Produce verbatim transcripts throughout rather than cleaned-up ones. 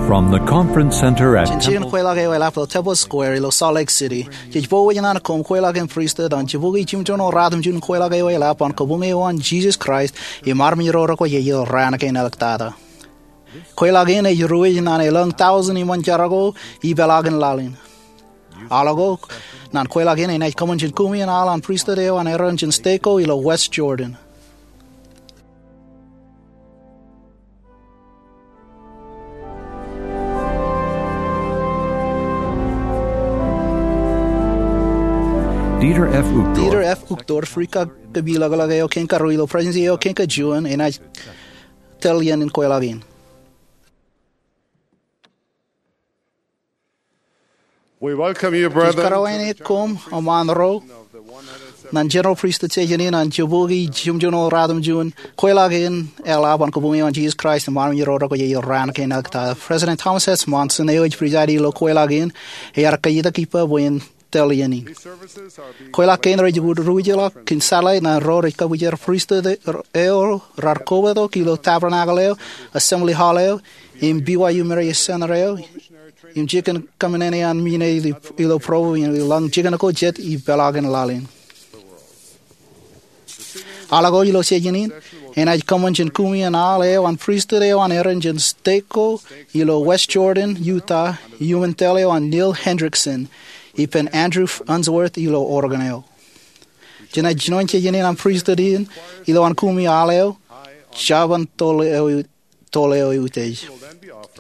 From the conference center at Jān jān kweilọk eo eḷap ilo Temple Square ilo Salt Lake City, jej bōk wōj ñan koṃ kweilọk in pristut an jibukwi jimjuon eo ratimjuon kweilọk eo eḷap an Kabuñ eo an Jesus Christ im armej ro rekwe ilo raan kein āliktata. Kweilọk in ej ruwij ñan elōñ tọujin iṃōn jar ko ipeḷaakin laḷ in. Aolep ko ñan kweilọk in enaaj kōṃṃan jān kumi an aḷ an pristut eo an Aaron jān stek ko ilo West Jordan. Dieter F. Uchtdorf. Dieter F. Uchtdorf, rikaki kōmij lōkḷọk eo kein karuo ilo Presidensi eo kein kajuon, enaaj tōl iien in kweilọk in. We welcome you, brethren. Ij karuwainene koṃ eṃṃan ro ñan Jeneral Pristut Session in an jibukwi jimjuon eo ratimjuon kweilọk in eḷap an Kabuñ eo an Jesus Christ im armej ro rekwe ilo raan kein āliktata. President Thomas S. Monson, eo ej preside ilo kweilọk in, ear kajjitōk ippa bwe en tōl iien in. Kweilọk kein rej ruwij ḷọk kōn satellite ñan ro rej kabwijer pristut eo raar kobatok ilo Tabernacle eo, Assembly Hall eo, im B Y U Marriott Center eo, im jikin kōṃṃane an mine ilo Provo im elōñ jikin ko jet ipeḷaakin laḷ in. Aolep ko ilo session in enaaj kōṃṃan jān kumi an aḷ eo an pristut eo an Aaron jān stek ko ilo West Jordan, Utah, iuṃwin tōl eo an Neil Hendrickson ippān Andrew Unsworth ilo Oregon eo. Jenaaj jinoin session in an pristut in ilowaan kumi aḷ eo, jab an tōl eo tōl eo eutiej.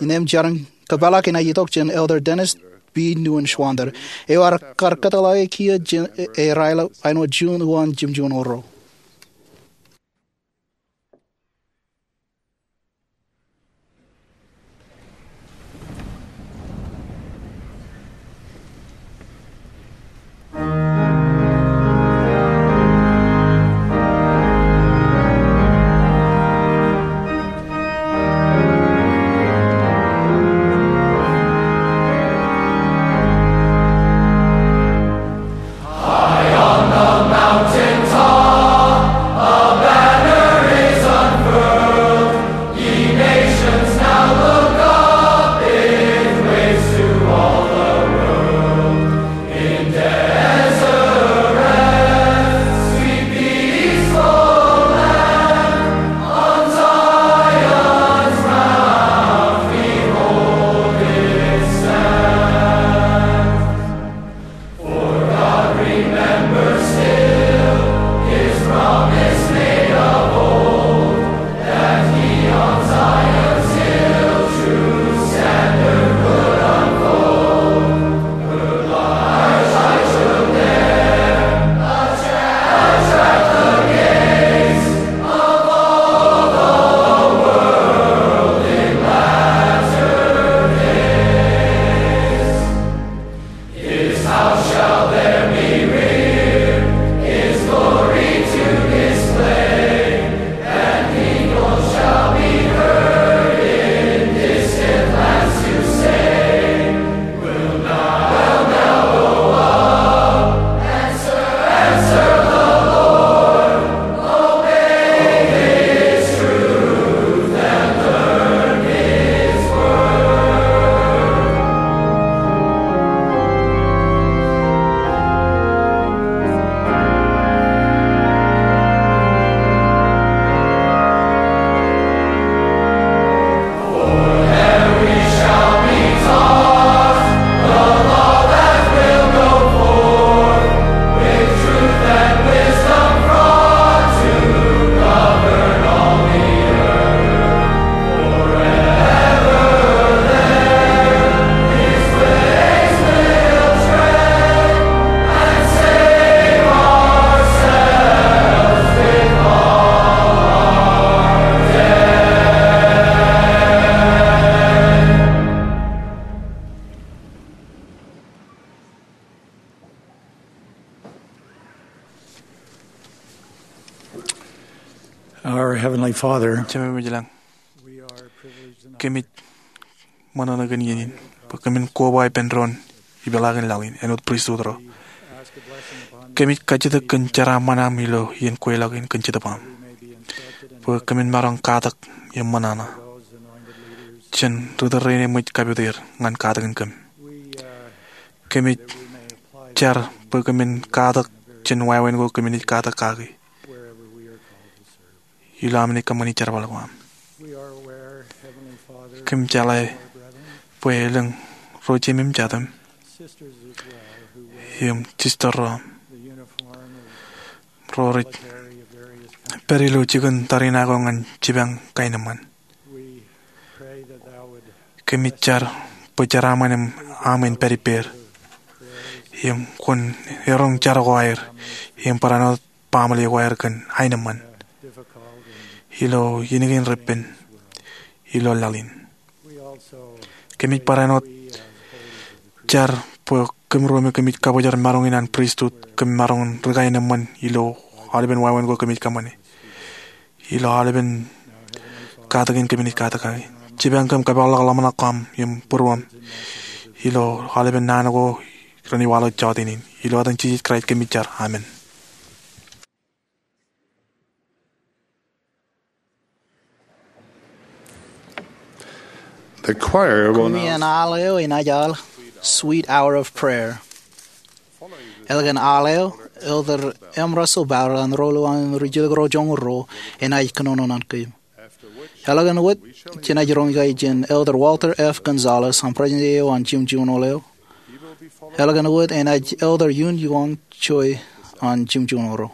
Innām jar in kōpeḷḷọk enaaj itok jān Elder Dennis B. Neuenschwander, eo ear kar kōtḷọke kiiō jān e, erail āinwōt juon uwaan jimjuon eo ro. Our Heavenly Father, Jemem ej ilañ, kōmij ṃōṇōṇō kōn iien in bwe kōmin koba ippān doon ipeḷaakin laḷ in āinwōt pristut ro. Kōmij kajjitōk kōn jeraaṃṃan aṃ ilo iien kweilọk in kōn Jetōb aṃ bwe kōmin maroñ katak im ṃōṇōṇō. jān ri tōl rein eṃōj kapit er ñan katakin kōm. Kōmij jar bwe kōmin katak jān wāween ko kōmij katak kaki ilo aṃ naaj kōṃṃani jerbal ko aṃ. Kōm jeḷā bwe elōñ ro jeiṃ im jatūṃ im sister ro aṃ ro rej pād ilo jikin tariṇae ko ñan jipañ kaenōṃṃan. Kōmij jar bwe jeraaṃṃan im aṃ en pād ippāer im kwōn eroñ jar ko aer im barāinwōt baaṃle ko aer kōn aenōṃṃan ilo iien kein reppen ilo laḷ in. Kōmij barāinwōt jar bwe kōmro me kōmij kabōjrak maroñ in an pristut kōm maroñ in ri kaenōṃṃan ilo aolepen wāween ko kōmij kōṃṃane ilo aolepen katakin kōmij katak kaki. Jipañ kōm kōpeḷḷọk ḷōmṇak ko aṃ im būruōṃ ilo aolepen naan ko renaaj waḷọk jota in. Ilo etan Jisōs Kraist kōmij jar, amen. The choir will now Kōmij al eo enaaj al Sweet Hour of Prayer. Eḷap an al eo, Elder M. Russell Ballard an ro ḷọk an ri jilkinḷọk joñoul ruo enaaj kōnono ñan kōm. Eḷap an wōt jenaaj roñ ikaejin Elder Walter F. Gonzalez an President eo an Jimjuon Eo. Eḷap an wōt enaaj Elder Yun Yuan Choi an Jimjuon Eo.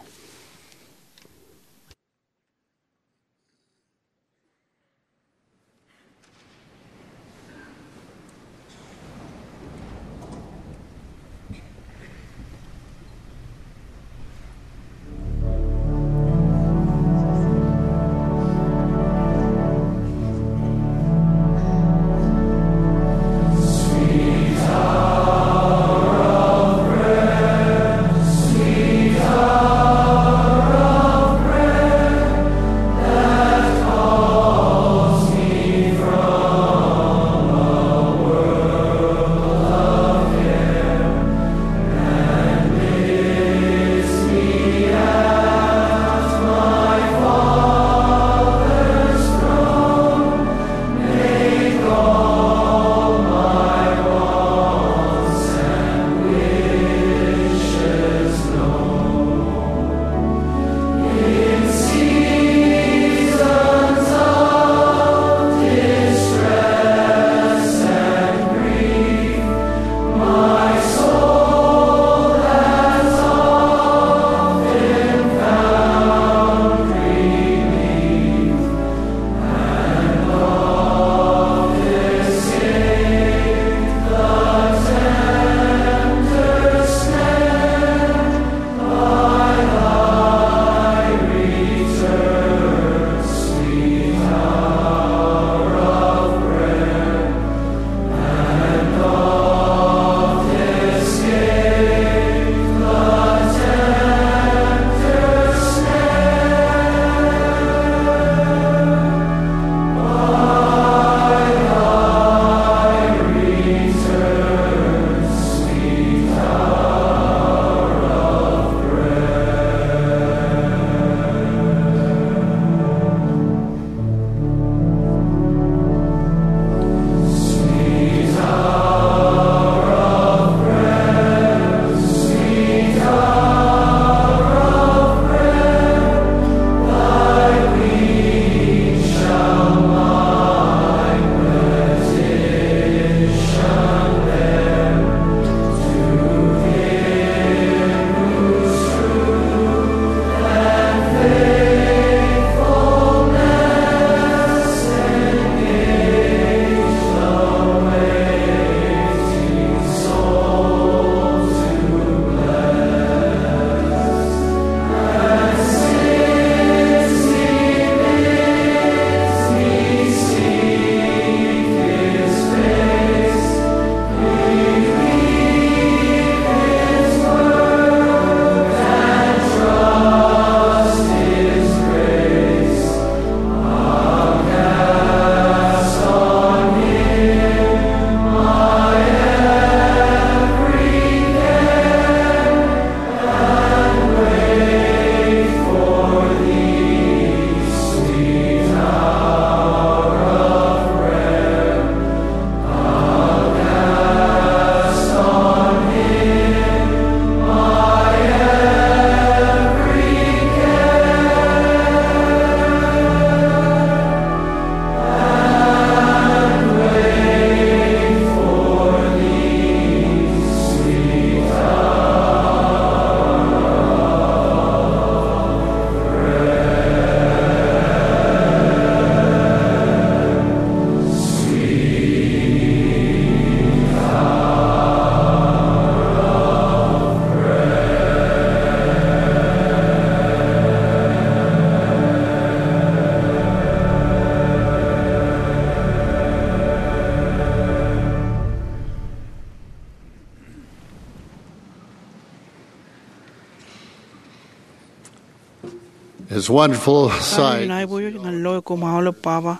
It's wonderful sight. Ilo aiboojoj ñan loe koṃ aolep baba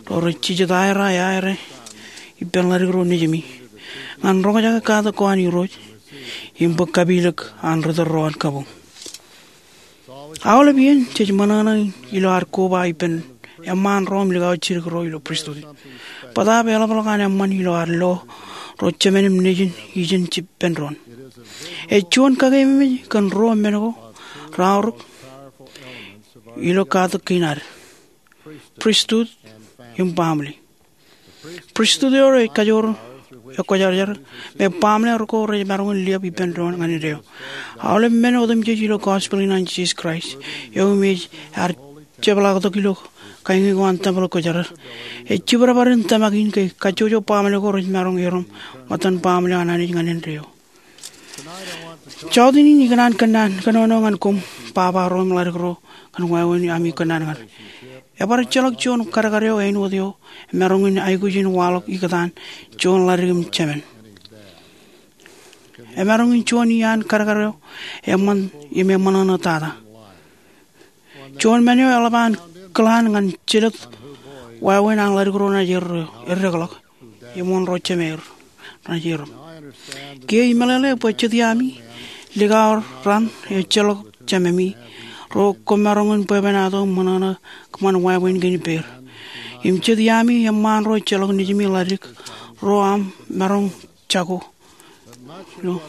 ro rej jijet aer aō aer ippān ḷadik ro nejimi ñan roñjake katak ko an Irooj im bōk kapilōk an ri tōl ro an kabuñ. Aolep iien jej ṃōṇōṇō ilo ad koba ippān eṃṃaan ro im likao jidik ro ilo pristut. Bōtaab eḷapḷọk an eṃṃan ilo ad lo ro jemān im nejin ijin jipen doon. Ej juon kakememej kōn ruo men ko raorōk ilo katak kein ad: pristut im baaṃle. Pristut eo rej kajoor ekwōjarjar, im baaṃle ro ko rej maroñ in liab ippān doon ñan indeeo. Aolep men otemjej ilo gospel in an Jisōs Kraist eo im ej ad jepḷaaktok ilo kañin ko an tempel kwōjarjar ej jibadbad in tōmak in ke kajjojo baaṃle ko rej maroñ erom ṃōttan baaṃle an Anij ñan indeeo. Jọteen in ikōṇaan kōnnaan kōnono ñan koṃ baba ro im ḷadik ro kōn wāween ami kōnnaan ñan er. Ebar ejjeḷọk juon kadkad eo āinwōt eo emaroñ in aikuj in waḷọk ikōtaan juon ḷadik im jemān. Emaroñ in juon iaan kadkad eo eṃṃan im eṃōṇōṇō tata. Juon men eo eḷap an kilaan ñan jelōt wāween an ḷadik ro naaj erreō, eddekḷọk im wōn ro jemāer naaj erom. Kiiō imeḷeḷe bwe jet iami likao raṇ ejjeḷọk jememi ro koṃ maroñ in bwebwenato im ṃōṇōṇō kōṃṃan wāween kein ippāer. Im jet iami eṃṃaan ro ejjeḷọk nejimi ḷadik ro aṃ maroñ jako. Ilo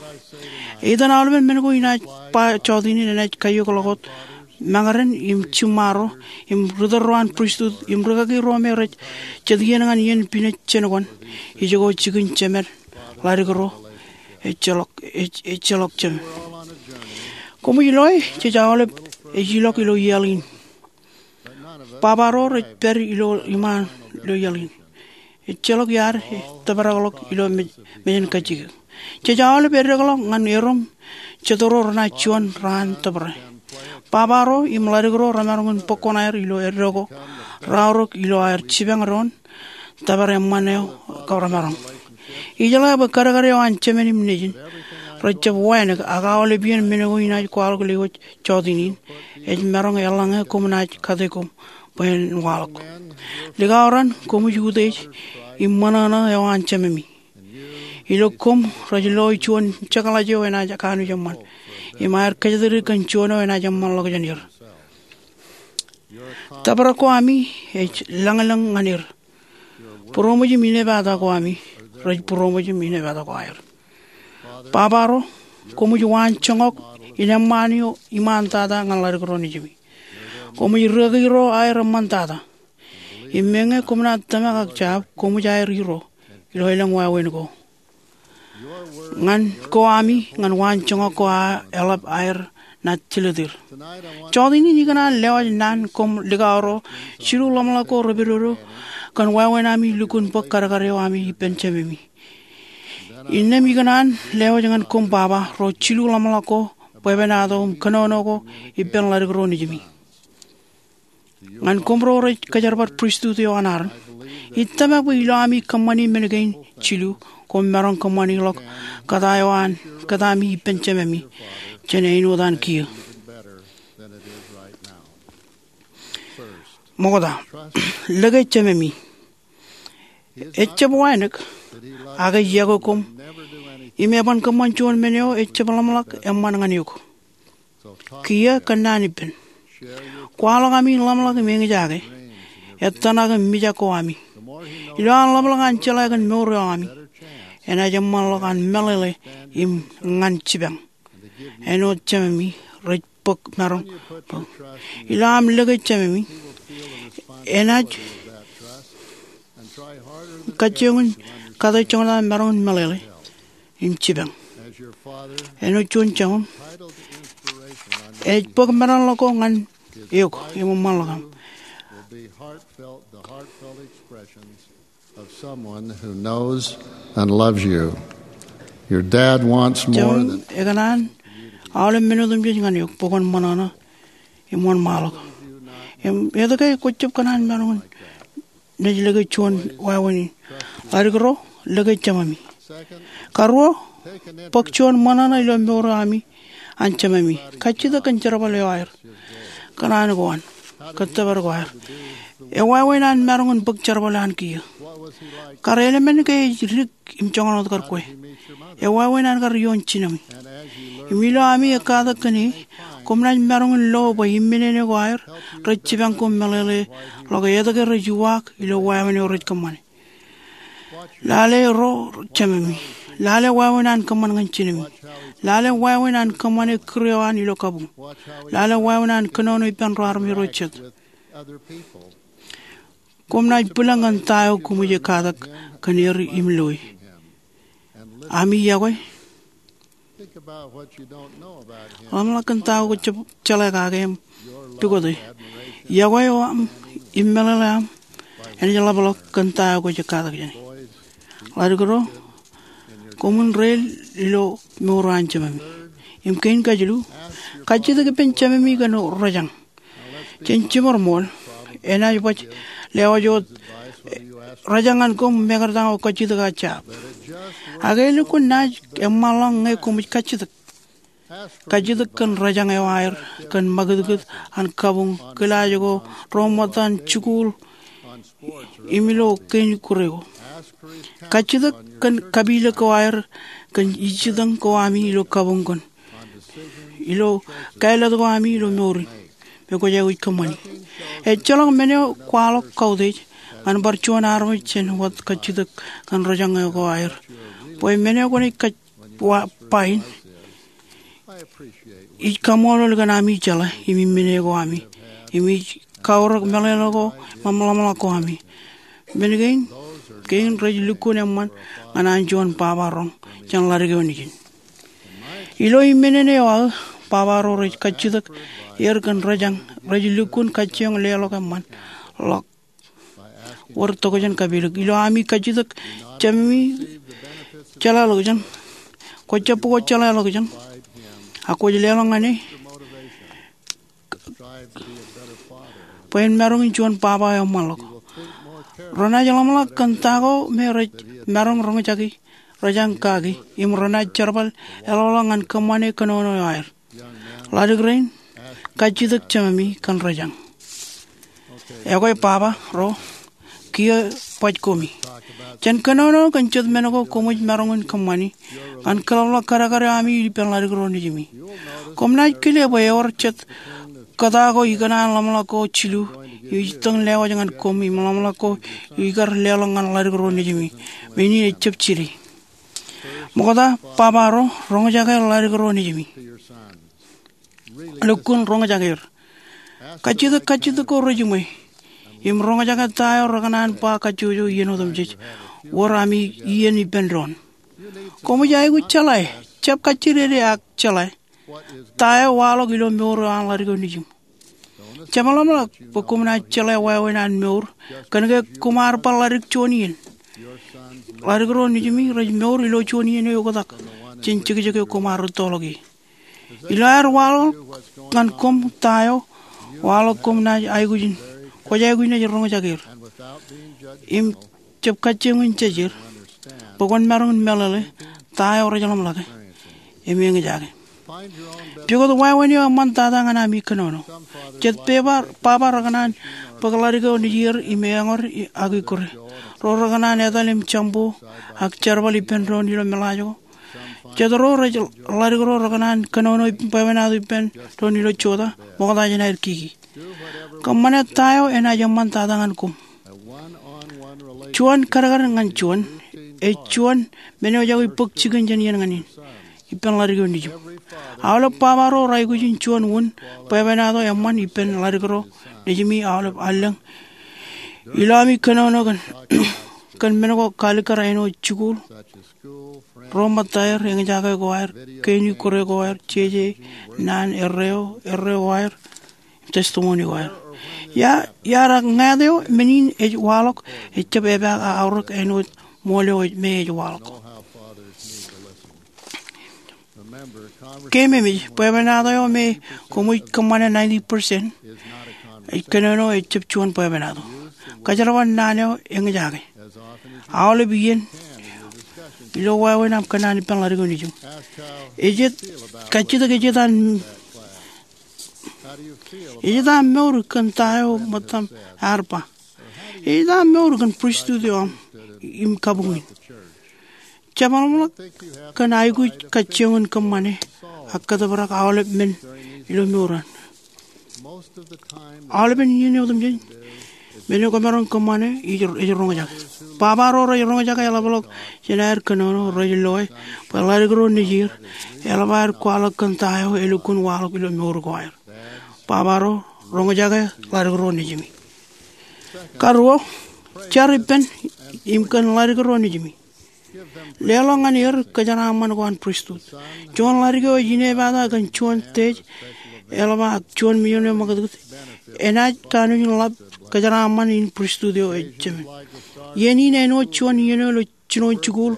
etan aolepen men ko inaaj ba jọteen in enaaj kaiokḷọk wōt mañōrōn im jiṃṃaro im ri tōl ro an pristut im rikaki ro me rej jet iien ñan iien pinej jān kōn ijoko jikin jemān ḷadik ro ejjeḷọk, ej-, ejjeḷọk jemān. Koṃij loe jej aolep ej ilọk ilo iaḷ in. Baba ro rej pād ilo iṃaan ilo iaḷ in. Ejjeḷọk iaad ej tōprakḷọk ilo mej-, mejānkajjikōk. Jej aolep eddekḷọk ñan erom jet ro renaaj juon raan tōprak. Baba ro im ḷadik ro remaroñ in bōk koṇaer ilo eddo ko raorōk ilo aer jipañ doon tōpar eṃṃan eo ko remaroñ. Ijeḷā bwe kadkad eo an jemān im nejin rejjab wānōk, ak aolep iien men ko inaaj kwaḷọk lewōj jọteen in, ej maroñ eḷaññe koṃ naaj kate koṃ bwe en waḷọk. Likao raṇ koṃij utiej im ṃōṇōṇō eo an jememi. Ilo koṃ rej loi juon jekḷaj eo enaaj kanooj eṃṃan im aer kōjatdikdik kōn juon eo enaaj eṃṃanḷọk jān er. Tōprak ko ami ej lañlōñ ñan er. Būroṃōj im inepata ko ami rej būroṃōj im inepata ko aer. Baba ro, koṃij waanjoñak in eṃṃaan eo iṃaan tata ñan ḷadik ro nejimi. Koṃij rikaki ro aer eṃṃan tata. Im meñe koṃ naaj tōmak ak jab, koṃij aer Irooj ilo elōñ wāween ko. Ñan ko ami, ñan waanjoñak ko aō eḷap aer naaj jelōt er. Jọteen in ikōṇaan lewōj naan koṃ likao ro jilu ḷōmṇak ko repedodo kōn wāween ami lukkuun bōk kadkad eo ami ippān jememi. Innām ikōṇaan lewōj ñan koṃ baba ro jilu ḷōmṇak ko bwebwenato im kōnono ko ippān ḷadik ro nejimi. Ñan koṃ ro rej kōjerbal pristut eo an Aron, ij tōmak bwe ilo ami kōṃṃani men kein jilu, koṃ maroñ kōṃṃaniḷọk kōta eo an kōtami ippān jememi jān āinwōt an kiiō. Ṃokta, lōke jememi. Ejjab wānōk, ak ej yokwe koṃ, im eban kōṃṃan juon men eo ejjab ḷōmṇak eṃṃan ñan eok. Kiiō kōnnaan ippān. Kwaḷọk ami ḷōmṇak im eñjake. Ettōṇak im mijak ko ami. Ilo an ḷōmṇak an jeḷā kōn mour eo ami, enaaj eṃṃanḷọk an meḷeḷe im ñan jipañ āinwōt jememi rej bōk maroñ. Ilo aṃ lōke jememi, enaaj kajjioñ in kate joñan aṃ maroñ in meḷeḷe im jipañ. Āinwōt juon joñan, ej bōk meḷeḷe ko ñan eok im eṃṃanḷọk aṃ. Of someone who knows and loves you. Your dad wants more than... Jemem ekōṇaan aolep men otemjej ñan eok bwe kwōn ṃōṇōṇō im wōnṃaanḷọk. Im etke kwōjjab kōṇaan maroñ in naaj lōke juon wāween in? Ḷadik ro, lōke jememi. Karuo, bōk juon ṃōṇōṇō ilo mour eo ami an jememi. Kajjitōk kōn jerbal eo aer. kōṇaan ko an, kōttōpar ko aer. Ewāween an maroñ in bōk jerbal an kiiō. Kar eḷmen ke ej dik im joñan wōt kar kwe? Ewāween an kar ioon jinem. Im ilo ami ekkatak kōn e, koṃ naaj maroñ in lo bwe imminene ko aer rej jipañ koṃ meḷeḷe ḷọk etke rej uwaak ilo wāween eo rej kōṃṃane. Lale ro jememi. Lale wāween an kōṃṃan ñan jinemi. Lale wāween an kōṃṃane kūr eo an ilo kabuñ. Lale wāween an kōnono ippān ro armej ro jet. Koṃ naaj bwilōñ ñan ta eo koṃij ekkatak kōn er im loi. Ami yokwe. Ḷōmṇak kōn ta eo kwōj jab jeḷā kake im pukot e. Yokwe eo aṃ im meḷeḷe aṃ enaaj ḷapḷọk kōn ta eo kwōj ekkatak jāne. Ḷaddik ro, koṃwin reel ilo mour eo an jememi. Im kein kajilu, kajjitōk ippān jememi kōn rejañ. Jen jiṃor ṃool, enaaj baj lewōj wōt rejañ ñan koṃ mekarta ñe kwōj kajjitōk aō jab. Ak elukkuun naaj eṃṃanḷọk ñe koṃij kajjitōk. Kajjitōk kōn rejañ eo aer kōn ṃakūtkūt an kabuñ, kilaaj ko, ro ṃōttan jikuuḷ, im ilo kein kūr eo. Kajjitōk kōn kapilōk ko aer kōn ijjitōñ ko ami ilo kabuñ kōn ilo kālet ko ami ilo mour in, me kwōj aikuj kōṃṃani. Ejjeḷọk men eo kwaḷọk kautiej ñan bar juon armej jān wōt kajjitōk kōn rejañ eo ko aer. Bwe men eo kwōnaaj kaj wa ba in, ij kaṃṃoolol kōn ami jeḷā im imminene ko ami, im ij kaorōk meḷeḷe ko im ḷōmṇak ko ami. Men kein, kein rej lukkuun eṃṃan ñan an juon baba roñ jān ḷadik eo nejin. Ilo imminene eo aō, baba ro rej kajjitōk er kōn rejañ, rej lukkuun kajjioñ leḷọk eṃṃan ḷọk. Wōr tokjān kapilōk. Ilo ami kajjitōk jememi, jeḷā ḷọkjeṇ. Kwōj jab pukot jeḷā ḷọkjeṇ. Ak kwōj leḷọk ñan e bwe en maroñ in juon baba eo eṃṃanḷọk. Renaaj ḷōmṇak kōn ta ko me rej maroñ roñjake rejañ kaki, im renaaj jerbal eḷọkḷọk ñan kōṃṃane kōnono eo aer. Ḷadik rein, kajjitōk jememi kōn rejañ. Ekwe baba ro, kiiō baj komi. Jen kōnono kōn jet men ko koṃij maroñ in kōṃṃani ñan kōḷapḷọk kadkad eo ami ippān ḷadik ro nejimi. Koṃ naaj kile bwe ewōr jet kōta ko ikōṇaan ḷōmṇak ko jilu ij itōn lewōj ñan koṃ im ḷōmṇak ko ikar leḷọk ñan ḷadik ro nejimi. Im in ejjab jidik. Ṃokta, baba ro, roñjake ḷadik ro nejimi. Lukkuun roñjake er. Kajjitōk kajjitōk ko rejiṃwe. Im roñjake ta eo rekōṇaan ba kajjojo iien otemjej. Wōr ami iien ippān doon. Koṃij aikuj jeḷā e, jab kajjidede ak jeḷā e, ta eo waḷọk ilo mour eo an ḷadik eo nejim. Jemaḷọkḷọk bwe koṃ naaj jeḷā wāween an mour kōnke koṃ ar bar ḷadik juon iien. Ḷadik ro nejimi rej mour ilo juon iien eo oktak jān jekjek eo koṃ ar rūttoḷọk ie. Ilo aer waḷọk ñan koṃ ta eo waḷọk, koṃ naaj aikuj in, kwōj aikuj naaj roñjake er im jab kajjioñ in jejer bwe kwōn maroñ in meḷeḷe ta eo rej ḷōmṇake im eñjake. Pukot wāween eo eṃṃan tata ñan ami kōnono. Jet baba, baba rekōṇaan bōk ḷadik eo nejier im eñor ak ikkure. Ro rekōṇaan etal im jambo ak jerbal ippān doon ilo meḷaaj ko. Jet ro rej ḷadik ro rekōṇaan kōnono bwebwenato ippān doon ilo jota, ṃokta jān aer kiki. Kōṃṃane ta eo enaaj eṃṃan tata ñan koṃ. Juon kadkad ñan juon, ej juon men eo ej aikuj bōk jikin jān iien ñan iien ippān ḷadik eo nejim. Aolep baba ro raikuj in juon wūn bwebwenato eṃṃan ippān ḷadik ro nejimi aolep allōñ. Ilo ami kōnono kōn, kōn men ko kalikkar āinwōt jikuuḷ, ro ṃōttaer, eñjake ko aer, kein ikkure ko aer, jeje, naan, erreo, erreo ko aer, testimony ko aer. Ia, iar ak ñāāt eo men in ej waḷọk, ejjab epaak aorōk āinwōt ṃool eo me ej waḷọk. Keememej, bwebwenato eo me koṃij kōṃṃane ninety percent ej kōnono ejjab juon bwebwenato. Kōjerbal naan eo eñjake aolep iien ilo wāween aṃ kōnnaan ippān ḷadik eo nejim. Ejet, kajjitōk ejet an Ej eta mour kōn ta eo ṃōttaṃ ear ba? Ej eta mour kōn pristut eo aṃ im kabuñ in? Jemaroñ ḷọk kōn aikuj kajjioñ in kōṃṃane ak kōtōprak aolep men ilo mour an. Aolepen iien eo otemjej men eo kōmaroñ kōṃṃane ej, ej roñjake. Baba ro rej roñjake eḷapḷọk jān aer kōnono, rej loe bwe ḷaddik ro nejier eḷap aer kwaḷọk kōn ta eo elukkuun waḷọk ilo mour ko aer. Baba ro, roñjake ḷaddik ro nejimi. Karuo, jar ippān im kōn ḷaddik ro nejimi. Leḷọk ñan er kōjeraaṃṃan ko an pristut. Juon ḷaddik eo ej inepata kōn juon stage eḷap ak juon mijoñ eo ṃakūtkūt enaaj kanooj in ḷap kōjeraaṃṃan in pristut eo ej jemān. Iien in āinwōt juon iien eo ilo jinoin jikuuḷ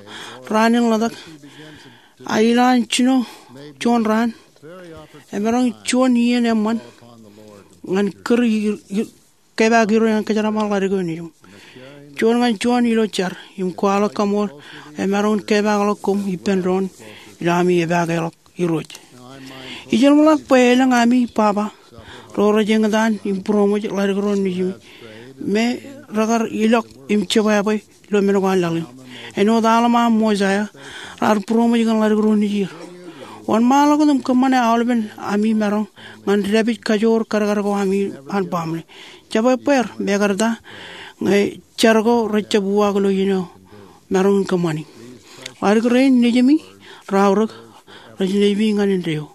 raan in ḷotak. A ilo an jino juon raan, emaroñ juon iien eṃṃan ñan kūr i, i, kepaak Irooj ñan kōjeraaṃṃan ḷaddik eo nejiṃ. Juon ñan juon ilo jar im kwaḷọk kaṃool emaroñ in kepaakḷọk koṃ ippān doon ilo ami epaakeḷọk Irooj. Ij jeḷā ḷọk bwe elōñ ami baba ro rej eñtaan im būroṃōj ḷaddik ro nejimi me rekar ilọk im jebwābwe ilo men ko an laḷ in. Āinwōt Alma im Mosaia raar būroṃōj kōn ḷaddik ro nejier. Wōnṃaanḷọk wōt im kōṃṃane aolepen ami maroñ ñan dāpij kajoor kadkad ko ami an baaṃle. Jab ebbeer, mekarta ñe jar ko rejjab uwaak ilo iien eo maroñ in kōṃṃani. Ḷaddik rein nejimi raorōk rej nejimi ñan indeeo.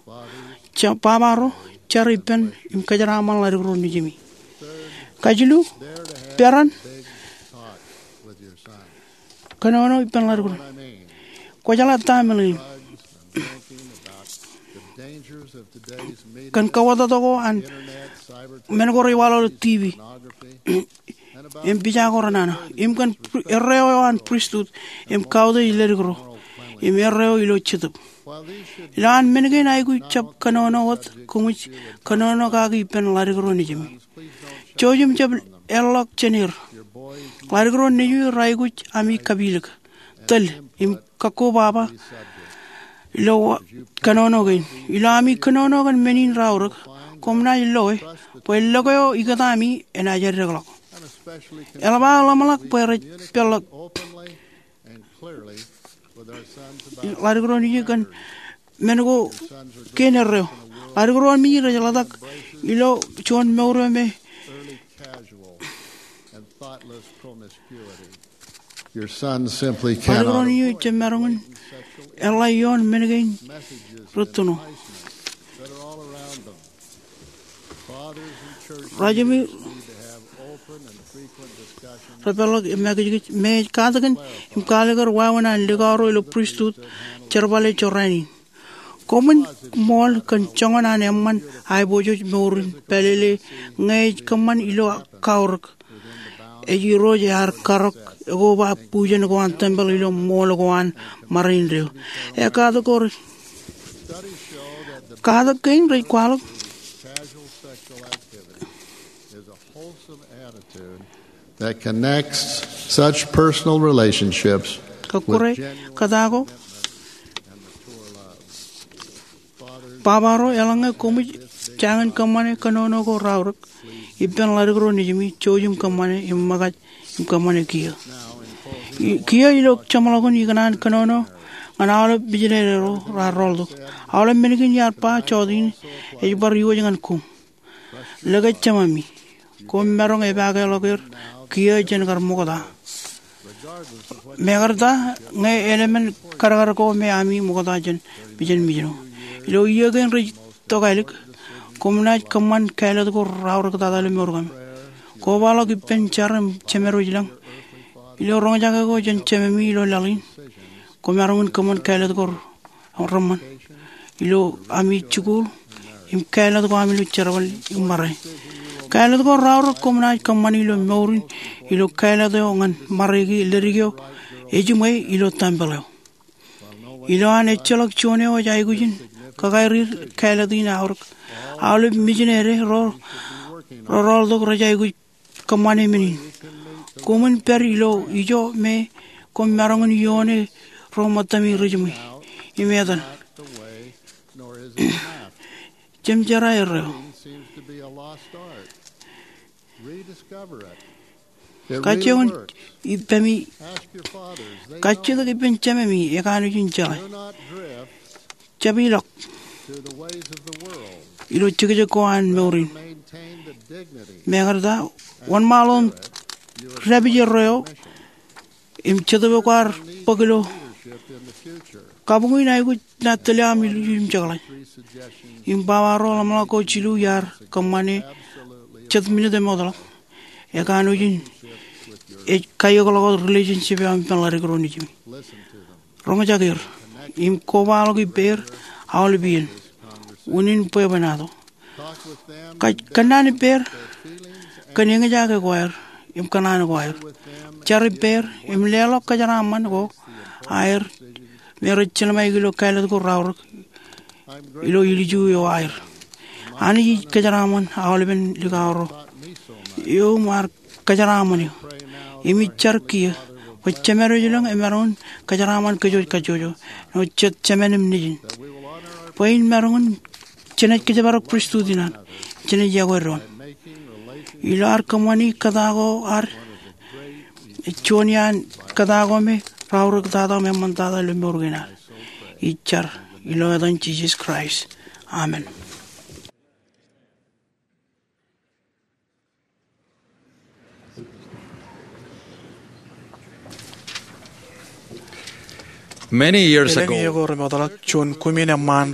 Baba ro, jar ippān im kōjeraaṃṃan ḷaddik ro nejimi. Kajilu, peran kōnono ippān ḷaddik ro. Kwōjeḷā ta eo eṃṃan in kōn kauwōtto ko an men ko rej waḷọk ilo TV im pija ko renana im kōn pri-, erreo eo an pristut im kautiej ledik ro im erreo ilo Jetōb. Ilo an men kein aikuj jab kōnono wōt, koṃij kōnono kaki ippān ḷaddik ro nejimi. Jouj im jab eḷḷọk jān er. Ḷaddik ro nejimi raikuj ami kapilōk, tōl im kakkobaba ilo kōnono kein. Ilo ami kōnono kōn men in raorōk, koṃ naaj loe bwe lōke eo ikōtaami enaaj eddekḷọk. Eḷap aō ḷōmṇak bwe rej peḷḷọk ḷaddik ro nejimi kōn men ko kein erreo. Ḷaddik ro nejimi rej ḷotak ilo juon mour eo me Your son simply ḷaddik ro nejimi ej jab maroñ in eḷḷā ioon men kein rūttoṇo. Rajemi repeḷḷọk im ekijkij me ej katakin im kaalikkar wāween an likao ro ilo pristut jerbale jorrāān in. Koṃwin ṃool kōn joñan an eṃṃan aiboojoj mour in pālele ñe ej kōṃṃan ilo kaorōk ej Irooj ear karọk ekoba bujen ko an tempel ilo ṃool ko an ṃare indeeo. Ekatak ko rej, katak kein rej kwaḷọk that connects such personal relationships kōkkure kōtaako. Baba ro, eḷaññe koṃij jañin kōṃṃane kōnono ko raorōk ippān ḷaddik ro nejimi, jouj im kōṃṃane im ṃōkaj im kōṃṃane kiiō. I-, kiiō ilo jeṃḷọkin ikōṇaan kōnono ñan aolep mijinede ro raar rooltok. Aolep men kein iar ba jọteen ej bar iwōj ñan koṃ. Lōke Jemami. Koṃ maroñ epaakeḷọk er kiiō jān kar ṃokta. Mekarta ñe eḷmen kadkad ko me ami ṃokta jān mejān mijno. Ilo iiō kein rej tokālik, koṃ naaj kōṃṃan kāālōt ko raorōk tata ilo mour kōm. Kobaḷọk ippān jar im jemerwōj lañ ilo roñjake ko jān Jememi ilo laḷ in. Koṃ maroñ in kōṃṃan kāālōt ko reṃṃan ilo ami jikuuḷ im kāālōt ko ami ilo jerbal im ṃare. Kāālōt ko raorōk koṃ naaj kōṃṃani ilo mour in ilo kāālōt eo ñan ṃare ki ledik eo ejiṃwe ilo tempel eo. Ilo an ejjeḷọk juon eo ej aikuj in kakaeriir kāālōt in aorōk, aolep mijinede ro, ro rooltok rej aikuj kōṃṃane men in. Koṃwin pād ilo ijo me koṃ maroñ in ioone ro ṃōttami ri jiṃwe im etan. Jemjerā erreo. Kajjioñ in ippemi, kajjitōk ippān jememi ekanooj in jeḷā. Jab ilọk ilo jekjek ko an mour in. Mekarta, wōnṃaanḷọk im dāpije ro eo im Jetōb eo kwaar bōk ilo kabuñ in aikuj naaj tōl eo aṃ ilju im jekḷaj. Im baba ro ḷōmṇak ko jilu iar kōṃṃane jet minit emootḷọk. Ekanooj in ej kaiokḷọk wōt relationship eo aṃ ippān ḷaddik ro nejimi. Roñjake er im kobaḷọk ippāer aolep iien. Unin bwebwenato. Kōnnaan ippāer kōn eñjake ko aer im kōṇaan ko aer. Jar ippāer im leḷọk kōjeraaṃṃan ko aer me rej jelṃae ilo kāālōt ko raorōk ilo ilju eo aer. Anij ej kōjeraaṃṃan aolepen likao ro eo im ad kōjeraaṃṃan eō. Im ij jar kiiō bwe Jemedwōj elōñ emaroñ in kōjeraaṃṃan kōj wōj kajjojo āinwōt jet Jemān im Nejin, bwe in maroñ in jenaaj kōjparok pristut in an, jenaaj yokwe doon. Ilo ad kōṃṃani kōtaan ko ad, juon iaan kōtaan ko me raorōktata im eṃṃantata ilo mour kein ad. Ij jar ilo etan Jisōs Kraist. Amen. Many years ago, elōñ iiō ko remootḷọk, juon kumin eṃṃaan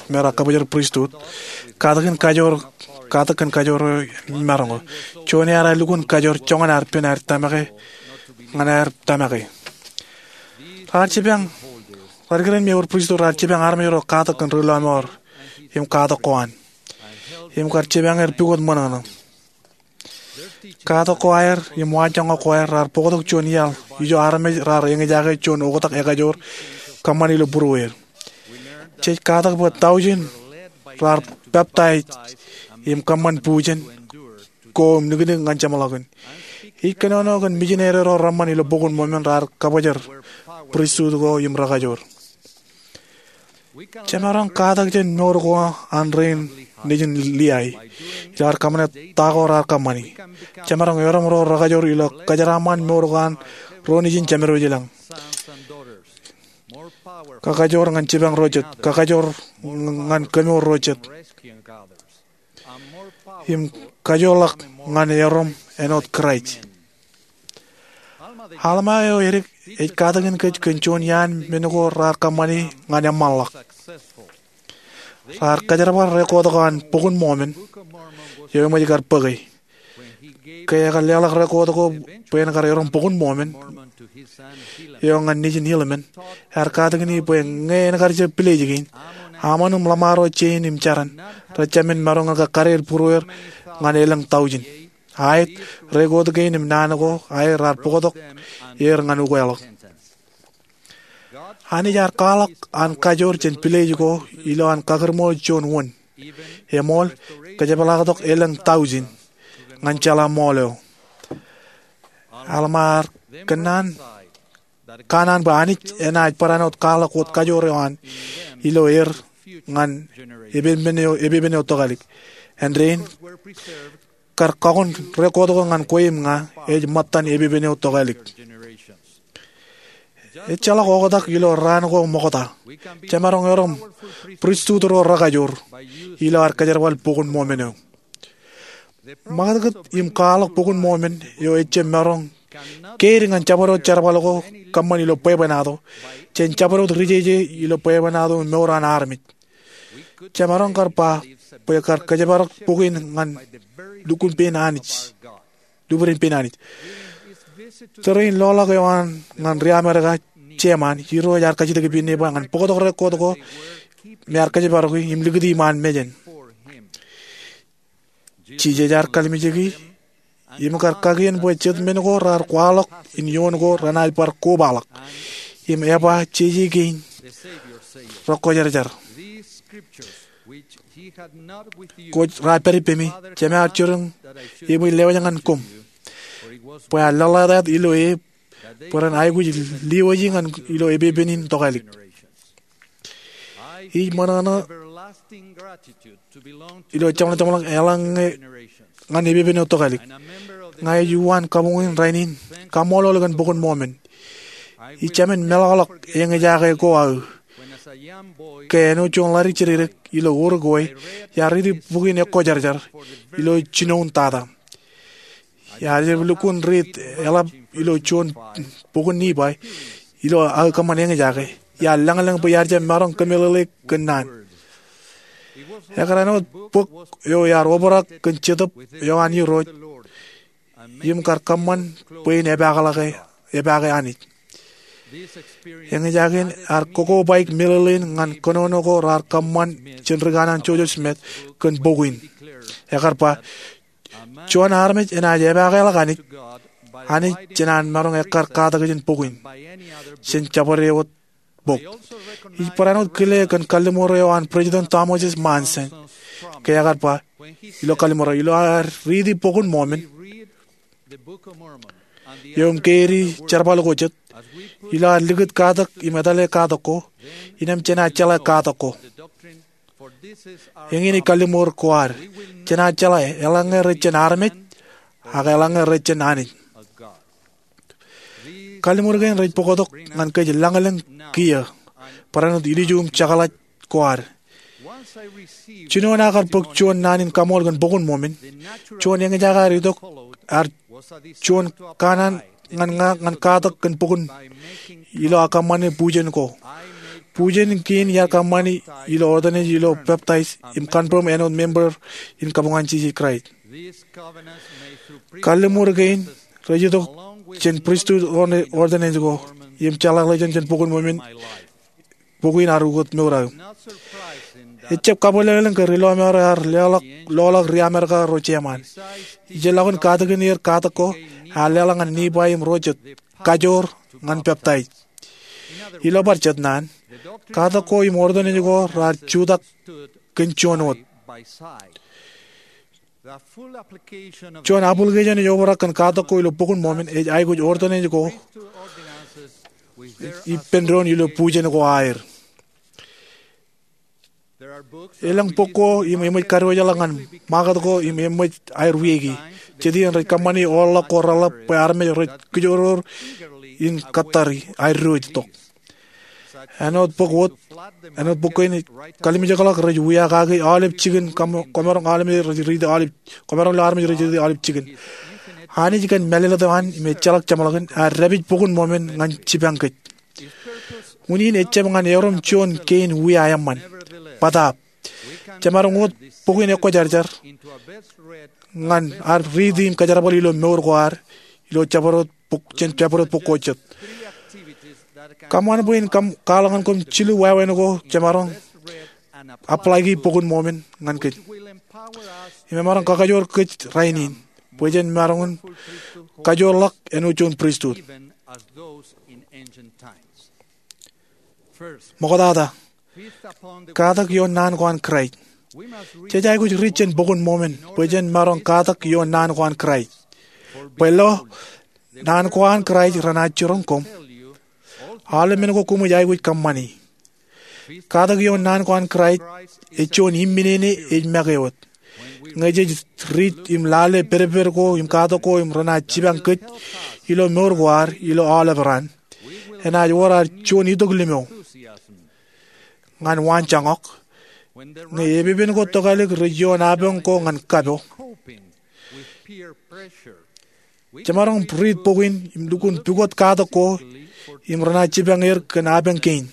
me raar kabōjrak pristut, katak in kajoor, katak in kajoor eo maroñ. Juon ear lukkuun kajoor joñan ad pen ad tōmake, ñan ad tōmake. Raar jipañ, raar kōrā im ewōr pristut raar jipañ armej ro katak in ri lọmọọr im katak ko an. Im kar jipañ er pukot ṃōṇōṇō. Katak ko aer im waanjoñak ko aer raar bōktok juon iaḷ ijo armej raar eñjake juon oktak ekajoor kōṃṃan ilo būrueer. Jej katak bwe tọujin raar peptaij im kōṃṃan bujen ko im niknik ñan jeṃḷọkin. Ij kōnono kōn mijineri ro reṃṃan ilo Bok in Mormon raar kabōjrak pristut ko im rekajoor. Jemaroñ katak jān mour ko an rein nejin Liai ilo ad kōṃṃane ta ko raar kōṃṃani. Jemaroñ erom ro rekajoor ilo kōjeraaṃṃan mour ko an ro nejin Jemedwōj elōñ. Kakajoor ñan jipañ ro jet, kakajoor ñan kemour ro jet, im kajoorḷọk ñan erom āinwōt Kraist. Alma eo edik ej katakin kōj kōn juon iaan men ko raar kōṃṃani ñan eṃṃanḷọk. Raar kōjerbal rekoot ko an Bok in Mormon eo eṃōj kar bōke. Ke ekar leḷọk rekoot ko bwe en kar erom Bok in Mormon eo ñan nejin Helaman, ear katakin e bwe ñe en kar jab pilej kein, Ammon im ḷōṃaro jein im jaran rejāmin maroñ in kar kade er būrueer ñan elōñ tọujin. Aet, rekoot kein im naan ko aer raar bōktok er ñan ukeḷọk. Anij ear kwaḷọk an kajoor jān pilej ko ilo an kakūrṃool juon wōn. Eṃool, kōjepḷaaktok elōñ tọujin ñan jeḷā ṃool eo. Alma ear kōnnaan, kōnnaan bwe Anij enaaj barāinwōt kwaḷọk wōt kajoor eo an ilo er ñan epepen eo, epepen eo tokālik. Āindein, kar kakon rekoot ko ñan kwe im ña ej ṃōttan epepen eo tokālik. Ejjeḷọk oktak ilo raan ko ṃokta. Jemaroñ erom pristut ro rekajoor ilo ad kōjerbal Bok in Mormon eo. Ṃakūtkūt im kwaḷọk Bok in Mormon eo ejjab maroñ keid ñan jabdewōt jerbal ko kōṃṃan ilo bwebwenato, jān jabdewōt ri jeje ilo bwebwenato im mour an armej. Jemaroñ kar ba bwe kar kōjparok bok in ñan lukkuun pein Anij, lukkuun pein Anij. Tōre in loḷọk eo an ñan ri Amerika jeṃaan, Irooj ear kajjitōk ippān e ba ñan bōktok rekoot ko me ear kōjparoki im likūti iṃaan mejān. Jisōs ear kallimjeki im kar kakien bwe jet men ko raar kwaḷọk in ioon ko renaaj bar kobaḷọk. Im eba jeje kein rekwōjarjar. Kwōj raar pād ippemi, Jema ear jiroñ eṃōj lewōj ñan koṃ, bwe aō lōḷḷātāt ilo e bwe ren aikuj lewōji ñan ilo epepen in tokālik. Ij ṃōṇōṇō ilo jeṃḷọk jeṃḷọk eḷaññe ñan epepen eo tokālik. Ña ij uwaan kabuñ in rainin kaṃṃoolol kōn Bok in Mormon. Ij jemān meḷọkḷọk eñjake ko aō ke āinwōt juon ḷaddik jidikdik ilo Uruguay, iar riiti bok in Ekwōjarjar ilo jinoin tata. Iar jab lukkuun riit eḷap ilo juon bok in Nifai ilo aō kōṃṃan eñjake. Iar lañlōñ bwe iar jab maroñ kōmeḷeḷe kōn naan. Ekar āinwōt bok eo iar obrak kōn Jetōb eo an Irooj im kar kōṃṃan bwe en epaakḷọke, epaake Anij. Eñjake in ear kokobaik meḷeḷein ñan kōnono ko raar kōṃṃan jān ri kanaan Joseph Smith kōn bok in. Ekar ba, juon armej enaaj epaake ḷọk Anij, Anij jenaaj maroñ ekkar katak jān bok in jān jabdewōt bok. Ij barāinwōt kile kōn kalliṃur eo an President Thomas S. Monson ke ekar ba, ilo kalliṃur eo, ilo aer riiti Bok in Mormon, eo im keidi jerbal ko jet, ilo ad likūt katak im etale katak ko, innām jenaaj jeḷā katak ko. Eñin ej kalliṃur ko ad. Jenaaj jeḷā eḷaññe rej jān armej, ak eḷaññe rej jān Anij. Kalliṃur kein rej bōktok ñan kōj lañlōñ kiiō, barāinwōt ilju im jekḷaj ko ad. Jinoin aō kar bōk juon naan in kaṃool kōn Bok in Mormon, juon eñjake ear itok, ear juon kanaan ñan ña ñan katak kōn bok in ilo aō kōṃṃane bujen ko. Bujen kein iar kōṃṃani ilo ordinance ilo baptize im confirm āinwōt member in kabuñ an Jisōs Kraist. Kalliṃur kein rej itok jān pristut ordinance ko im jeḷāḷọkjeṇ jān Bok in Mormon, bok in ear ukōt mour aō. Ejjab kabwilōñlōñ ke ri-lọmọọr eo ear loḷọk, loḷọk ri-Amerika ro jeṃaan. Ijellọkin katakin er katak ko, ear leḷọk ñan Nifai im ro jet kajoor ñan peptaij. Ilo bar jet naan, katak ko im ordinance ko raar jutak kōn juon wōt. Juon application ej obrak kōn katak ko ilo Bok in Mormon ej aikuj ordinance ko ippān doon ilo bujen ko aer. Elōñ bok ko im eṃōj kadiwōjḷọk ñan ṃakūt ko im eṃōj aer wiaiki. Jet iien rej kōṃṃani aorḷọk ko reḷap bwe armej rej kijoror in kōttari aer diwōj tok. Āinwōt bok wōt, āinwōt bok kein, kalimjekḷọk rej wia kaki aolep jikin, kōm-, komaroñ aolep rej riiti aolep, komaroñ ilo armej rej riiti aolep jikin. Anij kōn mālōtlōt eo an im ejjeḷọk jeṃḷọkin ear dāpij Bok in Mormon ñan jipañ kōj. Unin ejjab ñan erom juon kein wia eṃṃan. Bōtaab, jemaroñ wōt bok in Ekwōjarjar ñan ad riiti im kajerbal ilo mour ko ad ilo jabdewōt bok, jān jabdewōt bok ko jet. Kōṃṃan bwe in kōm, kwaḷọk ñan koṃ jilu wāween ko jemaroñ apply-ki Bok in Mormon ñan kōj. Im emaroñ kakajoor kōj rainin bwe jen maroñ in kajoorḷọk āinwōt juon pristut. Ṃoktata, katak ioon naan ko an Kraist. Jej aikuj riit jān Bok in Mormon bwe jen maroñ katak ioon naan ko an Kraist. Bwe lo, naan ko an Kraist renaaj jiroñ koṃ. Aolep men ko koṃij aikuj kōṃṃani. Katak ioon naan ko an Kraist ej juon imminene ej make wōt. Ñe jej riit im lale pedped ko im katak ko im renaaj jipañ kōj ilo mour ko ad ilo aolep raan, enaaj wōr ad juon itok limo ñan waanjoñak ñe epepen ko tokālik rej ioon apañ ko ñan kapo. Jemaroñ riit bok in im lukkuun pukot katak ko im renaaj jipañ er kōn apañ kein.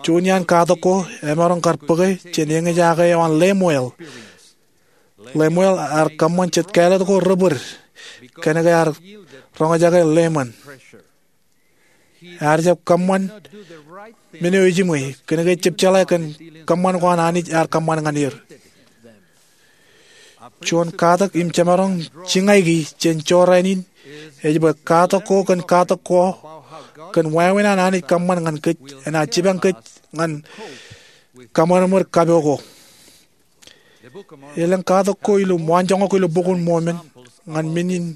Juon iaan katak ko emaroñ kar bōke jān eñjake eo an Lemuel. Lemuel ear kōṃṃan jet kāālōt ko rebōd kōnke ear roñjake Leman. Ear jab kōṃṃan men eo ejiṃwe kōnke ejab jeḷā kōn kōṃṃan ko an Anij ear kōṃṃan ñan er. Juon katak im jemaroñ jiñaiki jān jorrāān in ej bwe katak ko kōn katak ko kōn wāween an Anij kōṃṃan ñan kōj enaaj jipañ kōj ñan kōṃadṃōd kapo ko. Elōñ katak ko ilo waanjoñak ko ilo Bok in Mormon ñan men in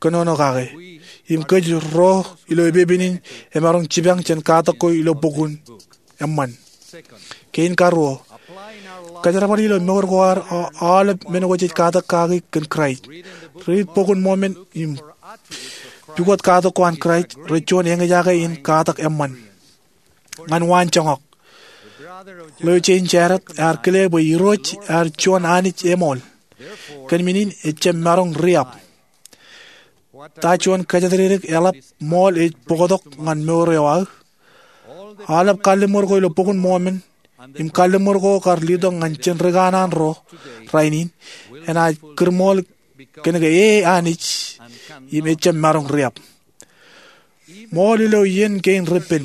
kōnono kake. Im kōj ro ilo epepen in emaroñ jipañ jān katak ko ilo bok in eṃṃan. Kein karuo, kōjerbal ilo mour ko ad, aolep men ko jej katak kaki kōn Kraist. Riit Bok in Mormon im pukot katak ko an Kraist rej juon eñjake in katak eṃṃan. Ñan waanjoñak, Leo Jein Jarrett ear kile bwe Irooj ear juon Anij eṃool. Kōn men in ejjab maroñ riab. Ta juon kōjatdikdik eḷap ṃool ej bōktok ñan mour eo aō? Aolep kalliṃur ko ilo Bok in Mormon im kalliṃur ko kar letok ñan jen rikanaan ro rainin enaaj kūrṃool kōnke e Anij im ejjab maroñ riab. Ṃool ilo iien kein repen,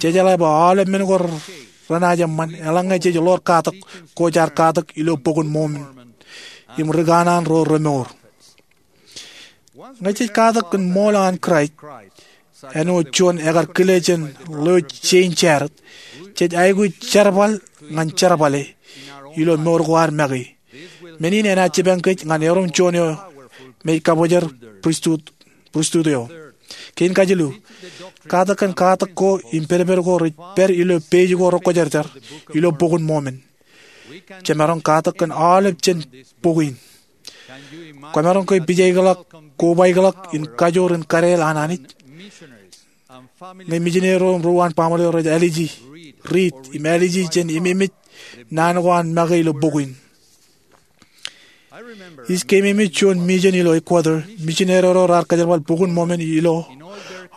jej jeḷā bwe aolep men ko renaaj eṃṃan eḷaññe jej ḷoor katak ko jaar katak ilo Bok in Mormon im rikanaan ro remour. Ñe jej katak kōn ṃool an Kraist, āinwōt juon ekar kile jān Leo Jein Jarrett, jej aikuj jerbal ñan jerbale ilo mour ko ad make. Men in enaaj jipañ kōj ñan erom juon eo me ej kabōjrak pristut eo. Kein kajilu, katak kōn katak ko im pedped ko rej pād ilo page ko rekwōjarjar ilo Bok in Mormon. Jemaroñ katak kōn aolep jān bok in. Kwōmaroñ ke pijaikḷọk, kobaikḷọk in kajoor in kadeel an Anij? Ñe mijineri ro im ro an baaṃle eo rej ālije, riit im ālije jān ememej naan ko an make ilo bok in. Ij keememej juon mission ilo Ecuador. Misineri ro raar kōjerbal Bok in Mormon ilo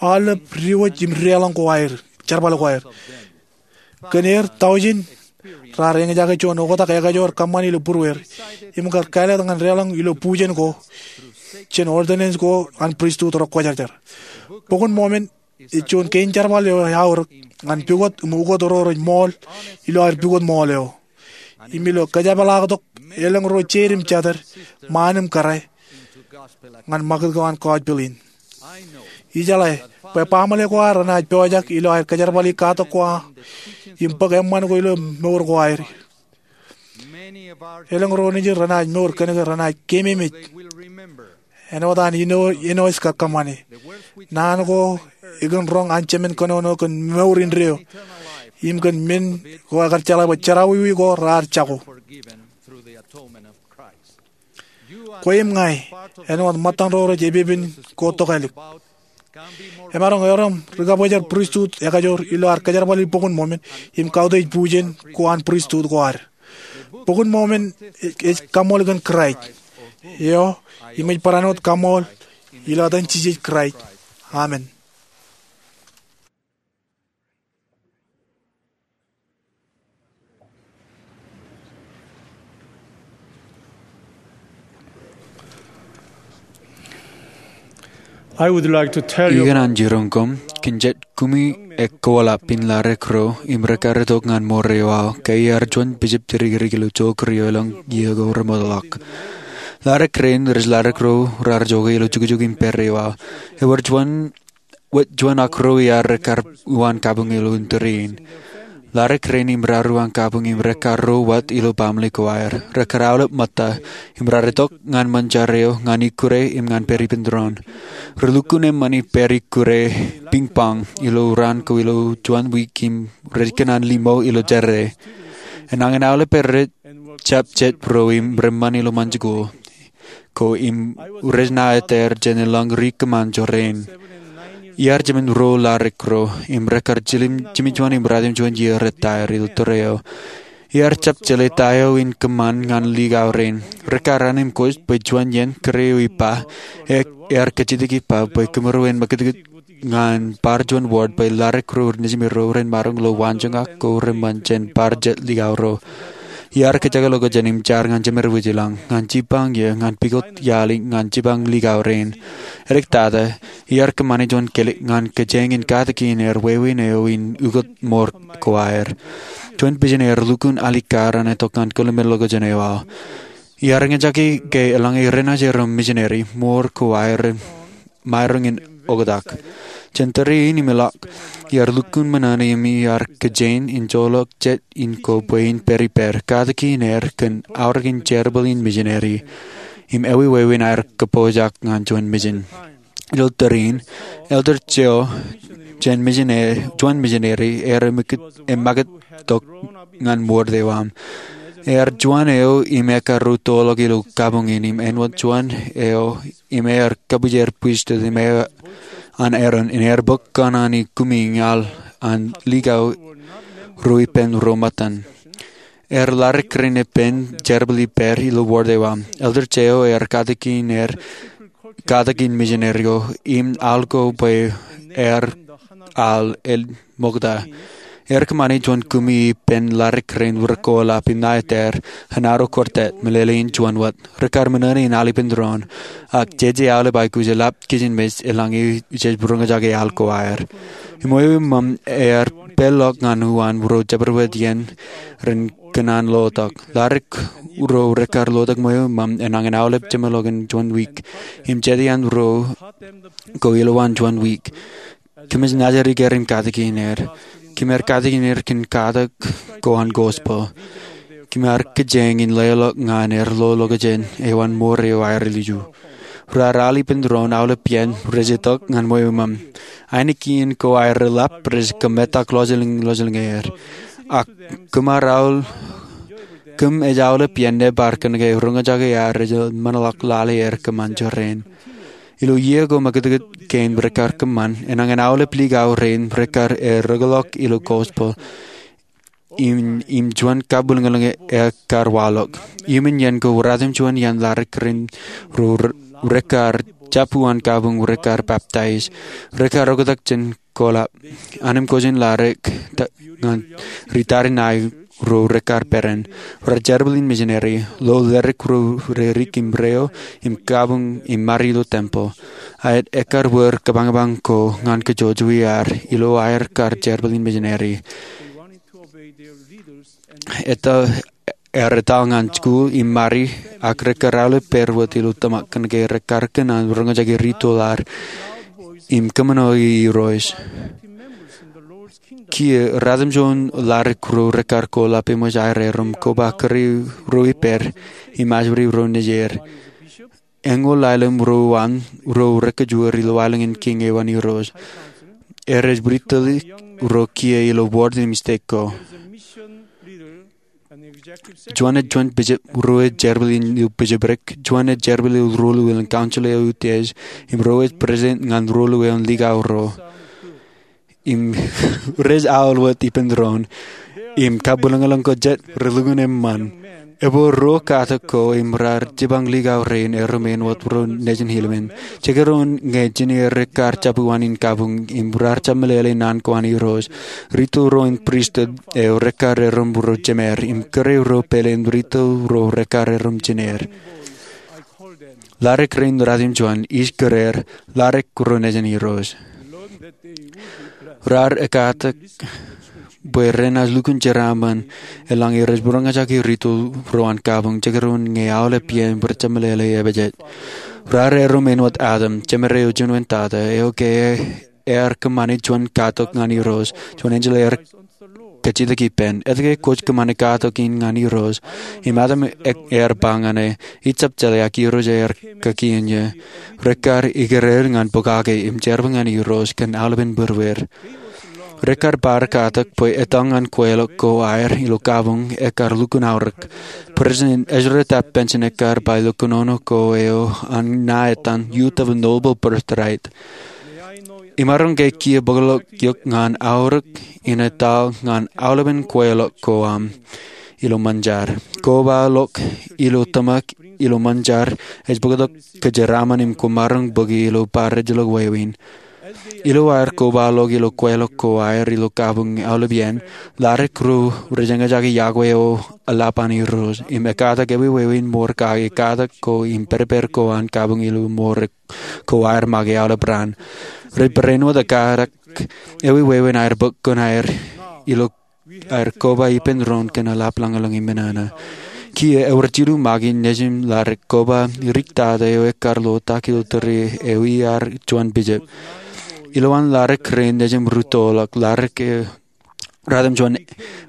aolep diwōj im deḷọñ ko aer, jerbal ko aer. Kōn er, tọujin raar eñjake juon oktak ekajoor kōṃṃani ilo būrueir im kar kāālōt ñan deḷọñ ilo bujen ko jān ordinance ko an pristut rekwōjarjar. Bok in Mormon ej juon kein jerbal eo eaorōk ñan pukot im ukot ro rej ṃool ilo aer pukot ṃool eo im ilo kōjepḷaaktok elōñ ro jeid im jatid, ṃaan im kōrā, ñan ṃakūtkūt ko an gospel in. Ijeḷā bwe baaṃle ko ad renaaj pojak ilo aer kōjerbali katak ko im bōk eṃṃan ko ilo mour ko aer. Elōñ ro nejin renaaj mour kōnke renaaj keememej āinwōt an Enosh kōṃṃane naan ko ekōn roñ an jemān kōnono kōn mour indeeo im kōn men ko ekar jeḷā bwe jerọwiwi ko raar jako. Kwe im ña, āinwōt ṃōttan ro rej epepen ko tokālik, emaroñ erom ri-kabōjrak pristut ekajoor ilo ad kōjerbali Bok in Mormon im kautiej bujen ko an pristut ko ad. Bok in Mormon ej kaṃool kōn Kraist eo im ej barāinwōt kaṃool. Ilo etan Jisōs Kraist, amen. I would like to tell you Ikōṇaan jiroñ koṃ, kōn jet kumi ekkoḷap in ladik ro im rekar itok ñan ṃoor eo aō ke iar juon bishop tūrikirik ilo jook ri-oil eo elōñ iiō ko remootḷọk. Ladik rein rej ladik ro raar jokwe ilo jukjuk im pād eo aō. Ewōr juon wōt juon ak ro iar rekar uwaan kabuñ ilo indeeo in. Ladik rein im raar uwaan kabuñ im rekar ro wōt ilo baaṃle ko aer. Rekar aolep ṃōtta im raar itok ñan ṃōn jar eo ñan ikkure im ñan pād ippān doon. Relukkuun eṃṃan im pād ikkure piñpañ ilo raan ko ilo juon wiik im rej kōṇaan limo ilo jerā. Enañin aolep rej jab jet ro im reṃṃan ilo ṃōn jikuuḷ ko im rej ṇa eteer jān elōñ ri kōṃṃan jorrāān. Iar jemān ruo ladik ro im rekar jiljilimjuon im ratimjuon iiō rej ta er ilo tōre eo. Iar jab jeḷā ta eo in kōṃṃan ñan likao rein. Rekar an im kōj bwe juon iien kōrā eo ippa ear kajjitōk ippa bwe kōmro en ṃakūtkūt ñan bar juon ward bwe ladik ro nejimero ren maroñ lo waanjoñak ko reṃṃan jān bar jet likao ro. Iar kōjjake ḷọk jān im jar ñan jemed wōj ilañ, ñan jipañ iiō, ñan pukot iaḷ, ñan jipañ likao rein. Edik tata, iar kōṃṃane juon kilik ñan kōjeañ in katakin er wāween eo in ukot ṃoor ko aer. Juon pijen ear lukkuun alikkar an itok ñan kōḷmānḷọkjeṇ eo aō. Iar eñjake ke eḷaññe renaaj erom misineri, ṃoor ko aer maroñ in oktak. Jān tōre in im ilọk, iar lukkuun ṃōṇōṇō im iar kōjeañ in joḷọk jet in ko bwe in pād ippād, katakin er kōn aorōkin jerbal in misineri im āwewāween aer kōpooj ñan juon mijen. Ilo tōre in, Elder Joe, jān misineri, juon misineri, ear emakūt, emakūt tok ñan wōd eo aṃ. Ear juon eo im ekar ruo toḷọk ilo kabuñ in im āinwōt juon eo im ear kabwijer pristut im eo an Aaron im ear bōk kōṇaan in kumi ñan likao ruo ippān ruo ṃōttan. Ear ladik kōrā ippān jerbal ippād ilo wōd eo aṃ. Elder Joe ear katak in er katak in misineri eo im al ko bwe ear al el ṃokta. Ear kōṃṃane juon kumi ippān ladik rein wōr ko lap im ṇa etaer hanaro kōrtat meḷeḷein juon wōt. Rekar men in al ippān doon, ak jeje aolep aikuj eḷap kijenmej eḷaññe ij roñjake al ko aer. Im ewi ṃōṃ ear peḷḷọk ñan uwaan ro jabdewōt iien ren kōṇaan lotok. Ladik ro rekar lotok ṃweo ṃōṃ enañin aolep jeṃḷọkin juon wiik im jete an ro ko ilowaan juon wiik. Kōmij nōjrak er im katak in er. Kōm ar katak in er kōn katak ko an gospel. Kōm ar kijeñ in leḷọk ñan er lo lokjān eo an mour eo aer ilju. Raar al ippān doon aolep iien rej itok ñan ṃweo ṃōṃ. Ainikien ko aer eḷap rej kōmetak lọjilñlọjilñeer. Ak kōm ar al, kōm ej aolep iien nōbar kōnke roñjake aer ej ṃōṇōḷọk lale er kōṃṃan jorrāān. Ilo iiō ko ṃakūtkūt kein rekar kōṃṃan, enañin aolep likao rein rekar erōkḷọk ilo gospel im, im juon kabwilōñlōñ ekar waḷọk. Iuṃwin iien ko ratimjuon iaan ladik rein ro re-, rekar jab uwaan kabuñ rekar peptaij. Rekar oktak jān kolap. Anemkwōj in ladik ta-, ñan ri tariṇae ro rekar peran. Raar jerbal in misineri, lo ledik ro rerik im reo, im kabuñ im mari ilo tempeḷ. Aet ekar wōr kabañbañ ko ñan kōjwōj wi ad, ilo aer kar jerbal in misineri. Etal, ear etal ñan jikuuḷ im mari, ak rekar aolep pād wōt ilo tōmak kōnke rekar kōṇaan roñjake ritoḷ ad im kōṃṃane Irooj. Kiiō, ratimjuon ladik ro rekar kolap eṃōj aer erom koba kūr ro ippād im ajri ro nejier. Eñoul ḷalem ro an ro rekajjoor ilo aelōñ in kiiñ eo an Irooj. Erej bwidtōlik ro kiiō ilo wōd im stek ko. Juon ej juon bishop, ruo ej jerbal in ilo bishopric, juon ej jerbal ilo ruo luwōn council eo utiej, im ruo ej president ñan ruo luwōn likao ro. Im rej aolep wōt ippān doon, im kabwilōñlōñ ko jet relukkuun eṃṃan. Ebwe ruo katak ko im raar jipañ likao rein erom āinwōt ro nejin Helaman. Jekdọọn ñe jine rekar jab uwaan in kabuñ im raar jab meḷeḷe naan ko an Irooj. Ritoḷ ro in pristut eo rekar erom ro jemed im kūr ro pāleen ritoḷ ro rekar erom jineer. Ladik rein ratimjuon ij kūr er ladik ro nejin Irooj. Raar ekatak bwe renaaj lukkuun jeraaṃṃan eḷaññe rej roñjake ritoḷ ro an kabuñ jekdọọn ñe aolep iien rej jab meḷeḷe epejet. Raar erom āinwōt Adam, jemed eo juon wōt tata, eo ke ear kōṃṃane juon katok ñan Irooj, juon enjeḷ ear kajjitōk ippān. Etke kwōj kōṃṃane katok in ñan Irooj? Im Adam e-, ear ba ñan e, ij jab jeḷā, ak Irooj ear kakien eō. Rekar ikōrā er ñan pokake im jerbal ñan Irooj kōn aolepen būrueir. Rekar bar katak bwe etal ñan kweilọk ko aer ilo kabuñ ekar lukkuun aorōk. President Ezra Taft Benson ekar ba ilo kōnono ko eo an ṇa etan Youth of a Noble Birthright. Imaroñ ke kiiō bōkḷọk eok ñan aorōk in etal ñan aolepen kweilọk ko aṃ ilo ṃōn jar. Kobaḷọk ilo tōmak ilo ṃōn jar ej bōktok kōjeraaṃṃan im kwō maroñ bōki ilo bar ejjeḷọk wāween. Ilo aer kobaḷọk ilo kweilọk ko aer ilo kabuñ aolep iien, ladik ro rej eñjake iọkwe eo eḷap an Irooj im ekatak ewi wāween mour kake katak ko im pedped ko an kabuñ ilo mour ko aer make aolep raan. Rej barāinwōt ekatak ewi wāween aer bōk kōn aer ilo aer koba ippān doon kōn eḷap lañlōñ im enana. Kiiō ewōr jilu make nejūṃ ladik koba dik tata eo ekar lo tak ilo tōre eo ear juon bishop. Ilowaan ladik rein nejūṃ rūttoḷọk ladik eo ratimjuon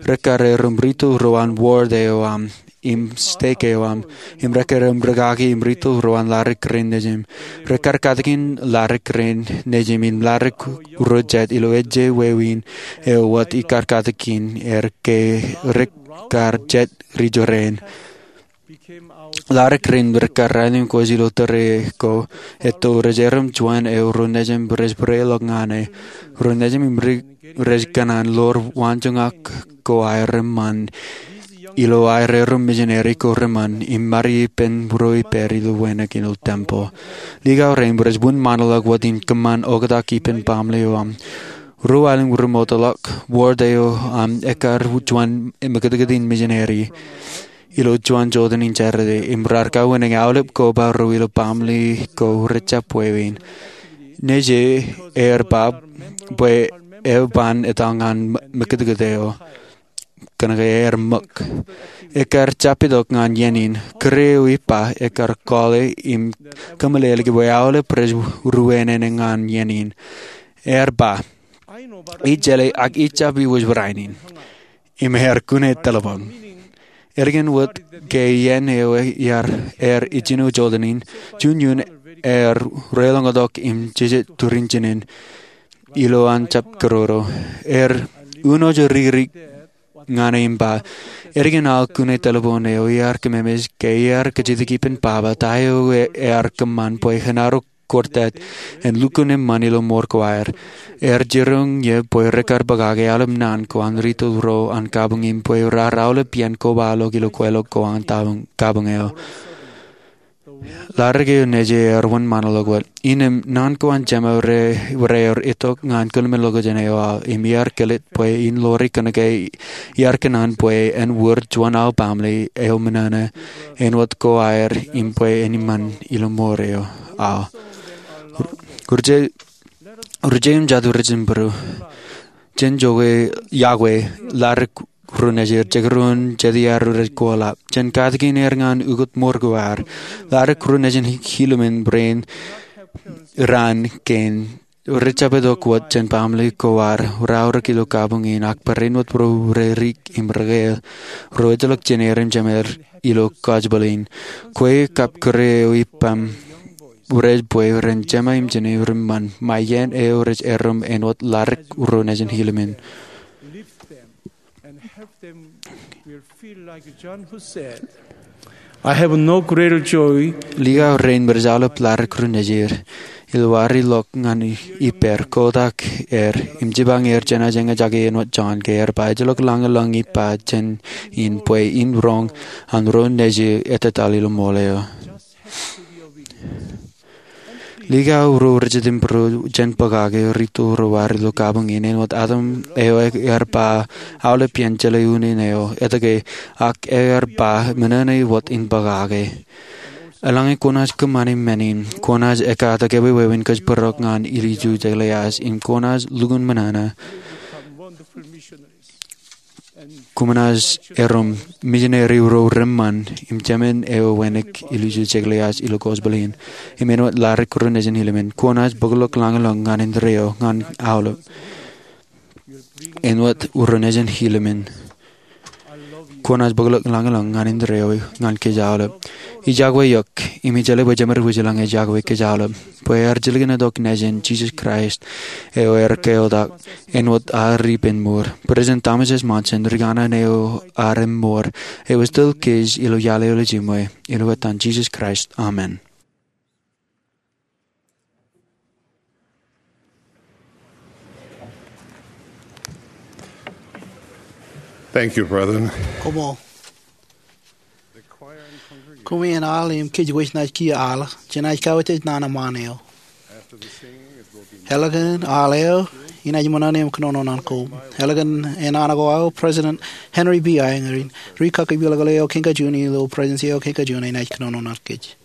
rekar erom ritoḷ ro an wōd eo aṃ im stek eo aṃ, im rekkar im rūkaki im ritoḷ ro an ladik rein nejūṃ. Rekar katakin ladik rein nejūṃ im ladik ro jet ilo ejje wāween eo wōt ikar katakin er ke rekar jet ri jorrāān. Ladik rein rekar raelep kōj ilo tōre ko etto rej erom juon eo ro nejūṃ rej būreḷọk ñan e. Ro nejūṃ im ri rej kōṇaan ḷoor waanjoñak ko aer eṃṃan ilo aer erom misineri ko reṃṃan im ṃari ippān ro ippād ilo wānōk ilo tempeḷ. Likao rein rej wūnṃaanḷọk wōt in kōṃṃan oktak ippān baaṃle eo aṃ. Ro aelōñ ri mootḷọk wōt eo aṃ ekar juon mekūtkūt in misineri ilo juon joteen in Jārete im raar kawōn aolep koba ro ilo baaṃle ko rejjab wāween. Nejū ear ba bwe eo ban etal ñan mekūtkūt eo. Kōnke ear ṃōk. Ekar jab itok ñan iien in. Kūr eo ippa ekar kọọle im kōmeḷeḷeiki bwe aolep rej ruōnōnō ñan iien in. Ear ba, ij jeḷā ak ij jab iwōj barāinwōt in. Im ear kune telephone. Ālikin wōt ke iien eo ear, ear ijjino joteen in, juon iuun ear reḷọñtok im jejjet turin jinen ilo an jab kōroro. Ear unooj rikirik ñan e im ba, ālikin aō kune telephone eo iar kōmemeej ke iar kajjitōk ippān baba ta eo ear kōṃṃan bwe enaaj kōrtāt en lukkuun eṃṃan ilo mour ko aer. Ear jiroñ ie bwe rekar bōkake aolep naan ko an ritoḷ ro an kabuñ im bwe raar aolep iien kobaḷọk ilo kweilọk ko an kabuñ eo. Ladik eo nejū ear wūnṃaanḷọk wōt. Innām naan ko an jema rear itok ñan kōḷmānḷọkjeṇ eo aō im iar kilit bwe in ḷoori kōnke iar kōṇaan bwe en wōr juon aō baaṃle eo ṃōṇōṇō āinwōt ko aer im bwe en eṃṃan ilo mour eo aō. Ri-, ri-, ri-, jatū ri-jabdewōt, jen jokwe, iọkwe ladik ro nejū, jekdọọn jet iaar rej koḷap. Jen katakin er ñan ukōt mour ko aer. Ladik ro nejin Hilomon rein raan kein rej jab itok wōt jān baaṃle ko aer, raorōk ilo kabuñ in, ak barāinwōt ro rej rik im rekāāl, ro ejjeḷọk jineer im jemed ilo kajjibel in. Kwe kab kūr eo ippaṃ rej bwe ren jema im jined reṃṃan, ṃae iien eo rej erom āinwōt ladik ro nejin Hilomon. And help them will feel like John who said, "I have no greater joy." Likao rein rej aolep ladik ro nejid, ilo ad ilọk ñan ippād, kotak er, im jipañ er jenaaj eñjake āinwōt John ke ear ba, ejjeḷọk lañlōñ ippa jān in bwe in roñ an ro nejū etetal ilo ṃool eo. Likao ro ri-jitōnbōro jān bōkake ritoḷ ro ad ilo kabuñ in āinwōt Adam eo ear ba aolep iien jeḷā unin eo etke, ak ear ba ṃōṇōṇō wōt in bōkake. Eḷaññe kwōnaaj kōṃṃane men in, kwōnaaj ekkatak ewi wāween kōjparok ñan ilju Jeklias, im kwōnaaj lukkuun ṃōṇōṇō. Kwōnaaj erom misineri ro reṃṃan im jemān eo wānōk ilju Jeklias ilo gospel in. Im āinwōt ladik ro nejin Hilomon, kwōnaaj bōkḷọk lañlōñ ñan indeeo ñan aolep. Āinwōt ro nejin Hilomon, kwōnaaj bōkḷọk lañlōñ ñan indeeo ñan kōj aolep. Ij iọkwe eok, im ij jeḷā bwe jemed wūjlañ ej iọkwe kōj aolep, bwe ear jilkintok Nejin, Jisōs Kraist, eo ear keotak āinwōt ad ippān mour. President Thomas S. Monson, rikaṇe eo ad im mour, eo esteḷọk kōj ilo iaḷ eo ej jiṃwe, ilo etan Jisōs Kraist, amen. Thank you, brethren. Koṃṃool. Koṃeañ al im kōj wōj naaj kiiō al, jenaaj kawōj naan eṃṃaan eo. Eḷap an al eo, inaaj ṃōṇōṇō im kōnono naan ko. Eḷap an naan ko aō, President Henry B. Eyring, ri-kaki peḷōkḷe eo kein kajuon ilo Presidency eo kein kajuon, enaaj kōnono naan kōj.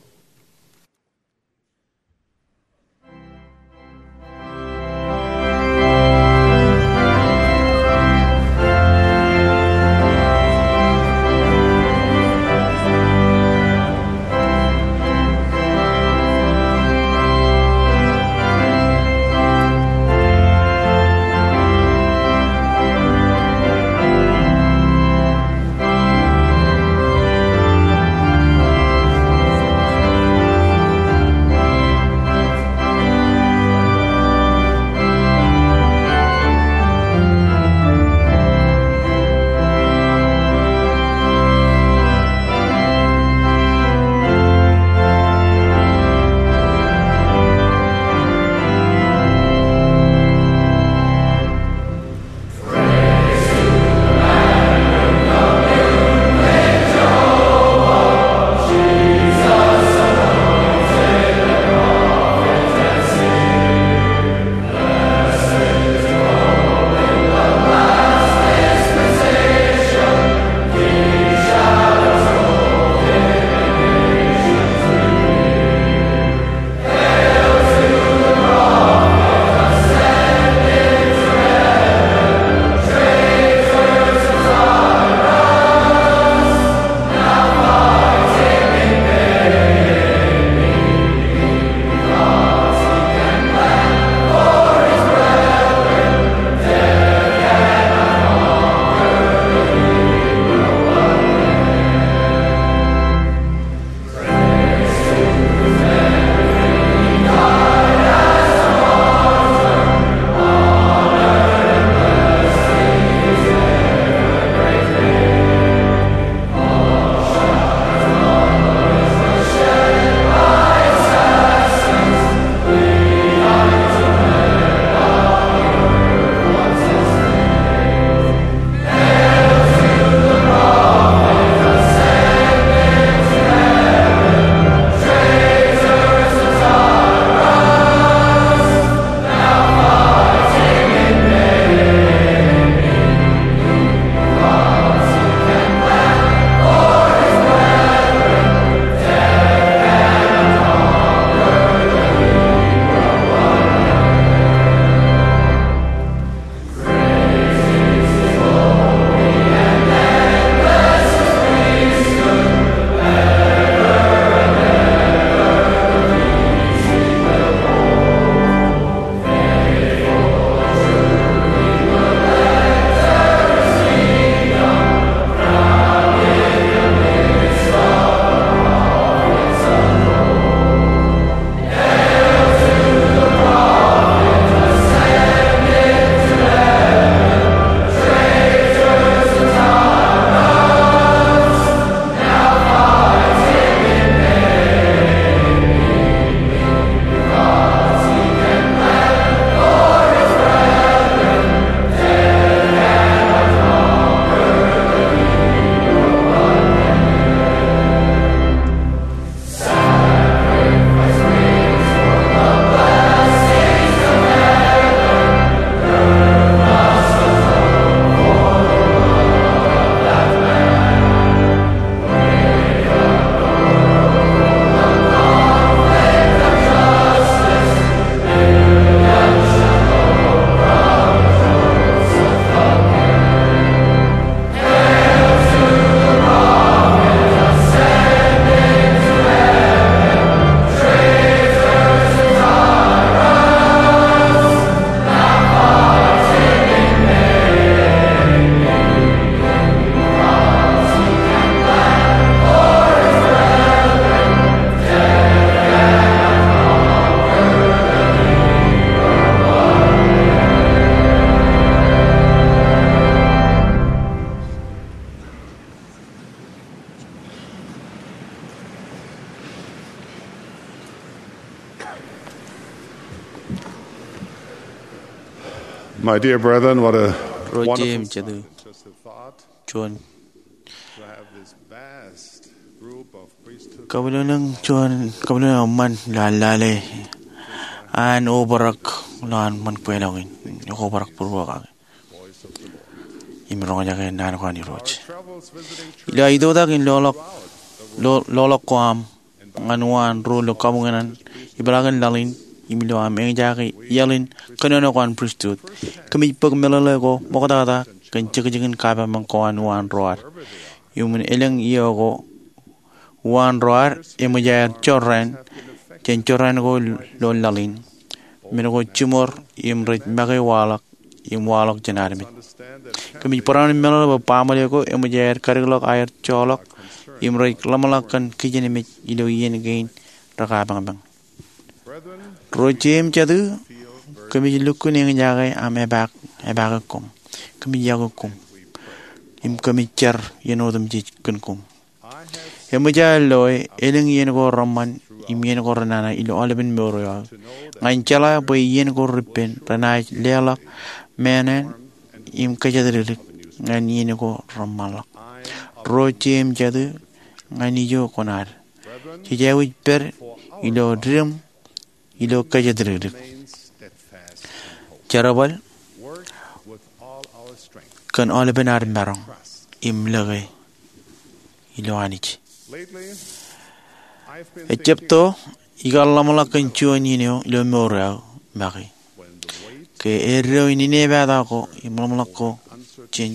My dear brethren, what a Ro wonderful jeiū im jatū, juon kabwilōñlōñ, juon kabwilōñlōñ eṃṃan ilo an lale an obrak ilo an ṃōn kweilọk in, obrak būruō kake im roñjake naan ko an Irooj. Ilo aō itoitak in loḷọk, lo-, loḷọk ko aṃ ñan uwaan ruo ilo kabuñeṇ an ipeḷaakin laḷ in im ilo aṃ eñjake iaḷ in kōnono ko an pristut, kōmij bōk meḷeḷe ko ṃoktata kōn jekjekin kapaṃṃan ko an uwaan ro ad. Iuṃwin elōñ iiō ko, uwaan ro ad eṃōj aer jorrāān jān jorrāān ko ilo laḷ in, men ko jiṃor im rej make waḷọk im waḷọk jān armej. Kōmij barāinwōt meḷeḷe bwe baaṃle ko eṃōj aer kadikḷọk aer joḷọk im rej ḷōmṇak kōn kijenmej ilo iien kein rekapañpañ. Ro jeiū im jatū, kōmij lukkuun eñjake aṃ epaak, epaake koṃ. Kōmij yokwe koṃ im kōmij jar iien otemjej kōn koṃ. Eṃōj aō loe elōñ iien ko reṃṃan im iien ko renana ilo aolepen mour eo aō, ñan jeḷā bwe iien ko repen renaaj leḷọk meanaan im kōjatdikdik ñan iien ko reṃṃanḷọk. Ro jeiū im jatū, ñan ijo koṇaad, jej aikuj pād ilo didim ilo kōjatdikdik, jerbal kōn aolepen ad maroñ im lōke ilo Anij. Ejjab to, ikar ḷōmṇak kōn juon iien eo ilo mour eo aō make, ke eddo in inepata ko im ḷōmṇak ko jān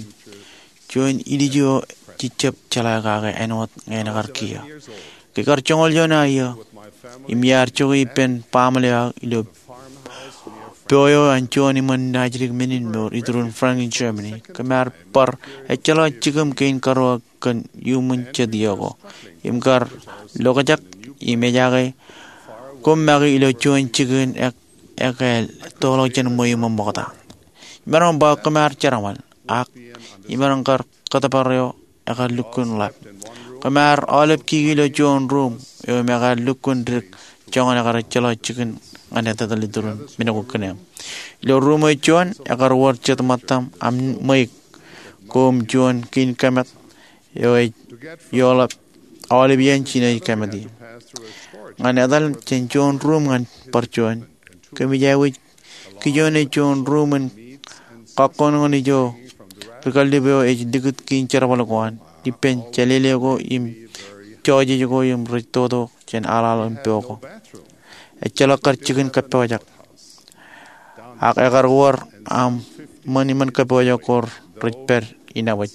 juon ilju eo jej jab jeḷā kake āinwōt ñe en kar kiiō. Ke ikar joñoul juon aō iiō im iar jokwe ippān baaṃle eo aō ilo po eo an juon iṃōn naajdik men in mour iturin Franken, Germany, kōm ar bar ejjeḷọk jikiṃ kein karuo kōn iuṃwin jet iiō ko im kar lokjak im ejaake koṃ make ilo juon jikin ek, ekāāl ettoḷọk jān ṃweiuṃ ṃokta. Imaroñ ba kōm ar jerbal, ak imaroñ kar kōttōpar eo ekar lukkuun ḷap. Kōm ar aolep kiki ilo juon ruuṃ eo im ekar lukkuun dik joñan ekar ejjeḷọk jikin ñan etetal iturin men ko kōneeṃ. Ilo ruuṃ eo juon, ekar wōr jet ṃōttaṃ aṃ ṃweiuk ko im juon kiin kōmet eo ej ioḷap aolep iien jenaaj kōmet ie. Ñan etal jān juon ruuṃ ñan bar juon, kōmij aikuj kijoone juon ruuṃ in kakkoṇkoṇ ijo ri kallib eo ej likūt kiin jerbal ko an ippān jālele ko im jọjej ko im rej toto jān aḷaḷ im po ko. Ejjeḷọk kar jikin kappojak, ak ekar wōr aṃ ṃōn iṃōn kappojak ko rej pād inepwōj.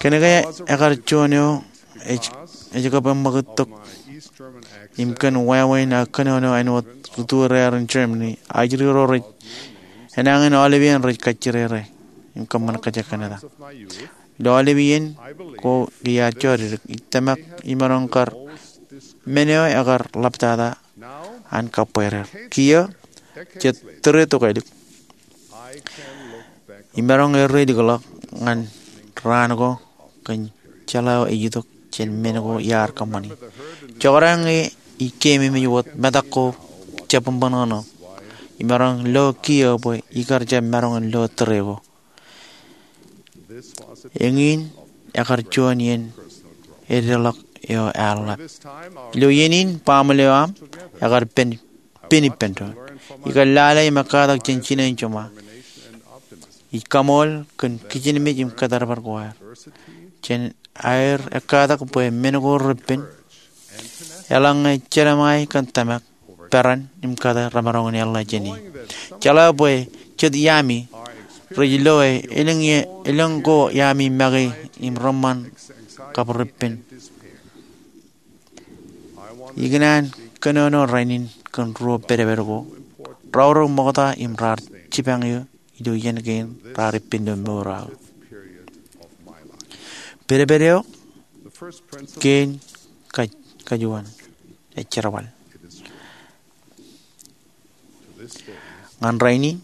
Kōnke ekar juon eo ej, ej kab eṃṃakūt tok im kōn wāween aō kōnono āinwōt ri turear in Germany, ajri ro rej enañin aolepān rej kajjirere im kōṃṃan kajekkān eta. Ilo aolep iien ko ke iar jodikdik, ij tōmak imaroñ kar men eo ekar ḷaptata an kabbweer. Kiiō, jet tōre tokālik, imaroñ erreilikḷọk ñan raan ko kōn jeḷā eo ej itok jān men ko iar kōṃṃani. Jekdọọn ñe ij keememej wōt metak ko jab ṃōṇōṇō, imaroñ lo kiiō bwe ikar jab maroñ in lo tōre ko. Eñin ekar juon iien eddeḷọk eo ear ḷap. Ilo iien in baaṃle eo aṃ ekar pen, pen ippān doon. Ikar lale im ekkatak jān jinen jeṃa. Ij kaṃool kōn kijenmej im kōttōpar ko aer jān aer ekkatak bwe men ko repen, eḷaññe jeḷā ṃae kōn tōmak, peran im kate remaroñ in eḷḷā jān e. Jeḷā bwe jet iaami rej loe elōñ, elōñ ko iaami make im reṃṃan kab repen. Ikōṇaan kōnono rainin kōn ruo pedped ko, raorōk ṃokta im raar jipañ eō ilo iien kein raar ippān ilo mour eo aō. Pedped eo kein kaj, kajuon, ej jerbal. Ñan rainin,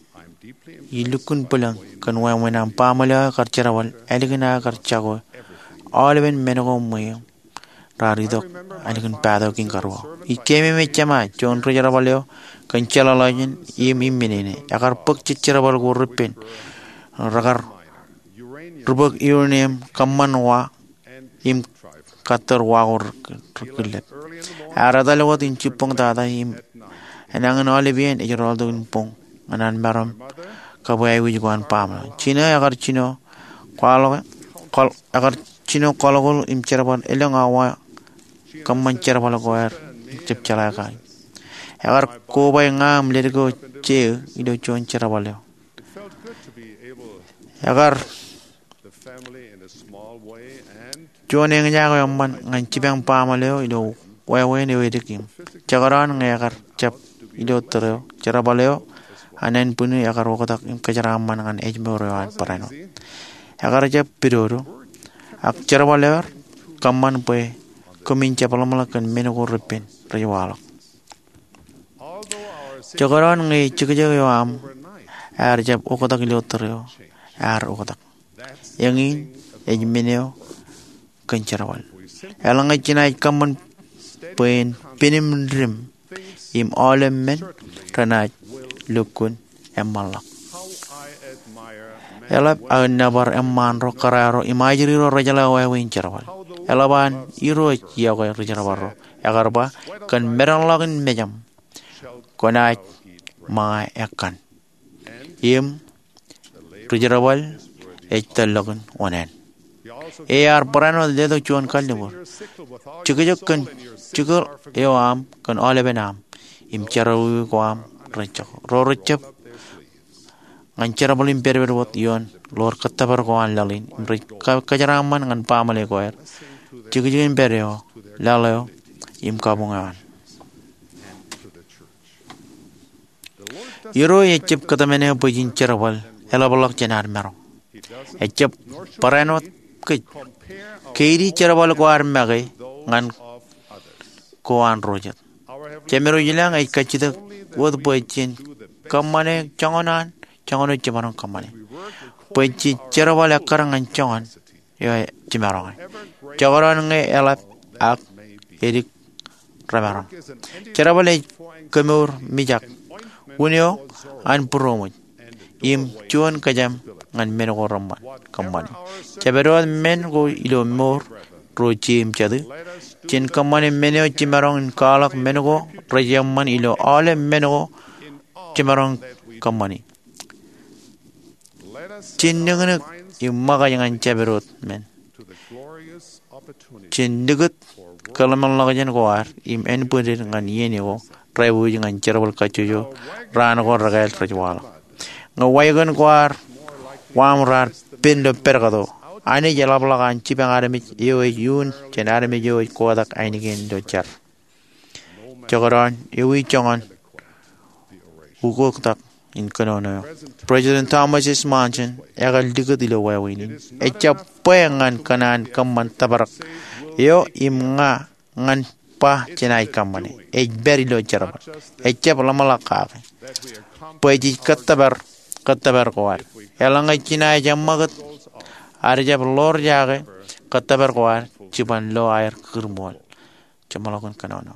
ij lukkuun bwilōñ kōn wāween aṃ baaṃle eo aō kar jerbal ālikin aō kar jako aolepen men ko ṃweeṃ raar itok ālikin patok in karuo. Ij keememej jema juon ri-jerbal eo kōn jeḷāḷọkjeṇ im iminene. Ekar bōk jejjerbal ko repen rekar ri-bōk uranium kōṃṃan wa im kattōr wa ko ri-, rikillep. Ear etal wōt in jibboñ tata im enañin aolep iien ej rọọltok in boñ ñan an maroñ kab aikuj ko an baaṃle. Jino ekar jino kwaḷọk, kwaḷ-, ekar jino kwaḷọk im jerbal elōñ awa kōṃṃan jerbal ko aer jab jeḷā kaki. Ekar koba ña im ledik eo jeō ilo juon jerbal eo. Ekar juon eñjake eo eṃṃan ñan jipañ baaṃle eo ilo wāween eo edik im jekdọọn ñe ekar jab ilo tōre eo, jerbal eo an ānbwini ekar oktak im kōjeraaṃṃan ñan ājmour eo an barāinwōt. Ekar jab pidodo, ak jerbal eo ekar kōṃṃan bwe kōmin jab ḷōmṇak kōn men ko repen rej waḷọk. Jekdọọn ñe jekjek eo aṃ ear jab oktak ilo tōre eo, ear oktak. Eñin ej men eo kōn jerbal. Eḷaññe jenaaj kōṃṃan bwe en pinim dim im aolep men renaaj lukkuun eṃṃanḷọk. Eḷap aō nōbar eṃṃaan ro, kōrā ro im ajri ro rejeḷā wāween jerbal. Eḷap an Irooj iọkwe ri-jerbal ro. Ekar ba, kōn medañḷọk in mejaṃ kwōnaaj ṃōñā ekkan, im ri-jerbal ej tōllọkin oṇāān. Ear barāinwōt letok juon kalliṃur. Jekjek kōn jikier eo aṃ kōn aolepen aṃ im jerọwiwi ko aṃ rej jako. Ro rej jab ñan jerbal im pedped wōt ioon ḷoor kōttōpar ko an laḷ in im rej ka-, kōjeraaṃṃan ñan baaṃle ko aer, jekjekin pād eo, laḷ eo, im kabuñ eo an. Irooj ejjab kōtmāne bwe jen jerbal eḷapḷọk jān ad maroñ. Ejjab barāinwōt kōj keidi jerbal ko ad make ñan ko an ro jet. Jemedwōj i lañ ej kajjitōk wōt bwe jen kōṃṃane joñan an joñan eo jemaroñ kōṃṃane, bwe jen jerbal ekkar ñan joñan eo jemaroñ e. Jekdọọn ñe eḷap ak edik remaroñ, jerbal ej kemour mijak, wūn eo an būroṃōj, im juon kōjām ñan men ko reṃṃan kōṃṃane. Jepād wōt men ko ilo mour, ro jeiū im jatū. Jen kōṃṃane men eo jemaroñ in kwaḷọk men ko rej eṃṃan ilo aolep men ko jemaroñ kōṃṃane. Jen niknik im ṃōkaj ñan jepād wōt men. Jen likūt kōḷmānḷọkjeṇ ko ad im ānbwinnin ñan iien ko, rej wōj ñan jerbal kajjojo raan ko rekāāl rej waḷọk. Ñe wāween ko ad, wāween raar pen ilo pād kato, Anij eḷapḷọk an jipañ armej eo ej iuun jān armej eo ej kotak ainikien ilo jar. Jekdọọn ewi joñan ukoktak in kōnono eo. President Thomas S. Monson ekar likūt ilo wāween in. Ejjab bwe ñan kōn an kōṃṃan tōprak eo im ña ñan ba jenaaj kōṃṃane. Ej pād ilo jerbal. Ejjab ḷōmṇak kake bwe jej kōttōpar kōttōpar ko ad. Eḷaññe jenaaj eṃṃakūt, ad jab ḷoor jake kōttōpar ko ad jiban lo aer kūrṃool. Jeṃḷọkin kōnono.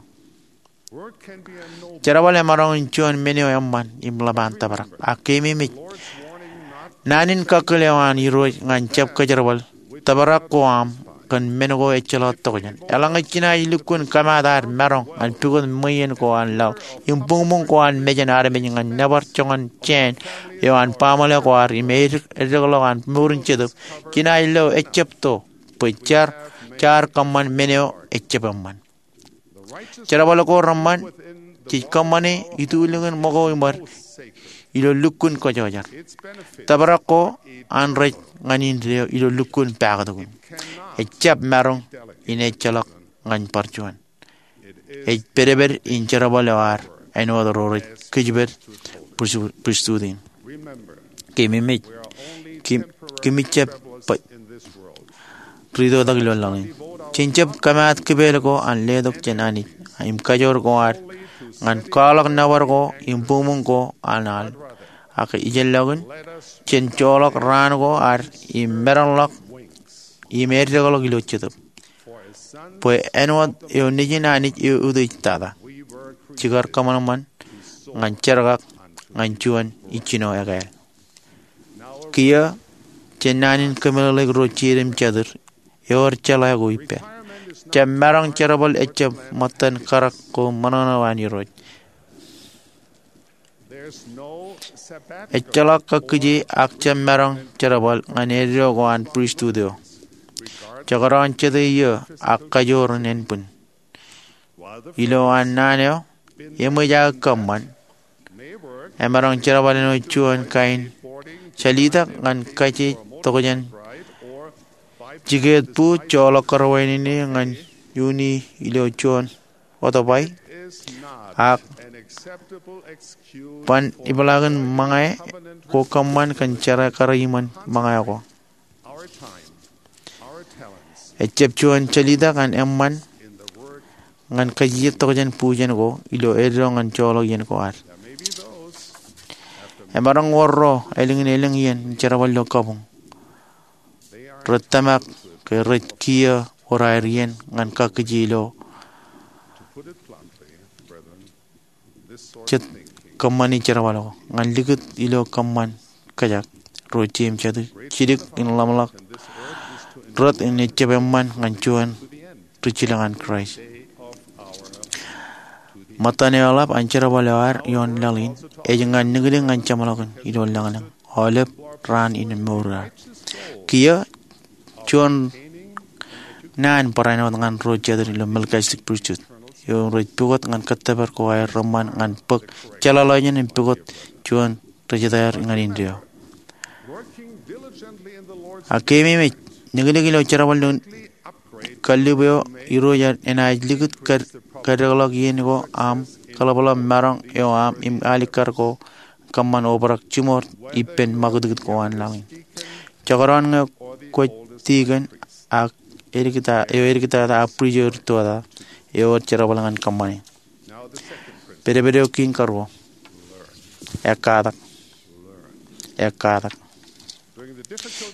Jerbal emaroñ in juon men eo eṃṃan im ḷap an tōprak. Ak keememej naan in kakkōl eo an Irooj ñan jab kōjerbal tōprak ko aṃ kōn men ko ejjeḷọk tokjān. Eḷaññe jenaaj lukkuun kōmaat ad maroñ ñan pukot ṃweien ko an laḷ im buñbuñ ko an mejān armej ñan nōbar joñan jāān eo an baaṃle ko ad im eddekḷọk an mour in jetōb, jenaaj lo ejjab to bwe jaar, jaar kōṃṃan men eo ejjab eṃṃan. Jerbal ko reṃṃan jej kōṃṃane itulōñin ṃōko iṃōd ilo lukkuun kōjọjar. Tōprak ko an rej ñan indeeo ilo lukkuun paktok in. Ejjab maroñ in ejjeḷọk ñan bar juon. Ej pedped in jerbal eo ad āinwōt ro rej kōjeped pristut in. Keememej, kōm, kōmij jab baj ri-totak ilo laḷ in. Jen jab kōmaat kipeel ko an letok jān Anij im kajoor ko ad ñan kwaḷọk nōbar ko im buñbuñ ko an al. Ak ijellọkin, jen joḷọk raan ko ad im medañḷọk im eddekḷọk ilo jetōb. bwe āinwōt eo nejin Anij eo utiej tata, jekar kōṃanṃan ñan jerkak ñan juon ijjino ekāāl. Kiiō, jān naan in kōmeḷeḷeik ro jeid im jatid, ewōr jeḷā ko ippād. Jab maroñ jerbal ejjab ṃōttan karak ko ṃōṇōṇō an Irooj. Ejjeḷọk kakkije ak jab maroñ jerbal ñan eddo ko an pristut eo, jekdọọn jete iiō ak kajoor in ānbwin. Ilo an naan eo eṃōj aō kōṃṃan, emaroñ jerbal āinwōt juon kain jālitak ñan kaje tokjān jikeet bū joḷọk kōrọwānine ñan iuuni ilo juon otobai, ak ban ipeḷaakin ṃōñā ko kōṃṃan kōn jerkakar iṃōn ṃōñā ko. Ejjab juon jālitak ñan eṃṃan ñan kajijet tokjān būjān ko ilo eddo ñan joḷọk iien ko ad. Emaroñ wōr ro ālikin elōñ iien im jerbal ilo kabuñ. Rej tōmak ke rej kiiō wōr aer iien ñan kakkije ilo jet kōṃṃani jerbal ko ñan likūt ilo kōṃṃan kōjak ro jeid im jatid jidik in ḷōmṇak rot in ejjab eṃṃan ñan juon rijjilōk an Kraist. Ṃōttan eḷap an jerbal eo ad ioon laḷ in ej ñan nikdik ñan jeṃḷọkin ilo lañlōñ aolep raan in mour ad. Kiiō, juon naan barāinwōt ñan ro jatid ilo Melchizedek Pristut eo rej pukot ñan kōttōpar ko aer reṃṃan ñan bōk jeḷāḷọkjeṇ im pukot juon ri-jetaer ñan indeeo. Ak keememej, nikdik ilo jerbal ilo kallib eo Irooj enaaj likūt kaddekḷọk iien ko aṃ, kaḷapḷap maroñ eo aṃ im alikkar ko kōṃṃan obrak jiṃor ippān ṃakūtkūt ko an laḷ in. Jekdọọn ñe kwōj tikōn ak eo edik tata ak pristut eo edik tata, ewōr jerbal ñan kōṃṃane. Pedped eo kein karuo. Ekkatak. Ekkatak.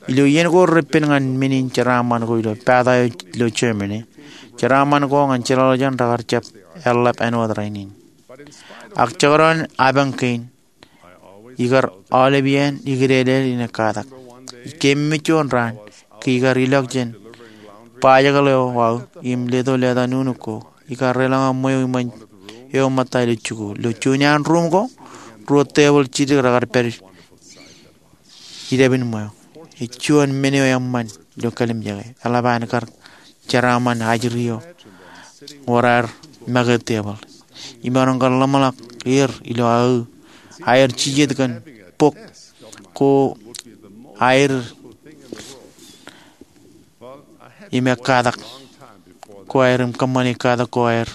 Ilo iien ko repen ñan men in jeraaṃṃan ko ilo pata eo ilo Germany, jeraaṃṃan ko ñan jeḷāḷọkjeṇ rekar jab eḷḷap āinwōt rainin. Ak jekdọọn apañ kein, ikar aolep iien ikdeedein ekkatak. Keememej juon raan, ke ikar ilọk jān bajjekḷ eo aō im leto leta nuknuk ko, ikar deḷọñ ṃweo iṃōn eo ṃōtta ilo jikuuḷ. Ilo juon iaan ruum ko, ruo tebōḷ jidik rekar pād idabin ṃweo. Ej juon men eo eṃṃan ilo kallimjeke. Eḷap an kar jeraaṃṃan ajri eo wōr aer make tebōḷ. Imaroñ kar ḷōmṇak er ilo aō aer jijet kōn bok ko aer im ekkatak ko aer im kōṃṃane ekkatak ko aer.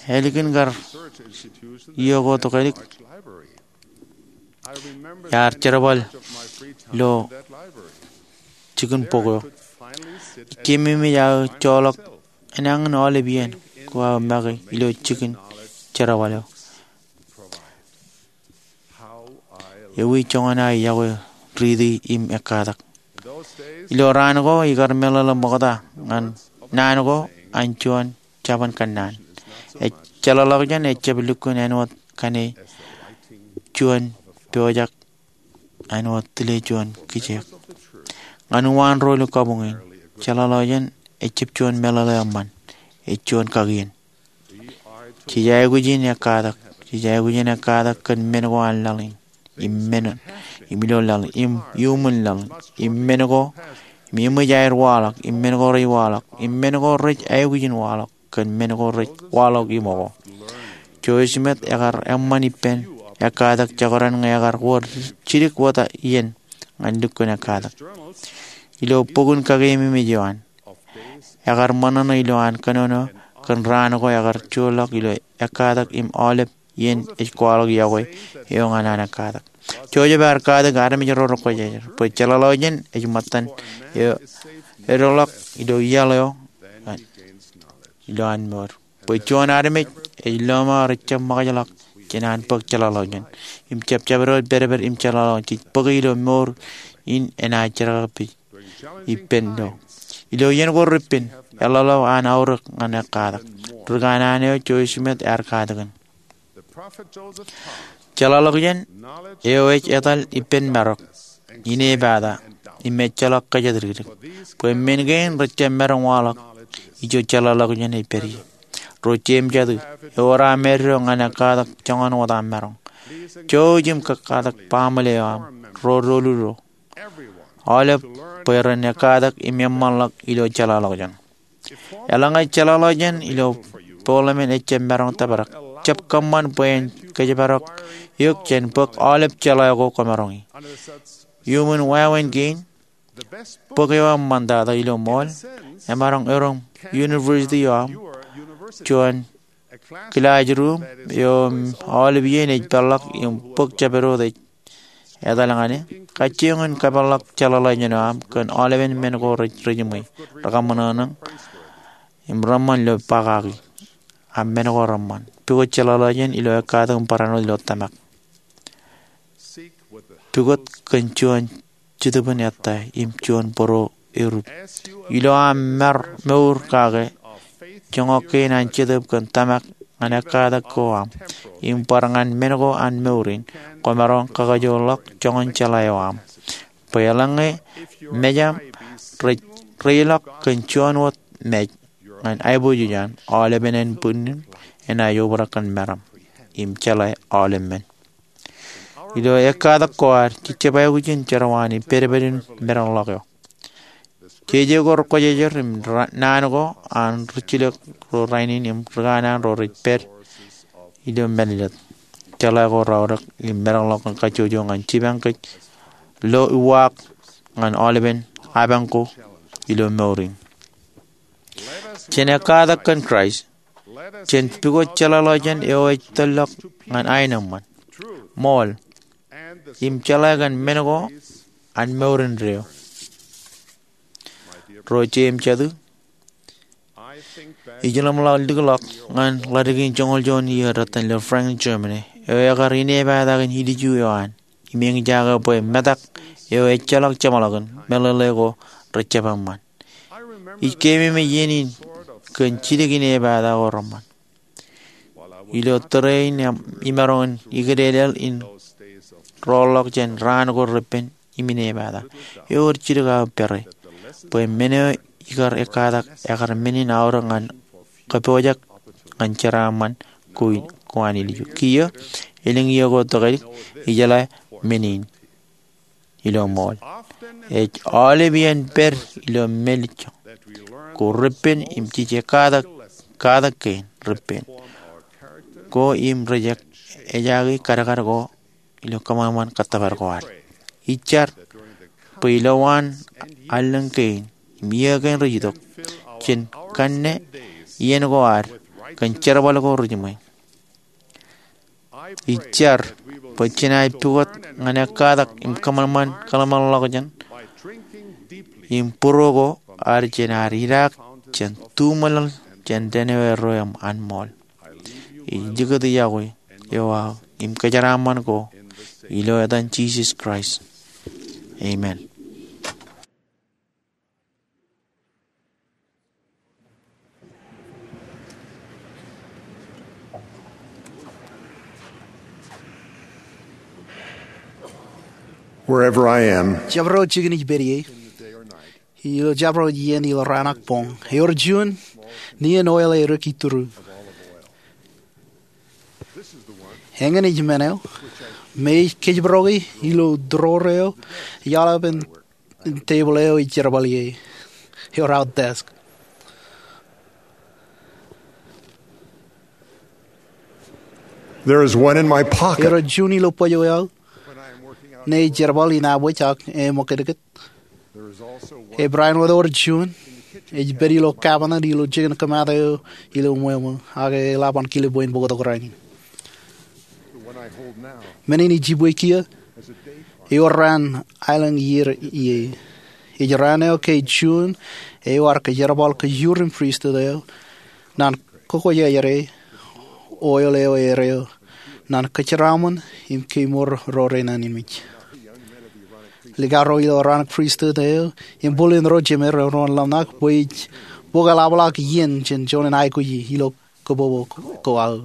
Ālikin kar iiō ko tokālik, iar jerbal ilo jikin bok eo. Keememej aō joḷọk enañin aolep iien ko aō make ilo jikin jerbal eo. Ewi joñan aō yokwe riiti im ekkatak. Ilo raan ko ikar meḷeḷe ṃokta ñan naan ko an juon jabōn kōnnaan. Ej jeḷāḷọkjeṇ ejjab lukkuun āinwōt kōn juon pojak āinwōt tile juon kijeek. Ñan uwaan ro ilo kabuñ in, jeḷāḷọkjeṇ ejjab juon meḷeḷe eṃṃan, ej juon kakien. Jej aikuj in ekkatak, jej aikuj in ekkatak kōn men ko an laḷ in, im men, im ilo laḷ, im iuṃwin laḷ, im men ko, im eṃōj aer waḷọk, im men ko rej waḷọk, im men ko rej aikuj in waḷọk, kōn men ko rej waḷọk iṃōko. Joseph Smith ekar eṃṃan ippān ekkatak jekdọọn ñe ekar wōr jidik wōt iien ñan lukkuun ekkatak. Ilo bok in kakeememej eo an, ekar ṃōṇōṇō ilo an kōnono kōn raan ko ekar joorḷọk ilo ekkatak im aolep iien ej kwaḷọk yokwe eo ñan an ekkatak. Joseph ear katak armej ro rekwōjarjar bwe jeḷāḷọkjeṇ ej ṃōttan eo edoḷọk ilo iaḷ eo ilo an mour. Bwe juon armej ej lọmọọr ejjab ṃōkajḷọk jān an bōk jeḷāḷọkjeṇ im jab jabdewōt pedped im jeḷāḷọkjeṇ jej bōke ilo mour in enaaj jerkakpeje ippān lo. Ilo iien ko repen, eḷḷaḷḷaḷ an aorōk ñan ekkatak. Ri kanaan eo Joseph Smith ear katakin, jeḷāḷọkjeṇ eo ej etal ippān marok, inepata, im ejjeḷọk kōjatdikdik. Bwe men kein rejjab maroñ waḷọk ijo jeḷāḷọkjeṇ ej pād ie. Ro jeiū im jatū, ewōr aṃ eddo ñan ekkatak joñan wōt aṃ maroñ. Jouj im kōkkatak baaṃle eo aṃ, ro doulul ro, aolep, bwe ren ekkatak im eṃṃanḷọk ilo jeḷāḷọkjeṇ. Eḷaññe jeḷāḷọkjeṇ ilo bōk lemān ejjab maroñ tōprak, jab kōṃṃan bwe en kōjparok eok jān bōk aolep jeḷā ko kwōmaroñi. Iuṃwin wāween kein, bōk eo aṃ ṃaantata ilo ṃool emaroñ erom university eo aṃ, juon kilaajruum eo im aolep iien ej peḷḷọk im bōk jabdewōt ej etal ñan e. Kajjioñ in kapeḷḷọk jeḷāḷọkjeṇ eo aṃ kōn aolepen men ko rej jiṃwe, rekaṃōṇōṇō im reṃṃan ilo ba kaki, ak men ko reṃṃan. Pukot jeḷāḷọkjeṇ ilo ekkatak im barāinwōt ilo tōmak. Pukot kōn juon jetōb in ettā im juon bōro erup. Ilo aṃ mour kake, joñak kein an jetōb kōn tōmak ñan ekkatak ko aṃ im bar ñan men ko an mour in, kwōmaroñ kakajoorḷọk joñan jeḷā eo aṃ. Bwe eḷaññe mejaṃ rej reilọk kōn juon wōt mej ñan aiboojoj an, aolepen ānbwinnin enaaj obrak kōn meram im jeḷā aolep men. Ilo ekkatak ko ad, jej jab aikuj in jerọwiwi pedped in meḷọkḷọk eo. Jeje ko rekwōjarjar im naan ko an rijjilōk ro rainin im ri kanaan ro rej pād ilo mālōtlōt. Jeḷā ko raorōk im meḷọkḷọk kajjojo ñan jipañ kōj lo uwaak ñan aolepen apañ ko ilo mour in. Jen ekkatak kōn Kraist. Jen pukot jeḷāḷọkjeṇ eo ej tōllọk ñan aenōṃṃan, ṃool, im jeḷā kōn men ko an mour indeeo. Ro jeiū im jatū, ij ḷōmṇak likḷọk ñan ḷadik in joñoul juon iiō rej iten ilo Frankfurt, Germany, eo ekar inepata kōn ilju eo an im eñjake bwe metak eo ejjeḷọk jeṃḷọkin meḷeḷe ko rejjab eṃṃan. Ij keememej iien in kōn jidik inepata ko reṃṃan. Ilo tōre in imaroñ in ikdedeḷọk in roḷọk jān raan ko repen im inepata, ewōr jidik aō pere bwe men eo ikar ekkatak ekar men in aorōk ñan kōpooj ñan jeraaṃṃan ko an ilju. Kiiō, elōñ iiō ko tōkedik, ijeḷā men in ilo ṃool. Ej aolep iien pād ilo mālejjoñ ko repen im jej ekkatak katak kein repen ko im rej ejaaki kadkad ko ilo kōṃanṃan kōttōpar ko ad. Ij jar bwe ilowaan allōñ kein im iiō kein rej itok, jen kanne iien ko ad kōn jerbal ko rejiṃwe. Ij jar bwe jenaaj pukot ñan ekkatak im kōṃanṃan kōḷmānḷọkjeṇ im būruo ko ad jān ad idaak jān tuṃōḷ jān dān eo erro im an ṃool. Ij likūt iọkwe eo aō im kōjeraaṃṃan ko ilo etan Jisōs Kraist, amen. Wherever I am, jabdewōt jikin ij pād ie, ilo jabdewōt iien, ilo raan ak boñ, ewōr juon nien oil eo erik itūru. Eñin ej men eo me ij kōjparoki ilo drawer eo eḷap an tebōḷ eo ij jerbal ie, ewōr aō desk. There is one in my pocket. Ewōr juon ilo bōjwōj eo ṇe ij jerbal in abwōj ak eṃōkdikdik. Ej barāinwōt ewōr juon ej pād ilo cabinet ilo jikin kōmaat eo ilo ṃweo ṃō, ak eḷap an kile bwe en bōktok rainin. Men in ij jibwe kiiō ewōr raan aelōñ iiō ie. Ej raan eo ke juon eo ear kōjerbal kōjur in pristut eo, ñan kōkōjjare oil eo erreo, ñan kōjeraaṃṃan im kemour ro renañinmej. likao ro ilo Aaronic Pristut eo im bōlen ro jemān ro ren ḷōmṇak bwe ij bōk eḷapḷọk iien jān juon in aikuji ilo kōpopo ko aō.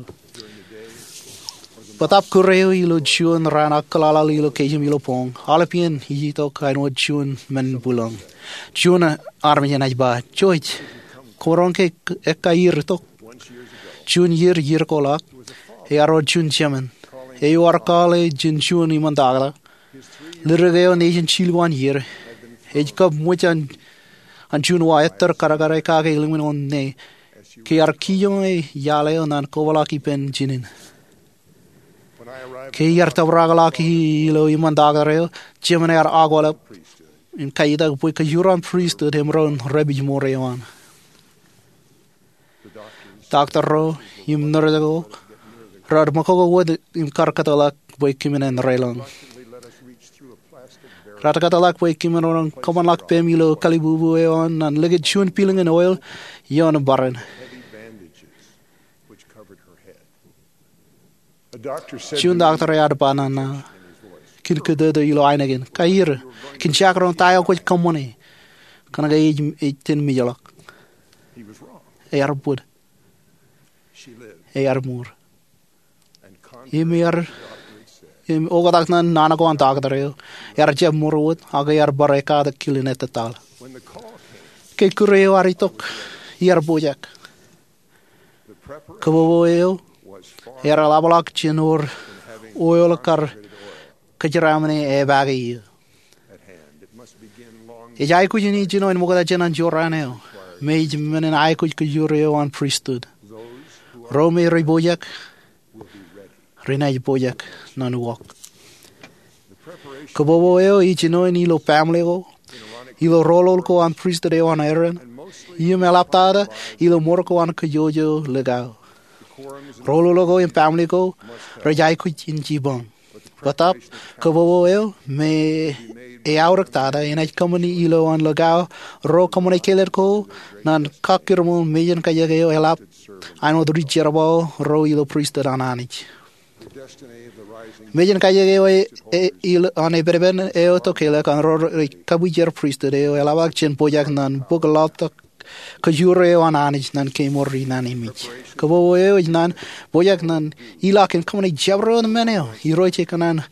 Bōtaab kūr eo ilo juon raan ak kōḷaḷḷaḷ ilo keiō im ilo boñ, aolepān ij itok āinwōt juon men in bwilōñ. Juon armej enaaj ba, Jewish, kwōmaroñ ke ekaiier itok? Juon iier, iier ko ḷọk, ear wōr juon jemān eo ear call e jān juon iṃōn taktō. Ledik eo nejin jilu an iier ej kab ṃōj an juon wa ettōr kadkad e kake ḷimninwōt ṇe ke ear kijoñ e iaḷ eo ñan kōpeḷḷọk ippān jinen. Ke iar tōprak ḷọk ilo iṃōn taktō eo, jemān ear akwālep im kaitak bwe kōjro an pristut emaroñ repijmour eō an. Taktō ro im nōrse ko raar ṃōkoko wōt im kar kōtḷọk bwe kōm naaj reilọñ. Raar kōtḷọk bwe kōm maroñ kōṃṃanḷọk peiṃ ilo kalibubu eo an ñan likūt juon pilōñ in oil ioon im barāinwōt. Juon taktō ear ba nana, kōn kōtōtō ilo ainikien, Kaiier, kōn jañin ta eo kwōj kōṃṃane, kōnke ej ten mijḷọk. Ear bōd. Ear mour. Im ear, im oktak ñan naan ko an taktō eo, ear jab mour wōt ak ear bar ekkatak kilen ettōtaḷ. Ke kūr eo ear itok, iar pojak. Kōpopo eo ear eḷapḷọk jān wōr oil kar kōjeraaṃṃan e epaake eō. Ej aikuj in ijjino in ṃokta jān an jorrāān eo, me ej men in aikuj kōjro eo an pristut. Ro me rej pojak renaaj pojak ñan uwaak. Kōpopo eo ej jinoin ilo baaṃle ko, ilo roll ko an pristut eo an Aaron, im eḷaptata ilo ṃor ko an kōjwōjwō likao. Roll ko im baaṃle ko rej aikuj in jipañ. Bōtaab kōpopo eo me eaorōktata enaaj kōṃṃani ilo an likao ro kōṃṃane kāālōt ko ñan kakkirṃool mejān kajek eo eḷap āinwōt ri jerbal ro ilo pristut an Anij. Mejān kajek eo an epedepen eo tokālik an ro rej kabwijer pristut eo eḷapḷọk jān pojak ñan bōk laḷtak kōjro eo an Anij ñan kemour inanimej. Kōpopo eo ej ñan pojak ñan ilọk in kōṃṃane jabdewōt men eo Irooj ej kōṇaan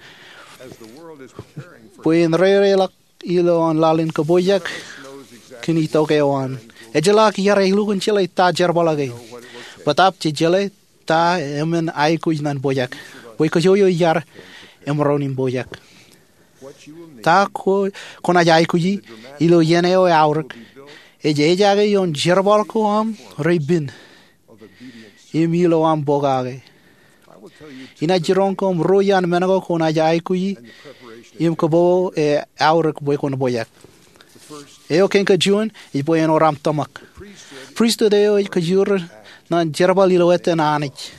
bwe en reireḷọk ilo an laḷ in kōpojak kōn itok eo an. Ejjeḷọk iar elukkuun jeḷā ta jerbal eo kein, bōtaab jej jeḷā ta eṃṃan aikuj ñan pojak, bwe kōjwōjwō iar emaroñ in pojak. Ta ko kwōnaaj aikuji ilo iien eo eaorōk ej ejaake ioon jerbal ko aṃ reipen im ilo aṃ pokake. Inaaj jiroñ koṃ ruo iaan men ko kwōnaaj aikuji im kōpopo eo eaorōk bwe kwōn pojak. Eo kein kajuon ej bwe en wōr aṃ tōmak. Pristut eo ej kōjwōj ñan jerbal ilo ettōn Anij.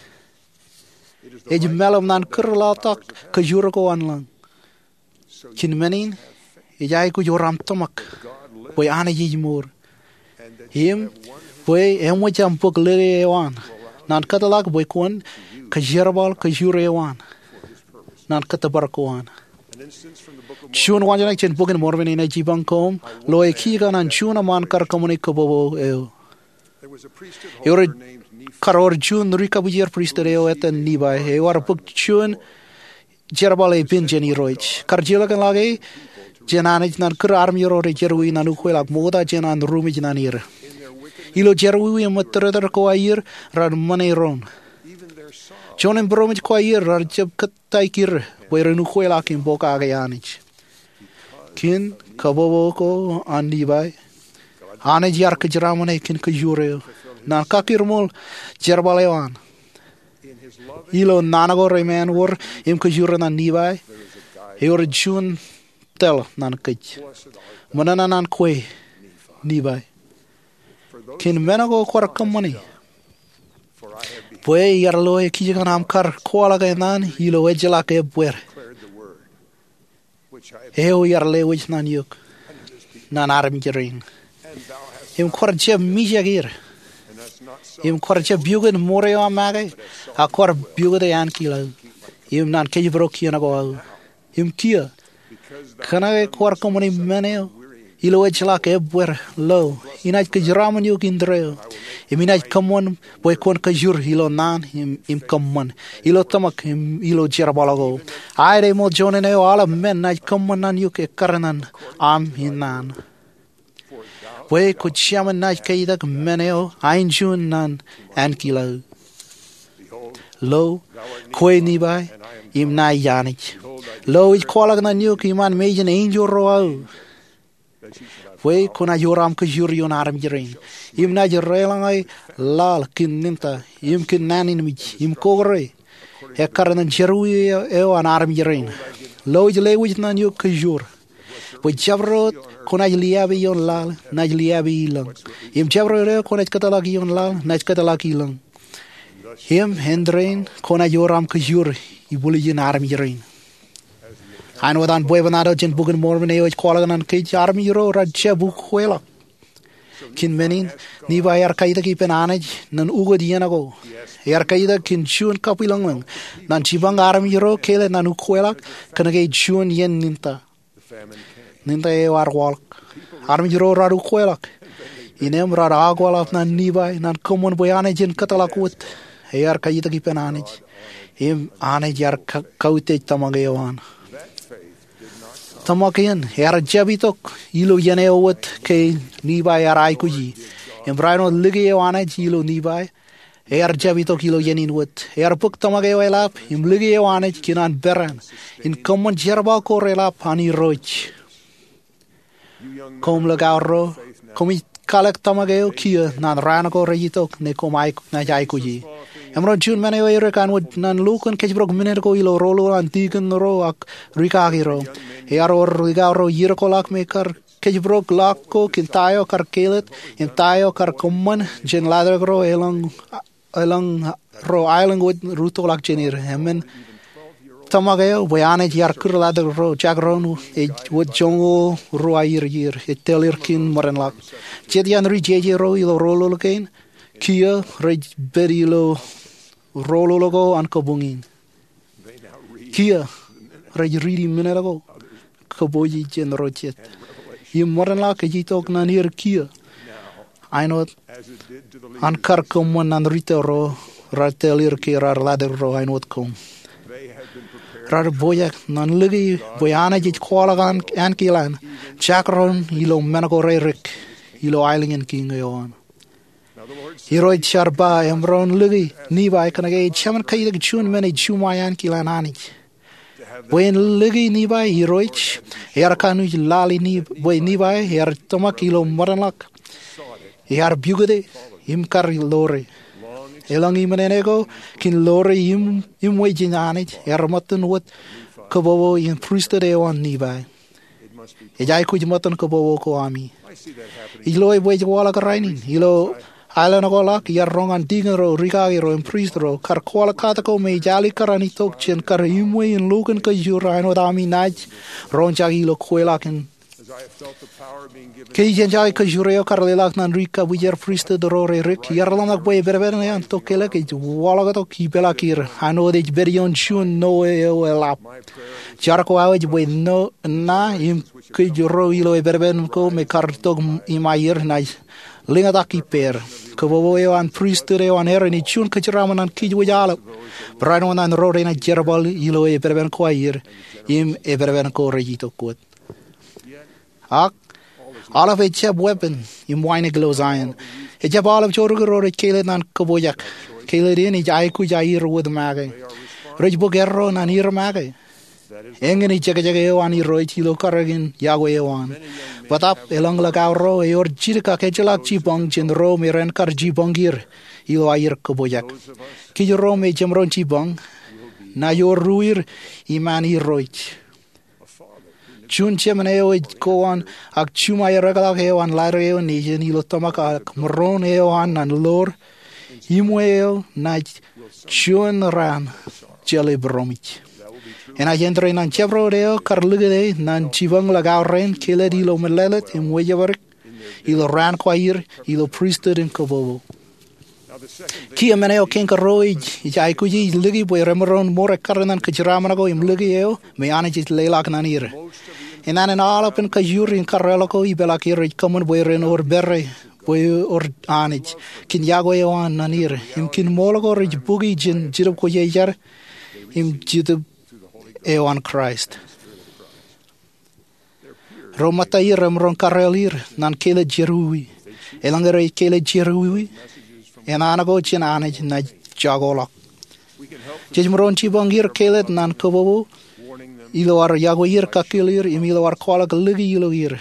Ej mālōtlōt ñan kūr laḷtak kōjwōj ko an lañ. Kōn men in, ej aikuj wōr aṃ tōmak bwe Anij ej mour im bwe eṃōj aṃ bōk lōke eo an ñan kōtḷọk bwe kwōn kōjerbal kōjwōj eo an ñan kōttōpar ko an. Juon wōnṃaantak jān Bok in Mormon enaaj jipañ koṃ loe kijkan an juon eṃṃaan kar kōṃṃane kōpopo eo. Ewōr kar wōr juon ri kabwijer pristut eo ettōn Nifai eo ear bōk juon jerbal epen jān Irooj. Kar jilkinḷọk e jān Anij ñan kūr armej ro rej jerọwiwi ñan ukweḷọk ṃokta jān an ruṃwij ñan er. Ilo jerọwiwi im ṃōttōrtōr ko aer raar ṃōṇe doon. Juon im būroṃōj ko aer raar jab kōttāik er bwe ren ukweḷọk im pokake Anij. Kōn kōpopo ko an Nifai, Anij ear kōjeraaṃṃan e kōn kōjwōj eo ñan kakkirṃool jerbal eo an. Ilo naan ko reṃṃan wōr im kōjwōj ñan Nifai, ewōr juon tōl ñan kōj. Ṃōṇōṇō ñan kwe, Nifai, kōn men ko kwaar kōṃṃane, bwe iar loe kijkan aṃ kar kwaḷọk eṇ an ilo ejjeḷọk ebbweer eo iar lewōj ñan eok ñan armej rein. Im kwaar jab mijak er. Im kwaar jab piukūt ṃoor eo aṃ make, ak kwaar piukūte ankilaō im ñan kōjparok kien ko aō. Im kiiō, Kōnke kwaar kōṃṃani men eo ilo ejjeḷọk ebbweer, lo, inaaj kōjeraaṃṃan eok indeeo, im inaaj kōṃṃan bwe kwōn kōjur ilo naan im kōṃṃan, ilo tōmak im ilo jerbal ko. Aet eo eṃool juon eo aolep men naaj kōṃṃan ñan eok ekkar ñan aṃ in naan. Bwe kwō jemān naaj kaitak men eo aenjein naan ankilaō. Lo, kwe Nifai, im ña ij Anij. Lo, ij kwaḷọk ñan eok iṃaan mejān enjeḷ ro aō, bwe kwōnaaj ewōr aṃ kōjur ioon armej rein, im naaj deḷọñe laḷ kōn ninta, im kōn nannānmej, im kōkure, ekkar ñan jerọwiwi eo an armej rein. Lo, ij lewōj ñan eok kōjur, bwe jabdewōt kwōnaaj liāpe ioon laḷ, naaj liāpe ilōñ, im jabdewōt eo kwōnaaj kōtḷọk ioon laḷ, naaj kōtḷọk ilōñ. Im āindein kwōnaaj ewōr aṃ kōjur ibwiljin armej rein. Āinwōt an bwebwenato jān Bok in Mormon eo ej kwaḷọk ñan kōj, armej ro raar jab ukweḷọk. Kōn men in, Nifai ear kaitak ippān Anij ñan ukōt iien ko. Ear kaitak kōn juon kabwilōñlōñ ñan jipañ armej ro kelōt ñan ukweḷọk kōnke juon iien ninta. Ninta eo ear waḷọk. Armej ro raar ukweḷọk. Innām raar akweḷap ñan Nifai ñan kōṃṃan bwe Anij en kōtḷọk wōt. Ear kaitak ippān Anij, im Anij ear ka- kautiej tōmak eo an. Tōmak in ear jab itok ilo iien eo wōt ke Nifai ear aikuji. Im barāinwōt lōke eo Anij ilo Nifai, ear jab itok ilo iien in wōt. Ear bōk tōmak eo eḷap im lōke eo Anij kōn an peran in kōṃṃan jerbal ko reḷap an Irooj. Koṃ likao ro, koṃij kalōk tōmak eo kiiō ñan raan ko rej itok ñe koṃ naaj aikuji. Emaroñ juon men eo erik āinwōt ñan lukkuun kōjparok minit ko ilo roñoul an dikon ro ak rikaki ro. Ear wōr likao ro iiō ko ḷọk me kar kōjparok ḷọk ko kōn ta eo kar kelōt im ta eo kar kōṃṃan jān ḷadik ro elōñ ro aelōñ wōt rūttoḷọk jān er. Eṃṃan tōmak eo bwe Anij ear kūr ḷadik ro jakrōn ej wōt joñoul ruo iiō iiō ej tōl er kōn ṃōdenḷọk. Jet iaan ri jeje ro ilo roñoul kein, kiiō rej pād ilo roñoul ko an kabuñ in. Kiiō rej riiti minit ko kōpooje jān ro jet. Im ṃōdenḷọk ej itok ñan er kiiō āinwōt an kar kōṃṃan ñan rūtto ro raar tōl er ke raar ḷadik ro āinwōt koṃ. Raar pojak ñan lōke bwe Anij ej kwaḷọk ankilaan jakrōn ilo men ko rerik ilo aelōñ in kiiñ eo an. Irooj ear ba emaroñ lōke Nifai kōnke ej jemān kaitak juon men ej juṃae ankilaan Anij. Bwe en lōke Nifai irooj, ear kanooj lale bwe Nifai ear tōmak ilo ṃōdenḷọk. Ear pukot im kar lore. Elōñ iṃōn āne ko kōn lore im iṃwe jān Anij ear ṃōttan wōt kōpopo in pristut eo an Nifai. Ej aikuj ṃōttan kōpopo ko ami. Ij loe bwe ej waḷọk rainin ilo aelōñ ko ḷọk iar roñ an dikon ro, rikaki ro im prist ro kar kwaḷọk katak ko me ej alikkar an itok jān kar iṃwe in lukkuun kōjur āinwōt ami naaj roñjake ilo kweilọk in. Ke ij enjoy kōjur eo kar leḷọk ñan ri kabwijer pristut ro rerik, iar ḷōmṇak bwe epeperan an tokālik ej waḷọktok ipeḷaakier āinwōt ej pād ioon juon ṇoe eo eḷap. Jar ko aō ej bwe ṇa im kōj ro ilo epeperan ko me kar tok im aier naaj lōñtak ippāer. Kōpopo eo an pristut eo an Aaron ej juon kōjeraaṃṃan ñan kōj wōj aolep, barāinwōt ñan ro renaaj jerbal ilo epeperan ko aier im epeperan ko rej itok wōt. Ak aolep ejjab weeppān im wānōk ilo Zion. Ejjab aolep jorrāān ro rej kelōt ñan kōpojak. Kelōt in ej aikuj aier wōt make. Rej bōk erro ñan er make. Eñin ej jekjek eo an Irooj ilo karreoon yokwe eo an. Bōtaab elōñ likao ro ewōr jidik ak ejjeḷọk jipañ jān ro me ren kar jipañ er ilo aier kōpojak. Kōj ro me jemaroñ jipañ, naaj wōr ruwier iṃaan Irooj. Juon jemān eo ej kowaan ak juṃae ereḷọk eo an ḷadik eo nejin ilo tōmak ak maroñ eo an ñan ḷoor iṃwe eo naaj juon raan jeḷā būroṃōj. Enaaj āindein ñan jabdewōt eo kar likūt e ñan jipañ likao rein kelōt ilo mālōtlōt im wejepdik ilo raan ko aier ilo pristut in kōpopo. Kiiō men eo kein karuo ej aikuji ij lōke bwe remaroñ mour ekkar ñan kōjeraaṃṃan ko im lōke eo me Anij ej leḷọk ñan er. Naan in aolepān kajoor in karreoḷọk ko ipeḷọk er rej kōṃṃan bwe ren wōr pere, bwe wōr Anij, kōn yokwe eo an ñan er, im kōn ṃool ko rej bukwi jān Jetōb Kwōjarjar im Jetōb eo an Kraist. Ro ṃōtta er remaroñ karreoḷ er ñan kālōt jerọwiwi. Eḷaññe rej kālōt jerọwiwi, naan ko jān Anij ṇaaj jokoḷọk. Jej maroñ jipañ er kālōt ñan kōpopo ilo ad yokwe er, kakkōl er, im ilo ad kwaḷọk lōke ilo er.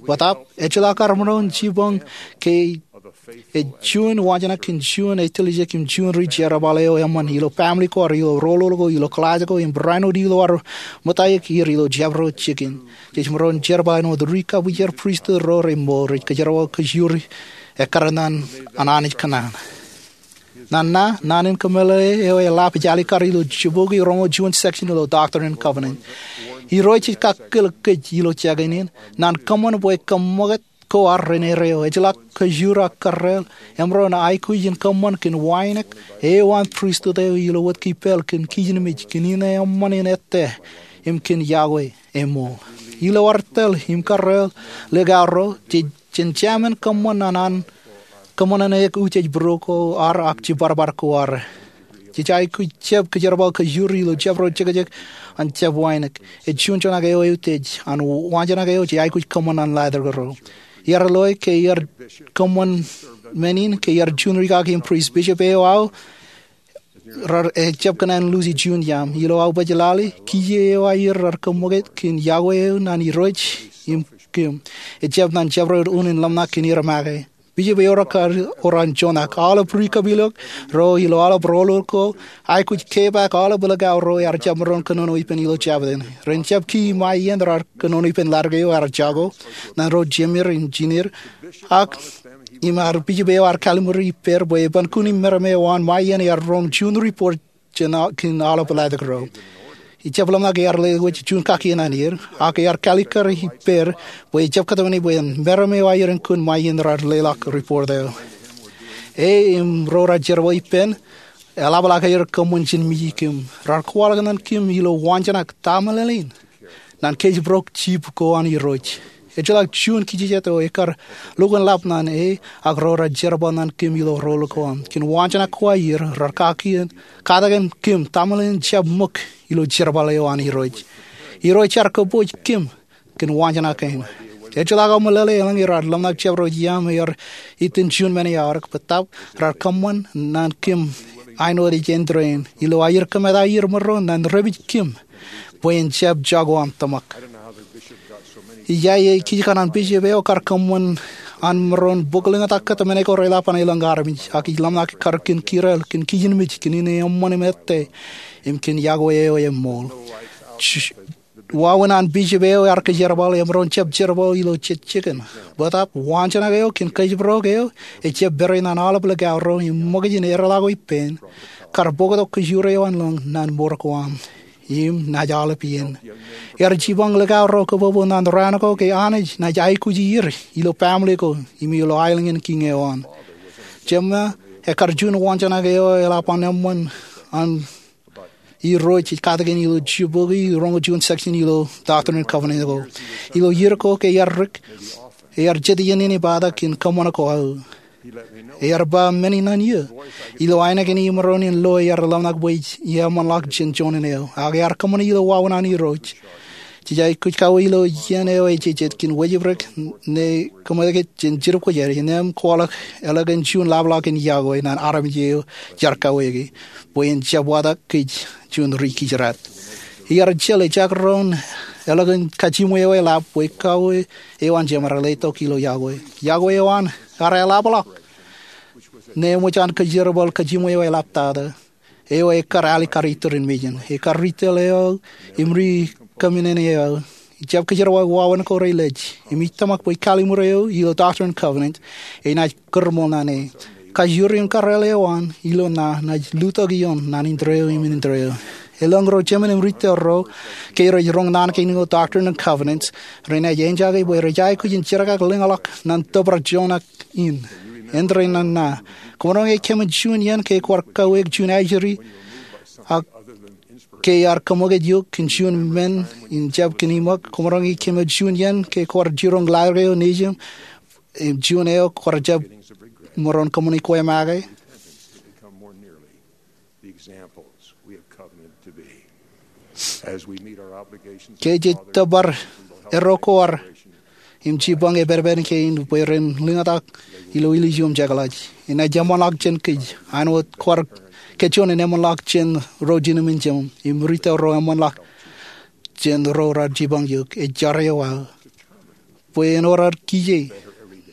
Bōtaab, ejjeḷọk ad maroñ jipañ ke ej juon wañjānak kōn juon etiljek im juon ri jerbal eo eṃṃan ilo baaṃle ko ad, ilo roñoul ko, ilo kilaaj ko, im barāinwōt ilo ad ṃōttan er ilo jabdewōt jikin. Jej maroñ jerbal āinwōt ri kabwijer pristut ro remour rej kōjerbal kōjro ekkar ñan an Anij kōṇaan. Ñan ṇa, naan in kameḷeḷe eo eḷap ej alikkar ilo jibukwi roñoul juon section ilo Doctrine and Covenants. Irooj ej kakkōl kōj ilo jekōn in ñan kōṃṃan bwe kōṃṃakūt ko ad ren erreo. Ejjeḷọk kōjro ak karreoḷ, emaroñ aikuj in kōṃṃan kōn wānōk eo an pristut eo ilo wōt ke pāl kōn kijenmej kōn in eṃṃan in ettā im kōn yokwe eṃool. Ilo ad tōl im karreoḷ likao ro, jej jemān kōṃṃan an an kōṃṃan an eok utiej būruo ko ad ak jiparbar ko ad. Jej aikuj jab kōjerbal kōjro ilo jabdewōt jekjek an jab wānōk. Ej juon joñak eo eutiej an wañjānak eo jej aikuj kōṃṃan an ḷadik ro. Iar loe ke iar kōṃṃan men in ke iar juon rikaki im prist. Bishop eo aō rej jab kōṇaan luuji juon iaam. Ilo aō baj lale, kiiō eo aer rej kōṃṃakūt kōn yokwe eo ñan Irooj im kōm. Ejjab ñan jabdewōt un in ḷōmṇak kōn er make. Bishop eo ekar ro an joñak. Aolep ri kapilōk ro ilo aolep roñoul ko aikuj kepaak aolep likao ro ear jab maroñ kōnono ippān ilo jabōt in. Ren jab kii ṃae iien rej kōnono ippān ḷadik eo ear jako ñan ro jemed im jined, ak im ear bishop eo ear kallimur ippād bwe eban kun im meram eo an ṃae iien ear roñ juon report jān kōn aolep ḷadik ro. Ejjab ḷōmṇak ear lewōj juon kakien an er, ak ear kalikkar ippād bwe ejjab kōtmāne bwe en meram eo aer en kun ṃae iien rej leḷọk report eo. E im ro rej jerbal ippān eḷapḷọk aer kōṃṃan jān mejān kōm. Rej kwaḷọk ñan kōm ilo wañjānak, taṃōḷeḷein, ñan kōjparok jibukwi ko an Irooj. Ejjeḷọk juon kijejet eo ekar lukkuun ḷap ñan e ak ro rej jerbal ñan kōm ilo roñoul ko an. Kōn wañjānak ko aer, rej kakien katakin kōm taṃōḷeḷein jab ṃōk ilo jerbal eo an Irooj. Irooj ear kōpooj kōm kōn wañjānak kein. Ejjeḷọk aō meḷeḷe eḷaññe rej ḷōmṇak jabdewōt iaam ear itōn juon men eo aorōk, bōtaab rej kōṃṃan ñan kōm āinwōt ej āindein, ilo aer kōmeḷeḷe aer mour ro ñan repij kōm bwe en jab jako aṃ tōmak. Ijaje ej kij kaṇ an bishop eo ekar kōṃṃan an maroñ bōk lōñtak kōtmāne ko reḷap an elōñ armej, ak ij ḷōmṇak kar kōn kōrā kōn kijenmej kōn in eṃṃan im ettā im kōn yokwe eo eṃool. Wāween an bishop eo ear kōjerbal emaroñ jab jerbal ilo jejjekōn. Bōtaab wañjānak eo kōn kōjparok eo ejjab pere ñan aolep likao ro im ṃōkaj in erḷọk ippān, kar bōktok kōjro eo an lōñ ñan mour ko aṃ im naaj aolep iien. Ear jipañ likao ro kōpopo ñan raan ko ke Anij naaj aikuji er ilo baaṃle ko im ilo aelōñ in kiiñ eo an. Jemā, ekkar juon wañjānak eo eḷap an eṃṃan an Irooj ej katakin ilo jibukwi roñoul juon section ilo Doctrine and Covenants ko. Ilo iiō ko ke ear dik, ear jet iien in ipata kōn kōṃṃan ko aō. Ear ba men in an iiō. Ilo ainikien imaroñ in lo ear ḷōmṇak bwe ij eṃṃanḷọk jān joñan eo. Ak ear kōṃṃane ilo wāween an Irooj. Jej aikuj kawōj ilo iien eo ejejjet kōn wōjibdik ṇe kōṃṃan kōj jān Jetōb Kwōjarjar, innem kwaḷọk eḷap kōn juon ḷapḷọk in yokwe ñan armej eo jaar kawōjke bwe en jab watak kōj juon ri kijeraad. Iar jeḷā ejjab roñ eḷap kōn kajiṃwe eo eḷap bwe kawōj eo an jemed rej letok ilo yokwe. Yokwe eo an ear eḷapḷọk ṇe eṃōj an kōjerbal kajiṃwe eo eḷaptata eo ekar alikkar iturin mejān. Ekar ri tōl eo im ri kōmānen eo ejjab kōjerbal wāween ko rej lej. Im ij tōmak bwe kalliṃur eo ilo Doctrine and Covenants enaaj kōrṃool ñan e. Kajoor im karreoḷ eo an ilo ṇa naaj lutōk ioon ñan indeeo im indeeo. Elōñ ro jemān im ri tōl ro ke rej roñ naan kein ilo Doctrine and Covenants renaaj eñjake bwe rej aikuj in jerkakḷọk lōñḷọk ñan tōprak joñak in. āindein nana. Koṃaroñ ej kōṃṃan juon iien ke kwaar kaweik juon ajri, ak ke ear kaṃōkaj eok kōn juon men in jab kōn iṃōk. Koṃaroñ ej kōṃṃan juon iien ke kwaar jiroñ laḷ eo nejūṃ, im juon eo kwaar jab maroñ kōṃṃani kwe make. Ke jej tōpar erro ko ad im jipañ epepen kein bwe ren lōñtak ilo ilju im jekḷaj, enaaj eṃṃanḷọk jān kōj. Āinwōt kwaar kōjjeḷọk eṃṃanḷọk jān ro jinōmin jemām im ri-tōl ro eṃṃanḷọk jān ro raar jipañ eok, ej jar eo aō bwe en wōr ad kije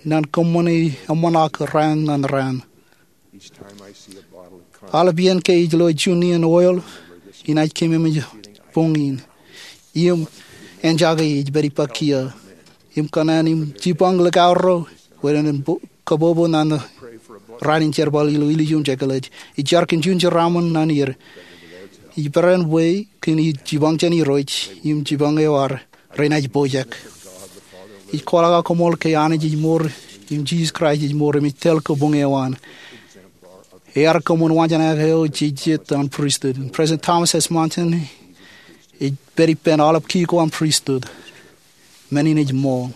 naan kōṃṃane eṃṃanḷọk raan ñan raan. Aolep iien ke ij lo juon iien oil, inaaj keememej boñ in im enjake ej pād ippa kiiō im kōṇaan im jipañ likao ro bwe ren kabobo naan raan in jerbal ilo ilju im jekḷaj. Ij jar kōn juon jeraaṃṃan ñan er. Ij peran bwe kōn jipañ jān Irooj im jipañ eo ad, renaaj pojak. Ij kwaḷọk aō koṃṃool ke Anij ej mour im Jisōs Kraist ej mour im ej tōl kabuñ eo an. Ear kōṃṃan waanjoñak eo jej jet an pristut. President Thomas S. Monson ej pād ippān aolep kiiō ko an pristut. Men in ej ṃool.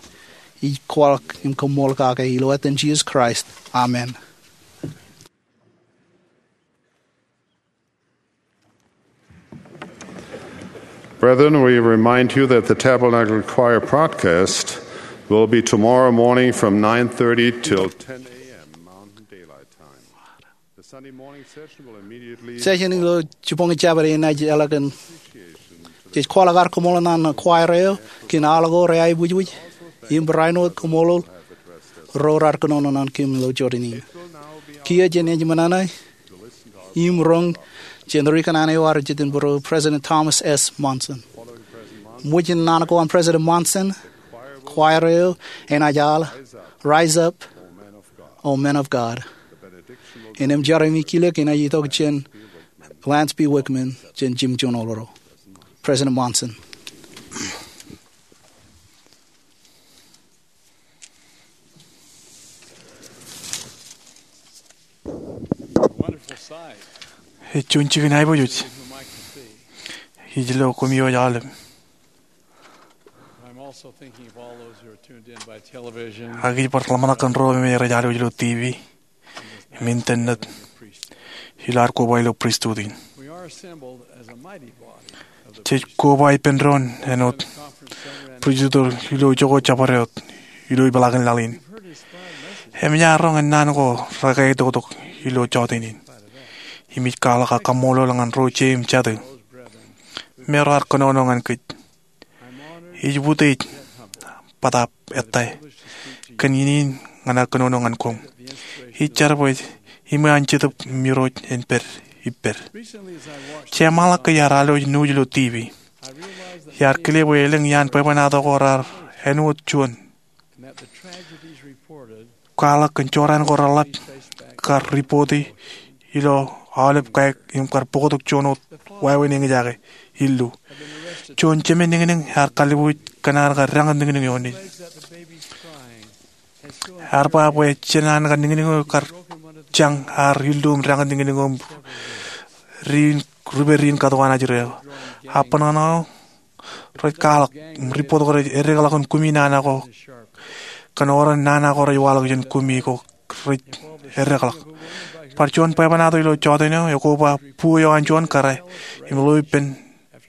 Ij kwaḷọk im koṃṃool kake ilo etan Jisōs Kraist, amen. Brethren, we remind you that the Tabernacle Choir broadcast will be tomorrow morning from nine thirty till ten a m Mountain Daylight Time. The Sunday morning session will immediately Session ilo jibboñ jabdewōt enaaj eḷak kōn. Jej kwaḷọk ad koṃṃool ñan choir eo kōn aḷ ko reaibwijbwij im barāinwōt koṃṃool ro raar kōnono ñan kōm ilo jota in. Kiiō jenaaj ṃōṇōṇō im roñ jān ri kōṇaan eo ad jet in būruō, President Thomas S. Monson. Ṃōj in naan ko an President Monson, choir eo enaaj al Rise Up, O Men of God. Innem jar im kilōk enaaj itok jān Lance B. Wickman jān jimjuon oḷoḷo. President Monson. Ej juon jikin aiboojoj ij lo koṃ iooj aolep. Ak ij bar ḷōmṇak kōn ro me rej alwōj ilo TV im internet ilo ad koba ilo pristut in. Jej koba ippān doon āinwōt pristut ilo ijoko jabdewōt ilo ipeḷaakin laḷ in. Im ij roñ naan ko rekaitiktok ilo jota in. Im ij kwaḷọk aō kaṃṃoolol ñan ro jeiū im jatū me raar kōnono ñan kōj. Ij utiej bōtaab ettā kōn iien in ñan aō kōnono ñan koṃ. Ij jar bwe iṃaan Jetōb im Irooj en pād ippād. Jeṃḷọk ke iar alwōj nuuj ilo TV. Iar kile bwe elōñ iaan bwebwenato ko raar āinwōt juon kwaḷọk kōn jorrāān ko reḷap kar ripoti ilo aolep kaik im kar bōktok juon wōt wāween eñjake illu. Juon jemān niñniñ ear kalbuuj kōn an kar rañōt niñniñ eo ṇe. Ear ba bwe jān an kar niñniñ eo kar jañ ear illu im rañōt niñniñ eo im ripein riin katuka ṇe ajri eo. Aō bōnbōn eo rej kwaḷọk im ripot ko rej eddekḷọk kōn kumi nana ko kōn oran nana ko rej waḷọk jān kumi ko rej eddekḷọk. Bar juon bwebwenato ilo jota in eo ekoba bu eo an juon kōrā im ḷeo ippān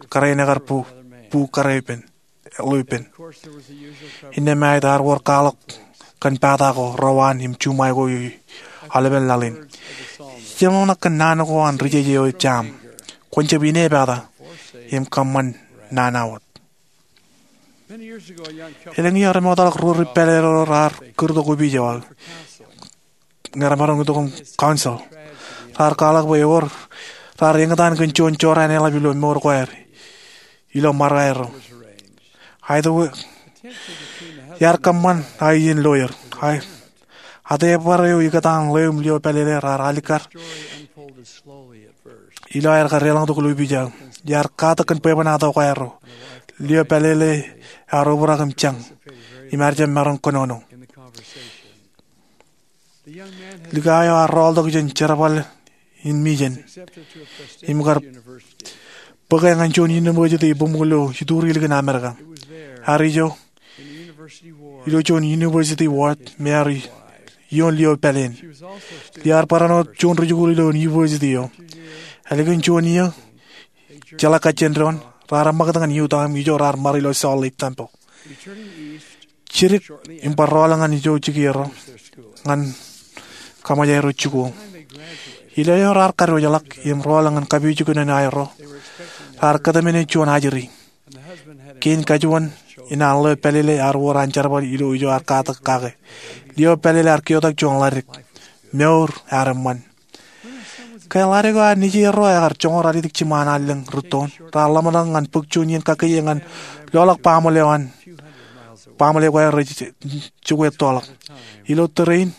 kōrā in ekar bu, bu kōrā ippān, ḷeo ippān. Innām āinwōt ear wōr kwaḷọk kōn pata ko, rewaan im juṃae ko ilo aolepen laḷ in. Jeṃḷọk kōn naan ko an ri-jeje eo ej jaam, kwōn jab ine pata im kōṃṃan nana wōt. Elōñ iiō remootḷọk ruo ri pālele ro raar kūrtok opiij eo aō ñe remaroñ itok im counsel. Raar kwaḷọk bwe ewōr raar eñtaan kōn juon jorrāān eḷap ilo mour ko aer ilo ṃarōk aerro. Iar kōṃṃan aō iien lawyer. Atebar eo ikōtaan ḷeo im lio pālele raar alikkar ilo aer kar eḷañtok ilo opiij aō. Iar katak kōn bwebwenato ko aerro. Lio pālele ear obrak im jañ im ear jab maroñ kōnono. Likao eo ear rọọltok jān jerbal in mijen im kar bōke ñan juon university bōkmōk ilo ituri ilikin Amerika. Ear ijo ilo juon university ward me ear ioon lio pāleen. Lio ear barāinwōt juon rijikuuḷ ilo university eo. Ālikin juon iiō, jeḷā kajjien doon, raar eṃṃakūt ñan Utah im ijo raar ṃare ilo Salt Lake Temple. Jidik im bar rọọl ñan ijo jikier eo ñan kaṃōj aerro jikuuḷ. Ilo eo raar kadiwōjḷọk im rọọl ñan kapijuknen aerro, raar kōtmāne juon ajri. Kein kajuon in an lio pālele ear wōr an jerbal ilo ijo ear katak kake. Lio pālele ear keotak juon ḷadik. Mour ear eṃṃan. Ke ḷadik eo an nejier ro ekar joñoul ralitōk jiṃa an allōñ rūttoon, raar ḷōmṇak ñan bōk juon iien kakkije ñan loḷọk baaṃle eo an baaṃle ko aer rej jokwe ettoḷọk. Ilo tōre in,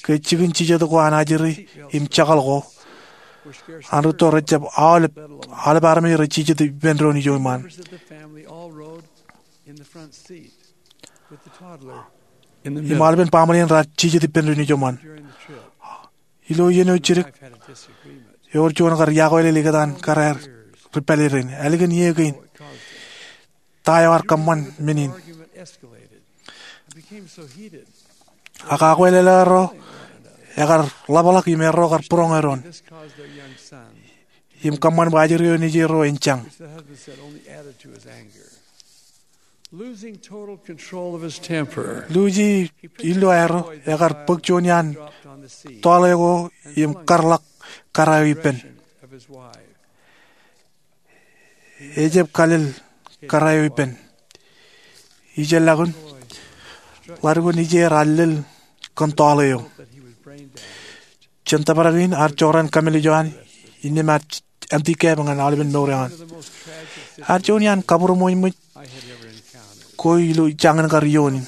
ke jikin jijet ko an ajri im jakal ko an rūtto rejjab aolep, aolep armej rej jijet ippān doon ijo iṃaan. Im aolepen baaṃle in raar jijet ippān doon ijo iṃaan. Ilo iien eo jidik, ewōr juon kar iakweilel ikōtaan kōrā ri pālele rein. Ālikin iiō kein, ta eo ear kōṃṃan men in? Ak akwāāl eo ekar ḷapḷọk im erro kar būroñe doon im kōṃṃan bwe ajri eo nejier ro en jañ. Luuji illu aerro, ekar bōk juon iaan tọọle ko im karḷọk kōrā eo ippān. Ejab kalel kōrā eo ippān. Ijellọkun, ḷadik ko nejier ear lel kōn tọọle eo. Jān tōprak in ear jorrāān kōmālij eo an, innām ear āntikab ñan aolepen mour eo an. Ear juon iaan kabūroṃōjṃōj ko ilo jañin kar iioon in.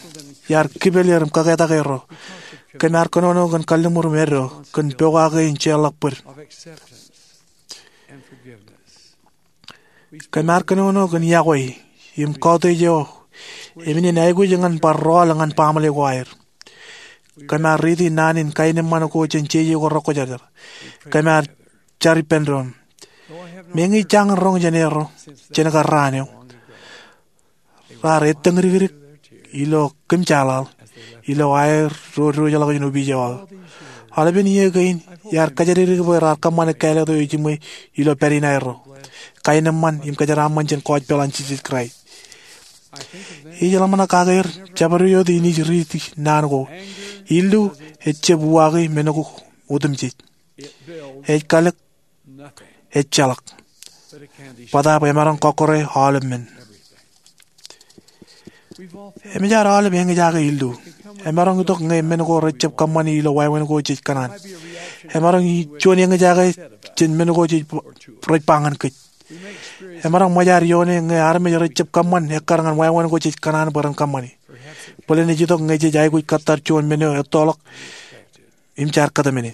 Iar kipel er im kōketak erro. Kōm ar kōnono kōn kalliṃur im eddo kōn pokake in jeorḷọk bōd. Kōm ar kōnono kōn iọkwe im kautiej eo im innem aikuj ñan bar rọọl ñan baaṃle ko aer. Kōm ar riiti naan in kaenōṃṃan ko jān jeje ko rekwōjarjar. Kōm ar jar ippān doon. Meñe jañin roñ jān erro jān kar raan eo, raar ettōñdikdik ilo kōmjeḷaḷ ilo aer ro diwōjḷọk jān opiij eo aō. Aolepen iiō kein iar kōjatdikdik bwe raar kōṃṃane kāālōt eo ejiṃwe ilo pād in aerro, kaenōṃṃan im kōjeraaṃṃan jān kọọjpel an Jisōs Kraist. Ij ḷōmṇak kake er jabdewōt in ij riiti naan ko. Illu ejab uwaake men ko otemjej. Ej kalōk, ejjeḷọk. Bōtaab emaroñ kọkkure aolep men. Eṃōj ad aolep eñjake illu. Emaroñ itok ñe men ko rejjab kōṃṃani ilo wāween ko jej kōṇaan. Emaroñ juon eñjake jān men ko jej, rej ba ñan kōj. Emaroñ ṃōj ad ioone ñe armej rejjab kōṃṃan ekkar ñan wāween ko jej kōṇaan bwe ren kōṃṃani. Bōlen ej itok ñe jej aikuj kōttar juon men eo ettoḷọk im jaar kōtmāne.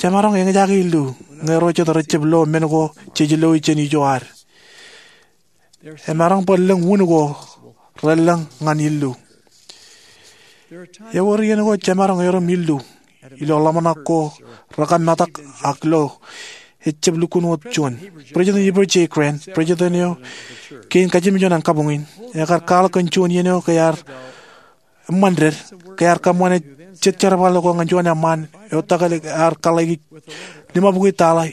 Jemaroñ eñjake illu ñe ro jet rejjab lo men ko jej loi jān ijo ad. Emaroñ bwe lōñ wūn ko relōñ ñan illu. Ewōr iien ko jemaroñ erom illu ilo ḷōmṇak ko rekōmetak ak ilo ejjab lukkuun wōt juon. President Heber J. Grant, president eo kein kajimjuon an kabuñ in, ekar kwaḷọk kōn juon iien eo ke ear eṃṃan ded, ke ear kōṃṃane jet jerbal ko ñan juon eṃṃaan eo tōkel ear kōḷḷāiki limabukwi tala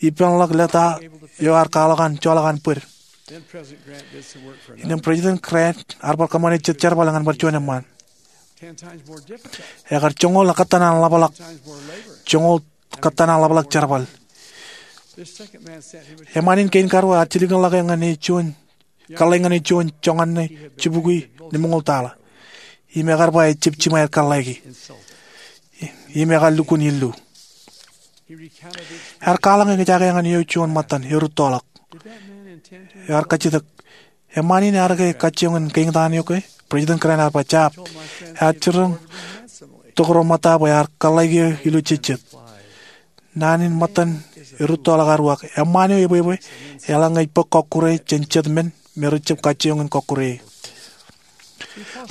ippānḷọk leta eo ear kwaḷọk an joḷọk an bōd. Innām President Grant ear bar kōṃṃane jet jerbal ñan bar juon eṃṃaan. Ekar joñoul kōttan an ḷapḷọk, joñoul kōttan an ḷapḷọk jerbal. Eṃṃaan in kein karuo ear jilkinḷọke ñan e juon, kōḷḷāik ñan e juon joñan ṇe jibukwi limñoul tala. Im ekar ba ejjab jiṃa aer kōḷḷāiki. Im ekar lukkuun illu. Ear kwaḷọk eñjake ñan eo juon ṃōttan erūttoḷọk. Ear kajjitōk, eṃṃaan in ear ke kajjioñ in kein tok eok? President Grant ear ba, jab. Ear jiroñ tok ro ṃōtta bwe ear kōḷḷāiki eō ilo jejjet. Naan in ṃōttan erūttoḷọk ear uwaak, eṃṃaan eo ebwebwe eḷaññe ej bōk kọkkure jān jet men me rejjab kajjioñ in kọkkure e.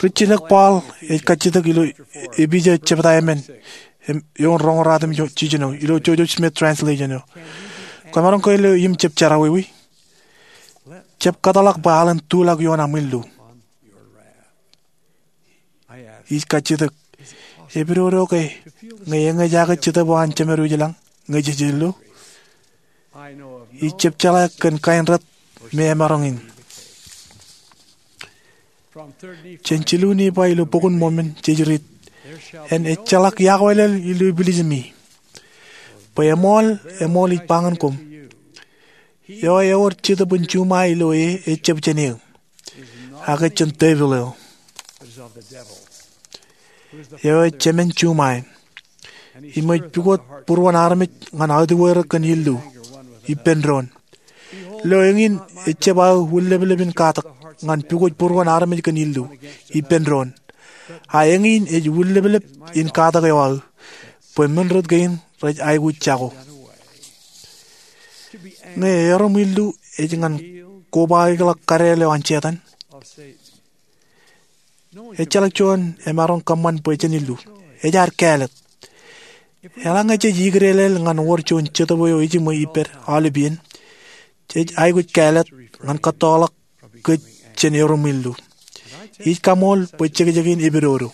Rijjilōk Paul ej kajjitōk ilo Epesōs jebta emān, im eoon roñoul ratimjuon jiljino ilo Joseph Smith translation eo. Kwōmaroñ ke lo im jab jerọwiwi? Jab kōtḷọk bwe aolep in tulọk ioon aṃ illu. Ij kajjitōk, epidodo ke ñe eñejake Jetōb eo an Jemedwōj ilañ ñe jej illu? Ij jab jeḷā kōn kain rot me emaroñ in. Jān jilu Nifai ilo Bok in Mōmon jej riit, en ejjeḷọk iọkwe ḷọk ilo ipilijimi. Bwe eṃool, eṃool ij ba ñan koṃ, eo ewōr jetōb in juṃae ilo e ejjab jān eō, ak ejjab jān devil eo, eo ej jemān juṃae, im ej pukot būruon armej ñan autiwōj er kōn illu ippān doon. Lo, eñin ejjab aō wūnleplep in katak ñan pukot būruon armej kōn illu ippān doon. A eñin ej wūnleplep in katak eo aō, bwe men rot kein rej aikuj jako. Ñe erom illu ej ñan kobaikḷọk kadeel eo an Setan, ejjeḷọk juon emaroñ kōṃṃan bwe jen illu. Ej ad kāālōt. Eḷaññe jej ikdeḷeḷ ñan wōr juon jetōb eo ejiṃwe ippād aolep iien, jej aikuj kāālōt ñan kōttoḷọk kōj jān erom illu. Ij kaṃool bwe jekjekin epidodo.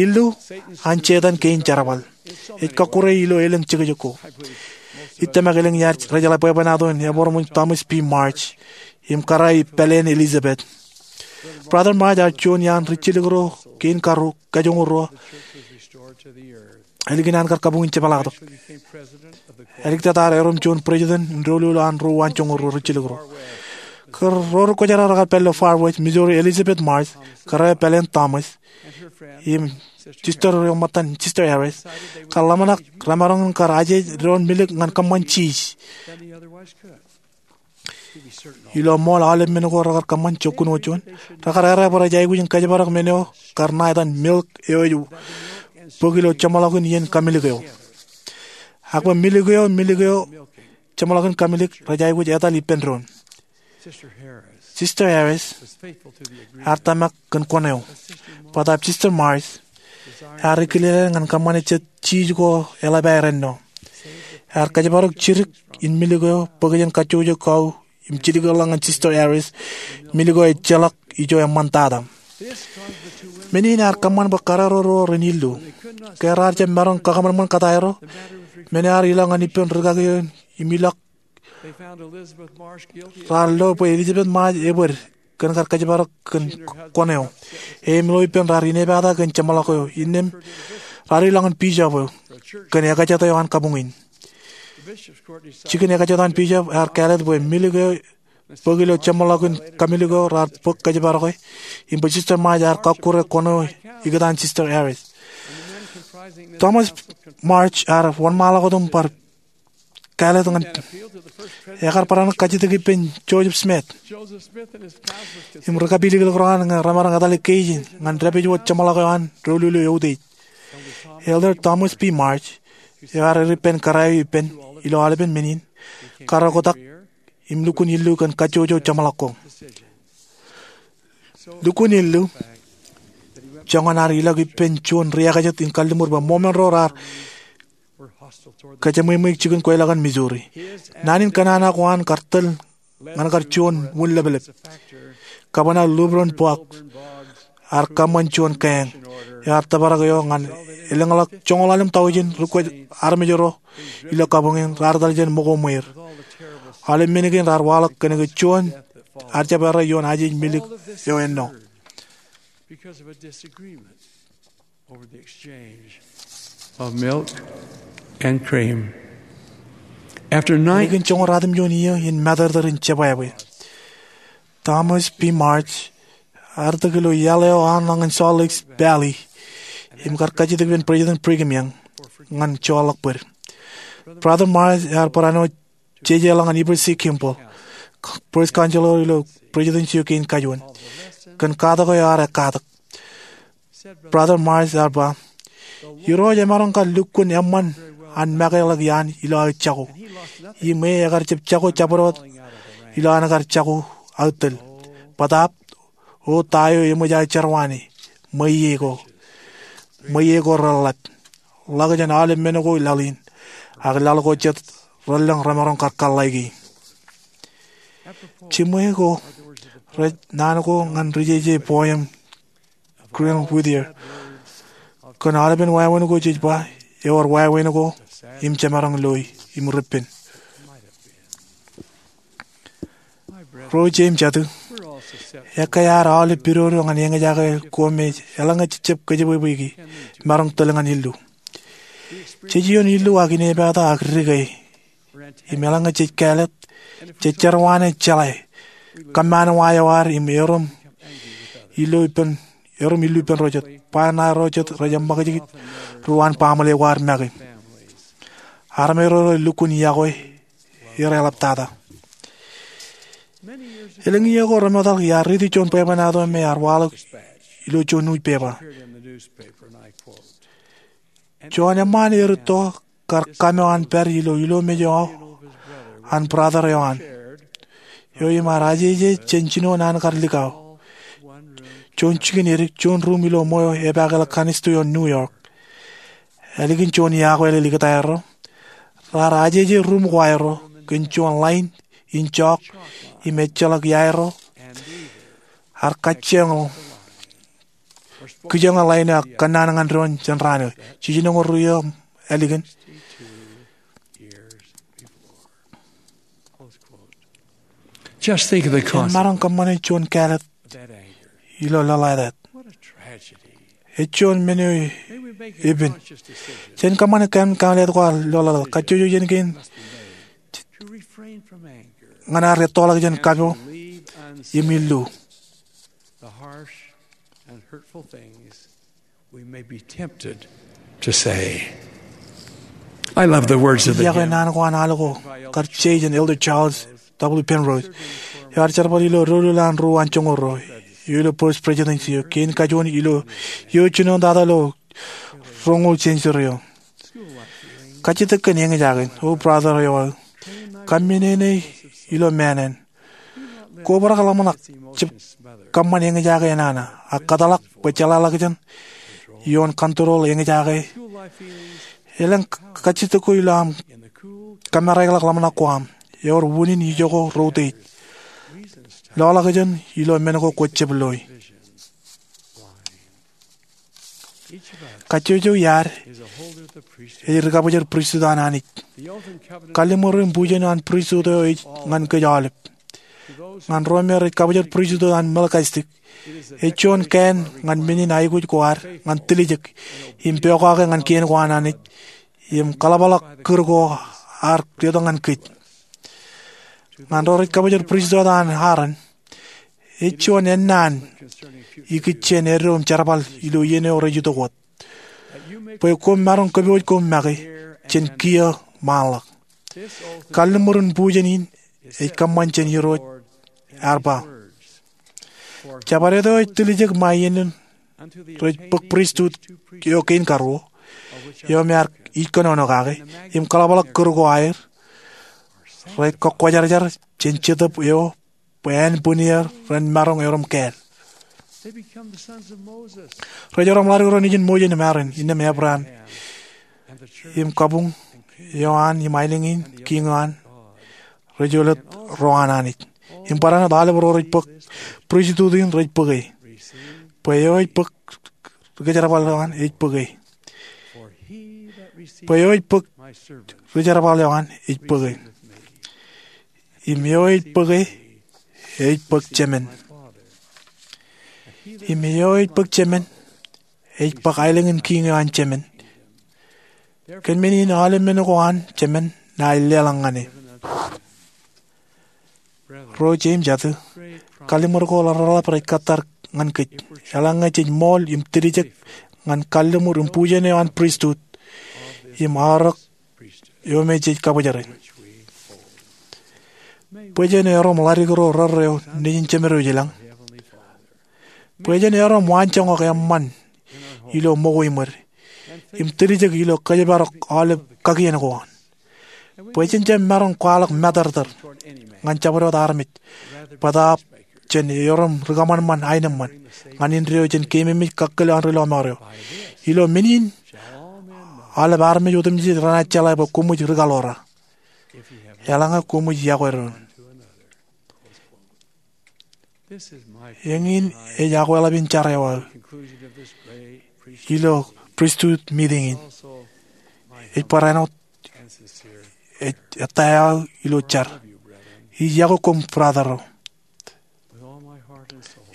Illu an Setan kein jerbal. Ej kọkkure ilo elōñ jekjek ko. Ij tōmak elōñ iaad rejeḷā bwebwenato in ebōrṃōj Thomas B. Marsh im kōrā e pāleen Elizabeth. Brother Marsh ear juon iaan ri jilkinro kein karuo, kajoñoul ruo, ālikin an kar kabuñ in jepḷaaktok. Āliktata ear erom juon president in doulul an ro uwaan joñoul ruo ri jilkinro. Kōn ro ri kwōjarjar rekar pād ilo Far West, Missouri, Elizabeth Marsh kōrā e pāleen Thomas im sister eo ṃōttan, Sister Harris, kar ḷōmṇak remaroñ in kar ajeej doon milik ñan kōṃṃan jiiz. Ilo ṃool aolep men ko rekar kōṃṃan jokkun wōt juon, rekar errā bwe rej aikuj in kōjparok men eo kar ṇa etan milk eo ej bōk ilo jeṃḷọkin iien kamilik eo. Ak bwe milk eo, milk eo, jeṃḷọkin kamilik rej aikuj etal ippān doon. Sister Harris ear tōmak kōn kwōn eo. Bōtaab Sister Marsh ear ikilelāāl ñan kōṃṃane jet jiiz ko eḷap aer ennọ. Ear kōjparok jidik in milk eo bōk jān kajjojo kau im jilkinḷọk ñan Sister Harris, milk eo ejjeḷọk ijo eṃṃantata. Men in ear kōṃṃan bwe karreo ro ren illu. Ke raar jab maroñ kakaṃanṃan kōtaerro, men eo ear ilọk ñan ippān rikaki eo im ilọk raar lo bwe Elizabeth Marsh ebōd kōn kar kōjparok kōn kwōn eo. Im ilo ippān raar inepata kōn jeṃḷọk eo, innām raar ilọk ñan bishop eo kōn ekajet eo an kabuñ in. Jikin ekajet an bishop ear kāālōt bwe milk eo bōk ilo jeṃḷọkin kamilik eo raar bōk kōjparoke, im bwe Sister Marsh ear kọkkure kwōn eo ikōtaan Sister Harris. Thomas Marsh ear wōnṃaanḷọk wōt im bar kāālōt ñan, ekar barāinwōt kajjitōk ippān Joseph Smith im ri kapiliklōk ro an ñe remaroñ etale keij in ñan dāpij wōt jeṃḷọk eo an doulul eo eutiej. Elder Thomas B. Marsh eo ear eddō ippān kōrā eo ippān ilo aolepen men in, karreotak im lukkuun illu kōn kajjojo jeṃḷọk ko. Lukkuun illu joñan ear ilọk ippān juon ri ekajet in kalliṃur bwe ṃool men ro raar kōjeṃweṃweik jikin kweilọk in Missouri. Naan in kōnono ko an kar tōl ñan kar juon wūnleplep. Governor Lilburn Boggs ear kōṃṃan juon kāāñ eo ear tōprak eo ñan elōñḷọk joñoul ḷalem taujin ri kwōj armej ro ilo kabuñ in raar etal jān ṃōko ṃweir. Aolep men kein raar waḷọk kōnke juon ear jab errā ioon ajeej milk eo ennọ. Because of a disagreement over the exchange of milk and cream. After nine... Ālikin joñoul ratimjuon iiō in matōrtōr in jebwābwe, Thomas B. Marsh ear itok ilo iaḷ eo an ñan Salt Lake Valley im kar kajjitōk ippān President Brigham Young ñan joorḷọk bōd. Brother Marsh ear barāinwōt jejeḷọk ñan Heber C. Kimball, First Counselor ilo Presidency eo kein kajuon, kōn katak eo ear ekkatak. Brother Marsh ear ba, Irooj emaroñ kar lukkuun eṃṃan an make ḷọk iaan ilo aō jako. Im e ekar jab jako jabdewōt ilo an kar jako aō tōl. Bōtaab, O ta eo eṃōj aō jerwāne? Ṃweiie ko. Ṃweiie ko reḷḷap. ḷak jān aolep men ko laḷ in, ak laḷ ko jet relōñ remaroñ kar kōḷḷāiki. Jiṃwe ko rej naan ko ñan ri-jeje poem Grant Whittier kōn aolepen wāween ko jej ba, ewōr wāween ko im jemaroñ loi im repen. Ro ije im jatū, ekkā ad aolep pidodo ñan eñjake ko me eḷaññe jejjab kōjepwebweiki maroñ tōl ñan illu. Jej ioon illu ak inepata ak dike, im eḷaññe jej kāālōt, jej jerọwiwi, jeḷā kōṃṃan wa eo ad im erom illu ippān, erom illu ippān ro jet. Ba ṇae ro jet rej eṃṃakūt ri-uwaan baaṃle ko ad make. Armej ro rej lukkuun yokwe, eḷaptata. Elōñ iiō ko remootḷọk iar riiti juon bwebwenato me ear waḷọk ilo juon newspaper. Juon eṃṃaan erūtto kar kōṃṃan an pād ilo ilomej eo an brother eo an, eo im ear ajeje jān jino naan kar likao. Juon jikin edik, juon ruum ilo ṃweo epaakḷọk kannisto eo an New York. Ālikin juon iọkwe ḷọk likūt aerro, raar ajeje ruum ko aerro kōn juon ḷain in jọọk im ejjeḷọk iaerro. Ear kajjioñ kijoñe ḷain eo ak kōnnaan ñan doon jān raan eo. Jiljino ñoul ruo iiō ālikin. Just think of the consequence. Emaroñ kōṃṃane juon kāālōt ilo lōḷātāt. Ej juon men eo epen. Jen kōṃṃane kōn kōṃṃan ko ilo lōḷātāt. Kajjojo jān kein ñan ad ettoḷọk jān kapo im illu. The harsh and hurtful things we may be tempted to say. I love the words of the hymn. Iọkwe naan ko an al ko kar je jān Elder Charles W. Penrose, eo ear jerbal ilo doulul an ruo an joñoul ruo, eo ilo First Presidency eo, kein kajuon ilo iiō jinoin tata ilo roñoul century eo. Kajjitōk kōn eñjake, O brother eo aō. Kōmmeneene ilo māāṇāṇ. Kwō bōk ḷōmṇak jab kōṃṃan eñjake enana, ak kōtḷọk bwe jeḷāḷọkjeṇ ioon control eñjake. Elōñ kajjitōk ko ilo aṃ kōmmareikḷọk ḷōmṇak ko aṃ. Ewōr unin ijoko routeit. Loḷọkjeṇ ilo men ko kwō jab loi. Kajjojo iaad ej ri-kabōjor pristut an Anij. Kalliṃur im bujen an pristut eo ej ñan kōj aolep. Ñan ro me rej kabōjor pristut an Melkizedek, ej juon kāān ñan men in aikuj ko ad ñan tiljek im pokake ñan kien ko an Anij im kaḷapḷọk kūr ko ad letok ñan kōj. Ñan ro rej kabōjor pristut an Aaron, ej juon ennaan ikijjien eddo im jerbal ilo iien eo rej itok wōt, bwe koṃ maroñ kōpooj koṃ make jān kiiō ṃaanḷọk. Kalliṃur in bujen in ej kōṃṃan jān Irooj, ear ba, Jabdewōt eo ej tiljek ṃae iien in rej bōk pristut eo kein karuo, eo me ear ij kōnono kake, im kaḷapḷọk kūr ko aer, rej kōkkwōjarjar jān Jetōb eo bwe ānbwinnier ren maroñ erom kāāl. Rej erom ḷadik ro nejin Moses im Aaron, innām Abraham, im kabuñ eo an im aelōñ in kiiñ eo an, rej olep ro an Anij. Im barāinwōt aolep ro rej bōk pristut in rej bōke. Bwe eo ej bōk ri-kōjerbal eo an ej bōke. Bwe eo ej bōk ri-kōjerbal eo an ej bōke. Im eo ej bōke, ej bōk Jemān. Im eo ej bōk Jemān, ej bōk aelōñ in kiiñ eo an Jemān. Kōn men in aolep men ko an Jemān ṇae leḷọk ñan e. Ro ije im jatū, kalliṃur ko ḷapḷap rej kōttar ñan kōj. Eḷaññe jej ṃool im tiljek ñan kalliṃur im bujen eo an pristut im aorōk eo me jej kabōjere. Bwe jen erom ḷadik ro rerreo nejin Jemedwōj ilañ. Bwe jen erom waanjoñak eṃṃan ilo ṃōko iṃōd im tiljek ilo kōjparok aolep kakien ko an. Bwe jen jab maroñ kwaḷọk matōrtōr ñan jabdewōt armej, bōtaab jen erom ri-kōṃanṃan aenōṃṃan ñan indeeo jān keememej kakkōl an ri-lọmọọr eo. Ilo men in aolep armej otemjej renaaj jeḷā bwe koṃij ri kaḷoor. Eḷaññe koṃij yokwe doon. Eñin ej akweḷap in jar eo aō ilo pristut miting in. Ej barāinwōt ej ettā eo aō ilo jar. Ij yokwe koṃ brother ro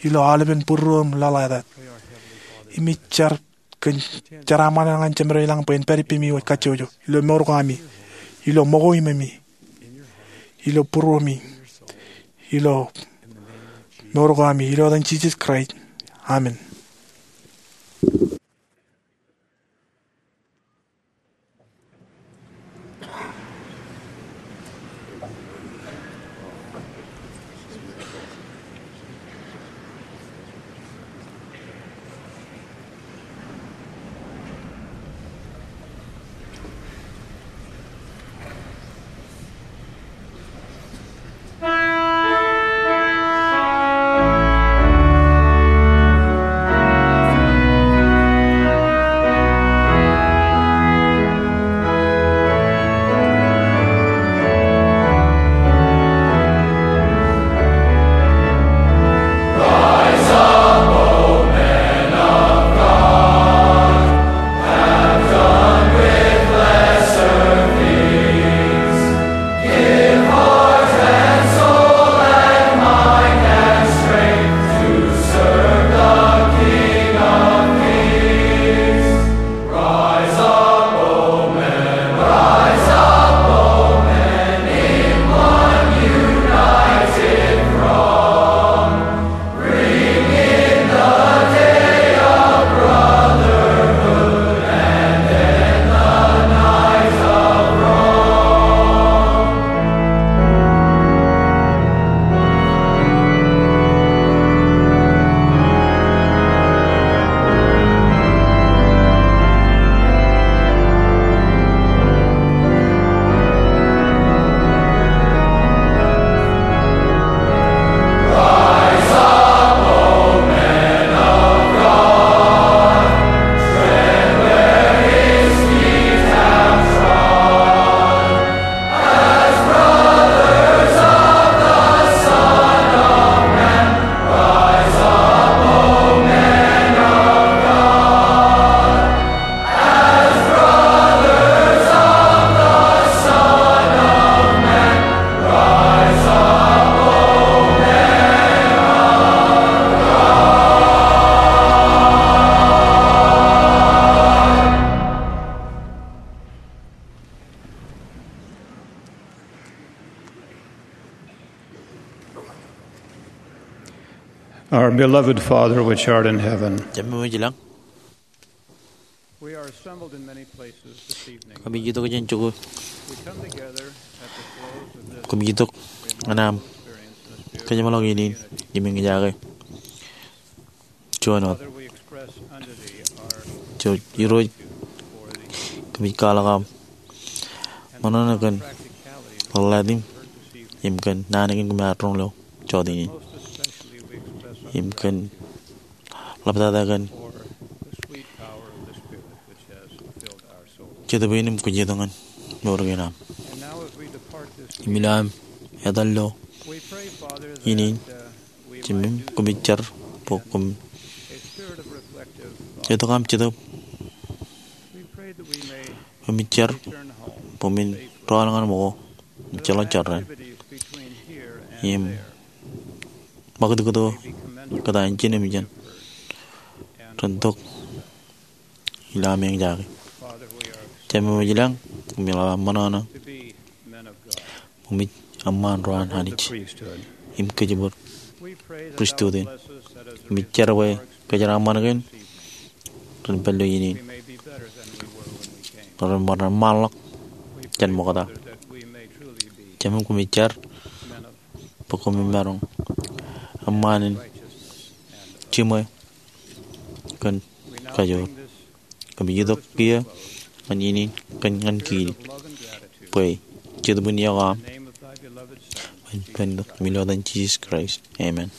ilo aolepen būruō im lōḷātāt. Im ij jar kōn jeraaṃṃan eo ñan Jemed eo ilañ bwe en pād ippemi wōj kajjojo ilo mour ko ami, ilo ṃōko iṃōmi, ilo būruōmi, ilo mour ko ami, ilo etan Jisōs Kraist. Amen. Our beloved Father, which art in heaven. Jemem eo ej ilañ. We are assembled in many places this evening. Kōmij itok jān jokwe. We come together at the close of this Kōmij itok ñan aṃ kōjeṃḷọk in in im eñjake juon wōt. Father, we express unto thee our Irooj, kōmij kwaḷọk aṃ ṃōṇōṇō kōn ḷōḷātid im kōn naan kein koṃ ar roñ ilo jota in. Most especially, we express unto thee Im kōn ḷaptata kōn the sweet power of the Spirit which has filled our souls. Jetōb in im kōjatdikdik in mour kein aṃ. And now as we depart this Im ilo aṃ etal ilo we pray, Father, in in that, uh, we Jemem, might do kōmij jar bwe koṃ a spirit of reflective thought. Itok aṃ Jetōb. We pray that we may Kōmij jar return home bwe men safely. Raan ñan ṃōko im jeḷā jorrāān. Activities between here and Im there ṃakūtkūt eo kōtaan jān im jān ren tok ilo aṃ eñjake. Jemem eo ej ilañ, kōmij ḷap aṃ ṃōṇōṇō bwe koṃij eṃṃaan ro an Anij im kōjparok pristut in. Kōmij jar bwe kōjeraaṃṃan kein ren pād ilo iien in ren bar eṃṃanḷọk jān ṃokta. Jemem, kōmij jar bwe koṃ maroñ eṃṃaan in jiṃwe kōn kajoor. Kōmij itok kiiō ñan iien in kōn ñan kiiō bwe jetōb in iọkwe aṃ ej pād ilo etan Jisōs Kraist. Amen.